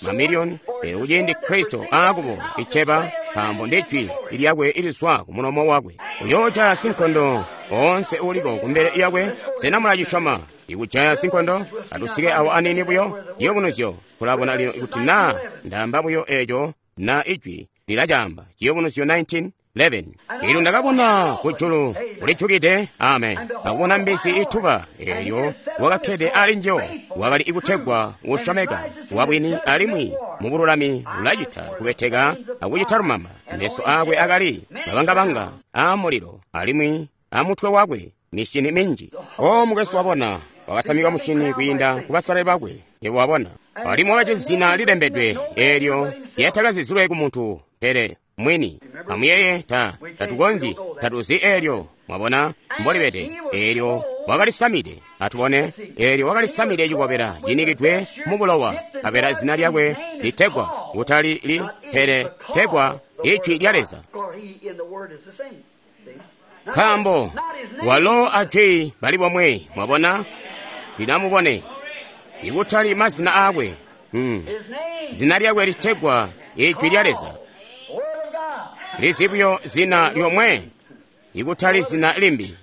mamiliyoni. Pele kuciindi Kristo aakuboola iceba, nkaambo ndi jwi lyakwe ilizwa ku mulomo wakwe, uyoojaya sinkondo oonse uuliko kumbele yakwe. Sena mulacisyoma? Ikujaya sinkondo. Atusike awo aniini buyo ciyubunuzyo. Tulabona lino kuti naa ndaamba buyo eeco na ijwi lilacaamba. Ciyubunuzyo 19:11. Elyo ndakabona kujulu kulijukide, amen, akubona mbizi ituba, eelyo wakakkede ali njiyo wakali ikutegwa usyomeka wabwini, alimwi mubululami ulacita kubeteka akucita lumamba. Meso aakwe akali mabangabanga aamulilo, alimwi amutwe wakwe mishini minji. O mukwesu, wabona, wakasamika mushini kwiinda kubasalali bakwe. Yebo wabona, alimwi wakajisi zina lilembedwe eelyo lyatakazizilwe ku muntu pele mwini. Amuyeeye, tatukonzyi, tatuzi eelyo. Mwabona mbolibede. Eelyo wakalisamide. Atubone. Eelyo wakalisamide cikobela cinikidwe mu bulowa, nkabela zina lyakwe litegwa kutali li pele tegwa Ijwi lya Leza. Nkaambo walo ajwi bali bomwe. Mwabona, linamubone ikutali mazina aakwe. Zina lyakwe litegwa Ijwi lya Leza. Lizibyo zina lyomwe, ikutali zina limbi.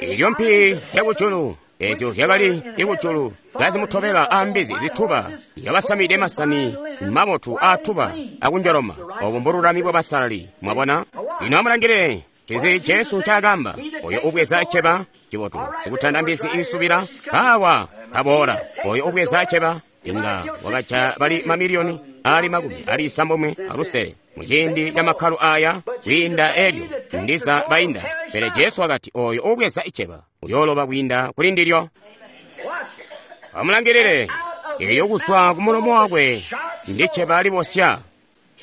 Elyo mpi zyakujulu ezyo zyakali ikujulu kazimutobela ambizi zituba, yabasamide masani mabotu aatuba akunjoloma. Obo mbululami bwabasalali. Mwabona? Lino amulangile ncinzi Jesu ncaakaamba. Oyo ubweza iceba cibotu, sikutanda mbizi isubila awa aboola. Oyo ubweza iceba inga wakaja bali mamiliyoni ali 96 muciindi ca makkalo aya kwiinda elyo ndiza bainda. Pele Jesu wakati oyo ubweza iceba uyooloba kwiinda kuli ndilyo. Amulangilile, elyo kuzwa ku mulomo wakwe ndi ceba libosya.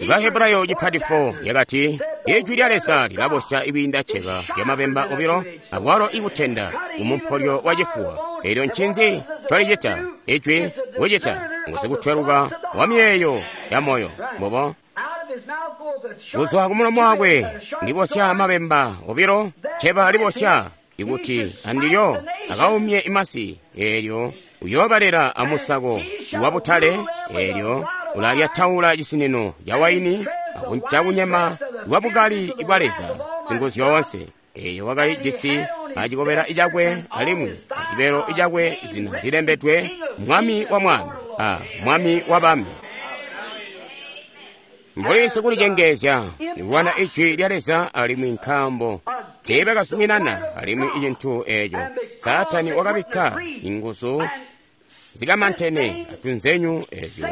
Bahebrayo cipati 4 yakati, Ijwi lya Leza lilabosya ikwiinda cceba lyamabemba obilo, akwalo ikutenda kumumpolyo wa cifuwa. Elyo ncinzi ncolicita? Ijwi kucita ngusikutweluka wa miyeeyo ya moyo. Mbobo. Kuzwa kumulomo wakwe ndibosya mabemba obilo, cceba libosya ikuti andilyo akaumye imasi. Elyo uyoobalela amusako wabutale. Elyo ulalyataula cisinino ca waini cakunyema lwabukali bwa Leza Singuzyoonse. Eyo wakali jisi acikobela cakwe alimwi acibelo cakwe zina lilembedwe Mwami wa Mwami a Mwami wa Bami. Mbuli sikulicengezya kulwana Ijwi lya Leza alimwi nkaambo teebakazuminana alimwi icintu eeco, Saatani wakabikka inguzu zikamantene atunzenyu ezyo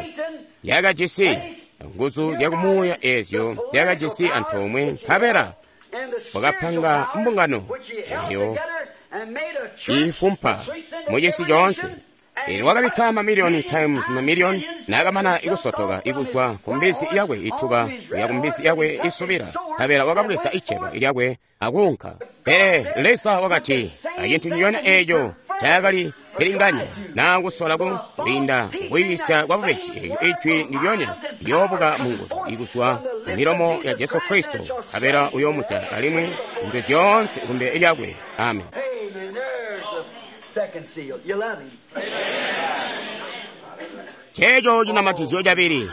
yakajisi nguzu zyakumuuya ezyo zyakajisi antoomwe, nkabela wakapanga mbungano eyo iifumpa mucisi coonse. Elyo wakabikka mamiliyoni times mamiliyoni, naakamana ikusotoka ikuzwa ku mbizi yakwe ituba kuya ku mbizi yakwe isubila, nkabela wakabweza iceba lyakwe akuunka. Pele Leza wakati acintu nciconya eeco taakali pilinganya naa kusola kwiinda kuyiisya kwa bubeji. Eelyo ijwi ndilyonya liyoobuka mu nguzu ikuzwa mu milomo ya Jesu Kristo, nkabela uyoomuta alimwi zintu zyoonse kumbele lyakwe. Amen. Checho chinamatizyo chabili.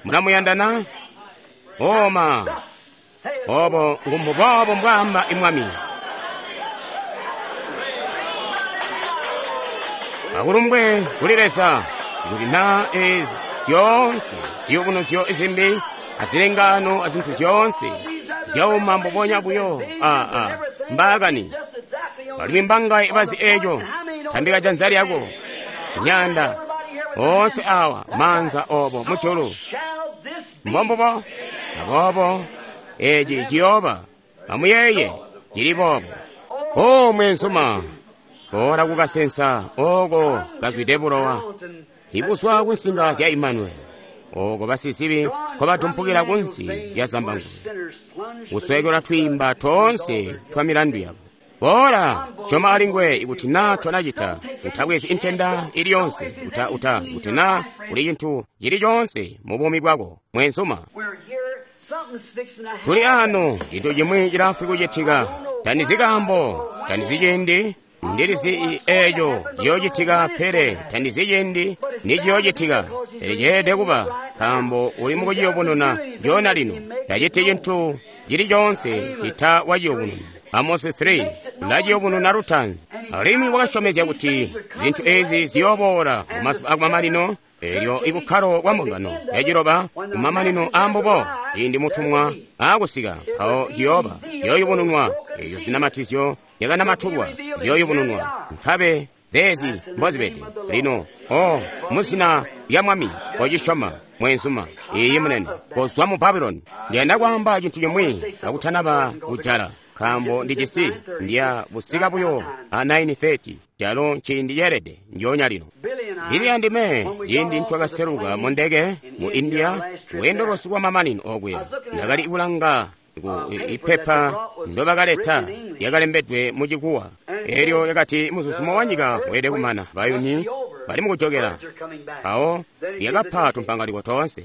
Mulamuyandana? Oma. Obo ngumbubobo mbwamba imwami. Akulumbwe kuli Leza kuti na ezi zyoonse ziyubunuzyo izimbi azilengano azinthu zyoonse zyauma mbubonya buyo aa mbakani alimwi mbanga ibazi eco tambika janza lyako nyanda onse awa manza obo mujulu mbombubo aboobo eci ciyooba amuyeye cili boobo. O mwenzuma, boola kukasensa oko kazwide bulowa ibuzwa kunsinga zya Imanueli, oko basizibi nkobadumpukila kunsi lya zambangulwe kuswekelwa twiimba toonse twa milandu yabo. Boola choma alingwe ikuti na tonacita utabwezi intenda ili yonse uta kuti na kuli chinthu chili chonse mu bumi bwako mwenzuma. Tuli ano chinthu chimwe chilafwi kuchitika tanizikambo tanizichindi ndilizi echo chiyochitika pele tanizichindi ni chiyochitika pele chiyelede kuba nkambo uli mukuchiyubununa chona lino tachiti chinthu chili chonse chita wachiyubununa. Amosi 3 lachiyubununa lutanzi alimwi wakashomezya kuti zinthu ezi ziyoboola mumazuba akumamanino. Elyo ibukkalo bwa mbungano yaciloba kumamanino ambubo ciindi mutumwa aakusika mpawo ciyoba ziyoyubununwa. Eyo zinamatizyo zyakanamathulwa ziyoyubununwa nkabe zeezi mbozibede lino. O muzina lya Mwami kocisyoma mwenzuma iyi munene kozwa mu Babuloni. Ndiyanda kwaamba chinthu chimwe kakutanaba kujala nkambo ndijisi ndiya busika buyo a 9:30 calo nciindi ceelede njoonya lino. Ndili andime ciindi ntwakaseluka mu ndeke mu India lweendo lwosu lwa mamanino okuya ndakali kulanga ku ipepa ndobakaleta lyakalembedwe mu Chikuwa. Elyo lyakati muzuzumo wa nyika weelede kumana bayuni bali mukujokela. Mpawo lyakapa tumpangaliko toonse.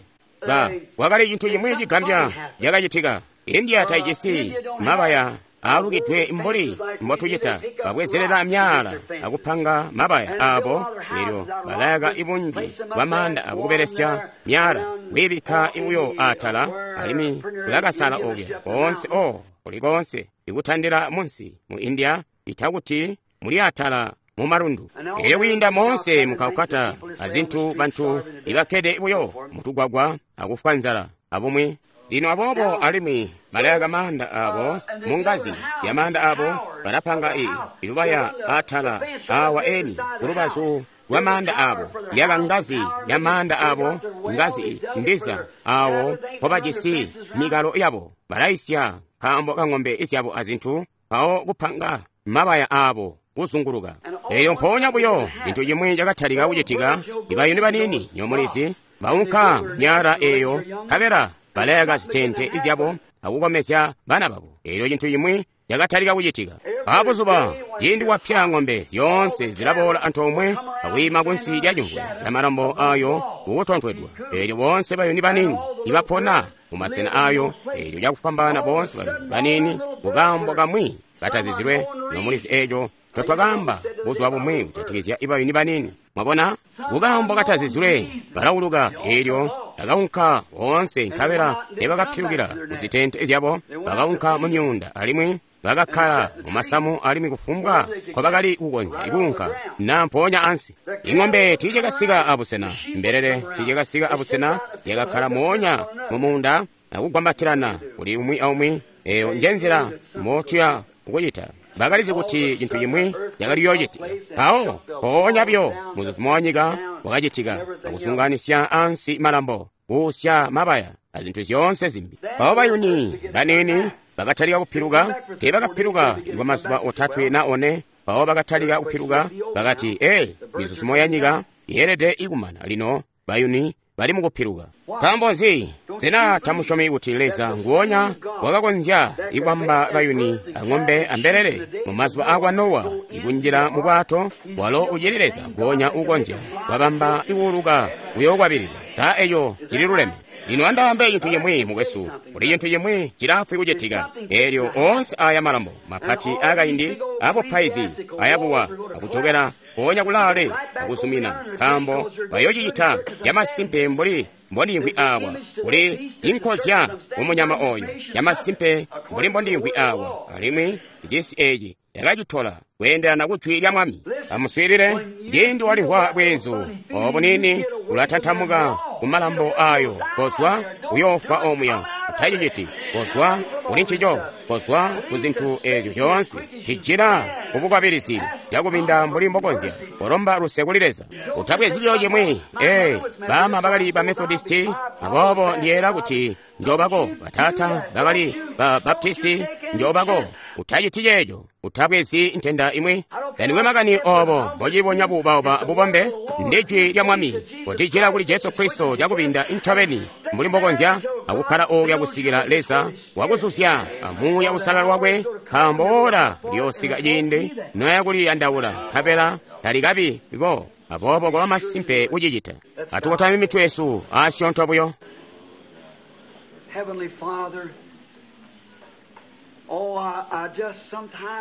Kwakali chinthu chimwe chigambya chakachitika. India taijisi mabaya aalukidwe mbuli mbotucita babwezerera myala akupanga mabaya abo. Elyo balayaka ibunji bwa maanda akubelesya myala kwiibikka ibuyo atala alimwi kulakasala okuya koonse o kuli koonse ikutandila munsi mu India itakuti muli atala mu malundu. Elyo kwiinda monse mu Calcutta azinthu bantu ibakkede buyo mutugwagwa akufwa nzala abumwi. Lino aboobo alimwi balayaka maanda abo mu ngazi ya maanda abo balapanga ilubaya atala awa eni kulubazu lwa maanda abo yaka ngazi ya maanda abo ngazi ndiza awo mpobajisi mikalo yabo balayisya nkaambo ka ng'ombe izyabo azinthu mpawo kupanga mabaya abo kuzunguluka. Eyo mpoonya buyo chinthu chimwe chakatalika kuchitika. Ibayuni banini nyomulizi baunka myala eyo nkabela balayaka zitente zyabo akukomezya bana babo. Elyo cintu cimwi cakatalika kucitika. Abuzuba ciindi wapya ng'ombe zyoonse zilaboola antoomwe akwiima kunsi lya cimvule ca malambo ayo kukutontwedwa. Elyo boonse bayuni banini ibapona mu masena ayo, elyo cakufwambaana boonse bayuni banini kukaambo kamwi katazizilwe. Nomulizi eco ncotwakaamba buzuba bumwi kujatikizya ibayuni banini. Mwabona, kukaambo katazizilwe balauluka. Elyo bakaunka boonse, nkabela nebakapilukila kuzitente zyabo, bakaunka mu myuunda alimwi bakakkala mu masamu, alimwi kufumbwa nkobakali kukonzya kuunka na mpoonya ansi. Ing'ombe tiilyakasika abusena, mbelele tiilyakasika abusena, lyakakkala moonya mu muunda akugwambatilana kuli umwi aumwi. Eyo nje nzila motuya kucita. Bakalizi kuti cintu cimwi cakali yoocitika. Mpawo mpoonya buyo muzuzumo wa nyika wakacitika, akusunganisya ansi malambo, kuusya mabaya azintu zyoonse zimbi. Mpawo bayuni banini bakatalika kupiluka. Teebakapiluka kwa mazuba 3 na 4. Mpawo bakatalika kupiluka, bakati, "Ee, mizuzumo ya nyika yeelede ikumana lino, bayuni bali mukupiluka." Nkaambo nzi? Sena tamusyomi kuti Leza nguonya wakakonzya ikubamba bayuni ang'ombe ambelele mu mazuba akwa Nowa ikunjila mu bwato? Walo ucili Leza nguonya uukonzya wabamba ikuuluka kuyookwabililwa. Sa eco cililuleme? Lino andaambe cintu cimwi, mukwesu, kuli cintu cimwi cilaafwi kucitika. Elyo oonse aya malambo mapati aakaindi abupaizi ayakuwa akujokela mpoonya kulaale akuzumina, nkaambo bayoocicita camasimpe mbuli mbondiimvwi awa. Kuli inkozya mumunyama oyo camasimpe mbuli mbondiimvwi awa, alimwi cisi eci yakacitola kweendelana kujwi lya Mwami. Amuswiilile, ciindi walimvwa bweenzu obu nini ulatantamuka kumalambo ayo, kozwa uyoofwa omuya. Utaciciti, kozwa kuli ncico, kozwa ku zintu ezyo zyoonse. Cijila kubukwabilizi cakubinda mbuli mbokonzya, kolomba luse kuli Leza. Utabwezi buyo cimwi. Ee, baama bakali ba Methodisti, aboobo ndiyeera kuti njoobako. Bataata bakali ba Baptisti, njoobako. Utaciti ceeco. Utabwezi ntenda imwi. Tandikwe makani obo mbocilibonya buubauba bubombe, ndi jwi lya Mwami. Kotijila kuli Jesu Kristo cakubinda incobeni mbuli mbokonzya, akukkala okuya kusikila Leza wakuzuzya amuuya usalala wakwe, nkaambo ora liyoosika ciindi noya kuliyandaula, nkabela talikabi ko. Aboobo koba masimpe kucicita. Atukotame mitwe yesu asyoonto buyo.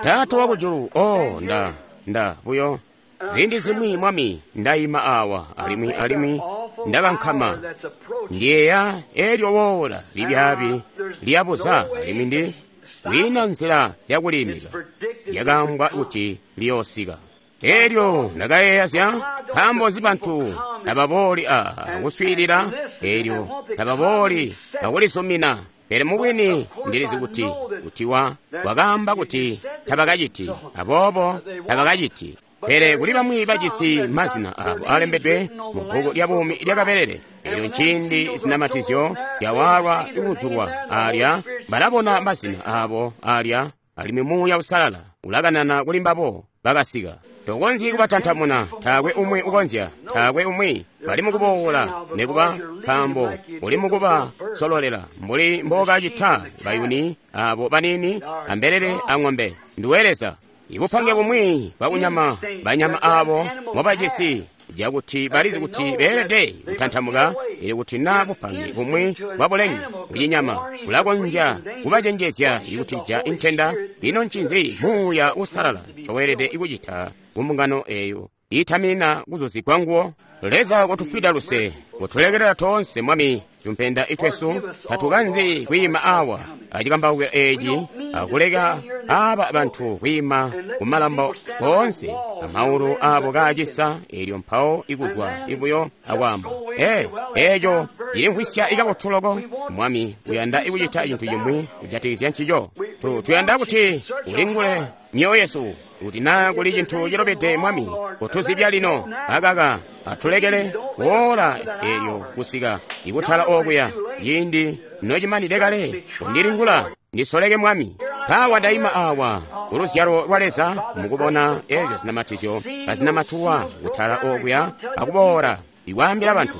Taata wakujulu, oh, nda buyo ziindi zimwi, Mwami, ndaima awa alimwi ndakankama, ndiyeeya elyo woola libyaabi lyabuza, alimwi ndi kwiina nzila yakuliimika, lyakaambwa kuti liyoosika. Elyo ndakayeeya zya nkaambo nzi bantu tababooli kuswiilila, elyo tababooli akulisumina. Pele mubwini ndilizi kuti wakaamba kuti tabakaciti, aboobo tabakaciti. Pele kuli bamwi bajisi mazina abo alembedwe mu bbuku lya buumi lya kabelele. Elyo nciindi zinamatizyo zyawaalwa kujulwa alya, balabona mazina abo alya, alimwi Muuya Uusalala ulakanana kuli mbabo bakasika. Tokonzyi kubatantamuna, taakwe umwi ukonzya, taakwe umwi. Bali mukuboola nekuba, nkaambo uli mukubasololela mbuli mbokacita bayuni abo banini ambelele ang'ombe. Nduwe Leza. Ibupange bumwi bwakunyama banyama abo mobajisi cakuti balizi kuti beelede kutantamuka, ili kuti na bupange bumwi bwabulenge kucinyama bulakonzya kubacenjezya ikutija intenda. Ino ncinzi Muuya Uusalala ncoweelede kucita ku mbungano eyo iitaminina kuzuzigwa nguwo? Leza kotufwida luse, kutulekelela toonse, Mwami, tumpenda itwesu. Tatukanzi kwiima awa acikambawukilo eci akuleka aba bantu kwiima kumalambo koonse amaulu abo kaacisa, elyo mpawo ikuzwa ibuyo akwaamba, ee, eco cilimvwisya ikabotu loko. Mwami, uyanda ikucita cintu cimwi kujatikizya ncico. Tuyanda kuti ulingule myoyo yesu, kuti naa kuli cintu cilobede, Mwami, kutuzibya lino. Akaka atulekele woola elyo kusika ikutala okuya ciindi nocimanide kale. Kundilingula ndisoleke, Mwami. Mpawa ndaima awa kuluzyalo lwa Leza mukubona ezyo zinamatizyo kazinamatuwa kutala okuya akuboola ikwaambila bantu.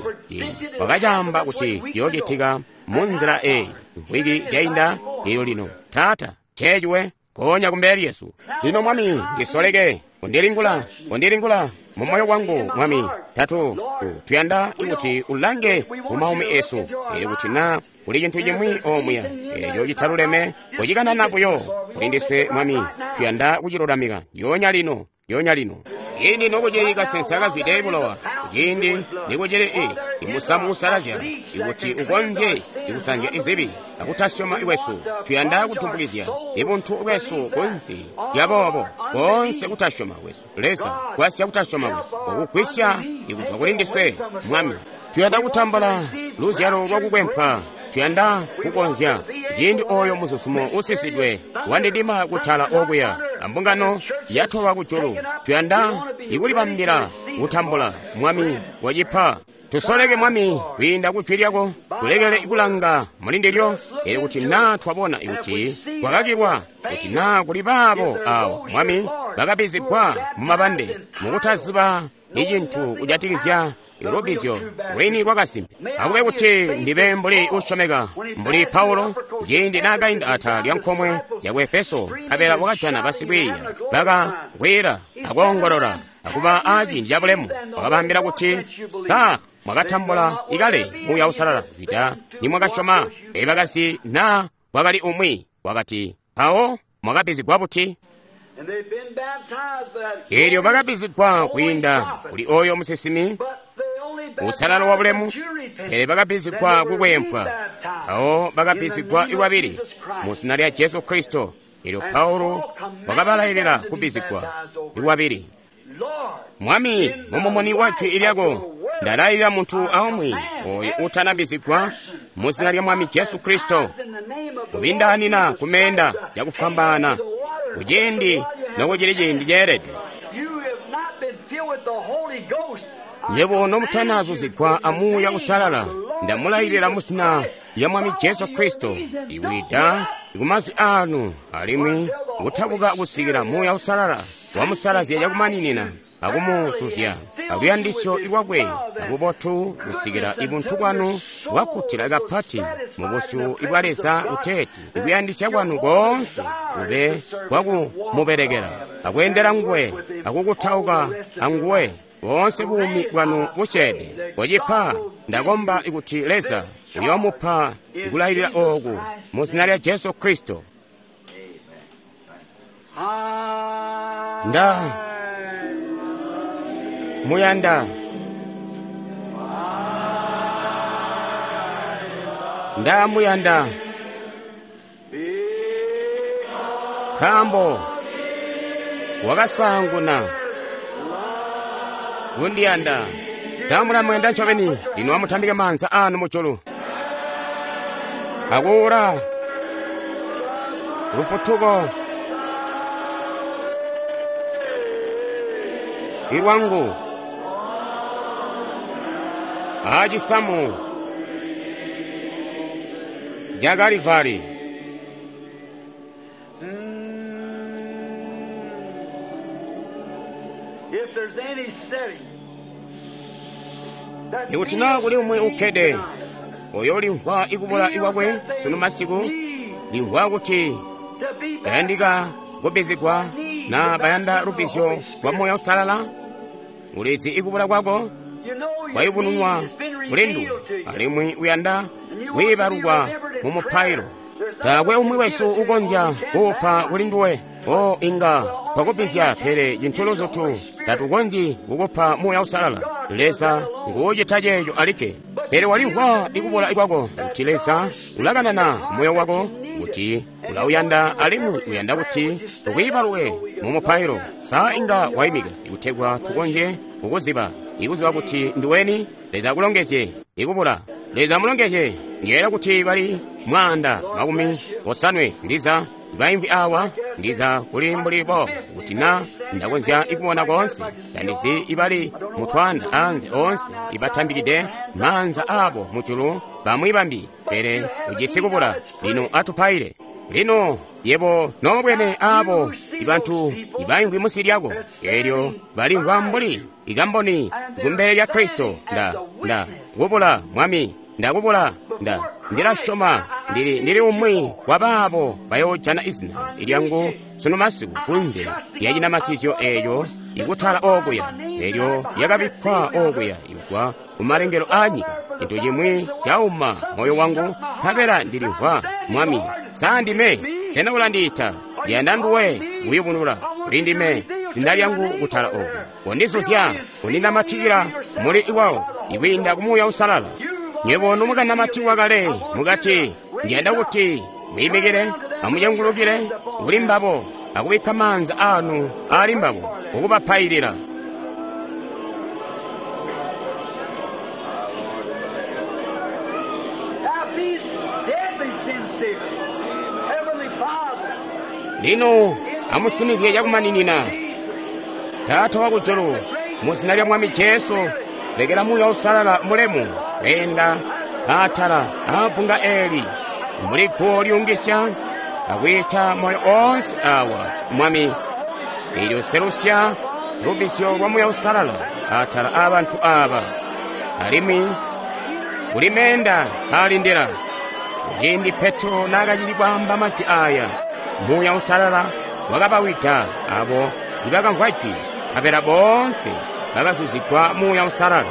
Wakacaamba kuti ciyoocitika mu nzila eyi mvwiki zyainda. Elyo lino, Taata, ceeciwe konya kumbele lyesu. Lino, Mwami, ndisoleke, undilingula, undilingula mu moyo wangu, Mwami. Tatu tuyanda kuti ulange mu maumi esu, elyo kuti na kuli cintu cimwi omuya eco citaluleme, kucikanana buyo kuli ndiswe, Mwami. Tuyanda kucilulamika yonya lino, yonya lino. Ciindi nokucili kasensa kazwide bulowa, ciindi nikucili imusamu usalazya, ikuti ukonzye ikusanzya izibi akutasyoma kwesu. Tuyanda kutumbukizya ibuntu bwesu kunsi lyaboobo koonse kutasyoma kwesu. Leza, gwasya kutasyoma kwesu okugwisya ikuzwa kuli ndiswe, Mwami. Tuyanda kutambula luzyalo lwakukwempwa. Tuyanda kukonzya ciindi oyo muzuzumo usisidwe wandidima kutala okuya ambungano yatolwa kujulu. Tuyanda ikulibambila kutambula, Mwami, wacipa. Tusoleke, Mwami, kwiinda ku jwi lyako, tulekele kulanga muli ndilyo. Elyo kuti naa twabona kuti kwakakilwa, kuti naa kuli baabo awa, Mwami, bakabizigwa mu mabande mukutaziba icintu kujatikizya lubizyo lwini lwakasimpe. Akube kuti ndibe mbuli usyomeka mbuli Paulo ciindi naakainda atala lya nkomwe ya ku Efeso, nkabela wakajana basikwiiya bakakwila akoongolola akuba aciindi cabulemu. Wakabaambila kuti, sa mwakatambula ikale Muuya Uusalala kuzwida nimwakasyoma? Bakasi naa kwakali umwi wakati, mpawo mwakabizigwa buti? Elyo bakabizigwa kwiinda kuli oyo musinsimi usalala wa bulemu, pele bakabizigwa kukwempwa. Mpawo bakabizigwa lwabili mu zina lya Jesu Kristo. Elyo Paulo wakabalailila kubizigwa lwabili. Mwami, mumumuni wa jwi lyako ndalailila muntu aumwi oyo utanabizigwa mu zina lya Mwami Jesu Kristo kubindaanina kumeenda cakufwambaana kuciindi nokucili ciindi ceelede. Nywebo nomutanazuzigwa a Muuya Uusalala, ndamulailila mu zina lya Mwami Jesu Kristo iwida kumazwi anu alimwi kutabuka kusikila Muuya Uusalala wamusalazya cakumaninina akumuzuzya aluyandisyo lwakwe abubotu kusikila ibuntu bwanu bwakkutila kapati mu busyu bwa Leza, kuteeti ikuyandisya kwanu koonse kube kwakumubelekela akweendela nguwe akukutauka anguwe boonse buumi bwanu busyeede. Kocipa, ndakomba kuti Leza uyoomupa ikulailila ooku mu zina lya Jesu Kristo. Nda muyanda, nda muyanda, nkaambo wakasaanguna kundiyanda. Samulamuyanda ncobeni. Lino amutambike maanza anu mujulu akuula lufutuko ilwangu acisamu ca Kalivari. Ikuti naa kuli umwi ukkede oyo ulimvwa ikubula ikwakwe sunu masiku, limvwa kuti bayandika kubbizigwa na bayanda lubbizyo lwa Muuya Uusalala, ulizi ikubula kwako kwayubununwa kuli nduwe, alimwi uyanda kwiibalukwa mu mupailo. Taakwe umwi wesu ukonzya kuupa kuli nduwe. O inga twakubbizya, pele cintu luzutu tatukonzyi kukupa Muuya Uusalala. Leza nguucita ceeco alikke. Pele walimvwa ikubula kwako kuti Leza ulakanana moyo wako kuti ulauyanda alimwi uyanda kuti tukwiibalwe mu mupailo. Sa inga waimika ikutegwa tukonzye kukuziba, ikuziba kuti nduweni? Leza akulongezye ikubula. Leza amulongezye. Ndiyeeya kuti bali 150 ndiza baimbi awa, ndiza kuli mbuli bo kuti na ndakonzya ikubona koonse. Tandizi ibali mutwanda anze oonse ibatambikide maanza abo mujulu bamwi bambi, pele ujisi kubula. Lino atupaile. Lino yebo nobwene abo ibantu ibaimvwi munsi lyako, elyo balimvwa mbuli ikamboni kumbele lya Kristo. Nda kubula, Mwami, ndakubula, nda Ndila syoma ndili umwi wa baabo bayoojana izina lyangu sunu masiku kunze lya cinamatizyo eeco ikutala okuya, elyo lyakabikkwa okuya kuzwa ku malengelo aa nyika. Cintu cimwi cauma moyo wangu, nkabela ndilimvwa, Mwami, sa ndime? Sena ulandiita? Ndiyanda nduwe kuyubunula kuli ndime zina lyangu kutala oku. Kondizuzya, kundinamatikila muli lwawo ikwiinda ku Muuya Uusalala. Nywebo nomukanamatikwa kale mukati, ndiyanda kuti mwiimikile, amucengulukile kuli mbabo akubikka maanza anu ali mbabo okubapailila. Now be deadly sincere. Heavenly Father, Lino amusinizye cakumaninina. Jesus, Taata wakujulu, mu zina lya Mwami Jesu, lekela Muuya Uusalala mulemu kweenda atala aabbunga eeli mbuli guwo lyungisya akwiita moyo oonse awa, Mwami. Elyo selusya lubbizyo lwa Muuya Uusalala atala aabantu aaba, alimwi kuli meenda aalindila. Kuciindi Petro naakacili kwaamba majwi aaya, Muuya Uusalala wakabawida abo ibakamvwa jwi, nkabela boonse bakazuzigwa Muuya Uusalala.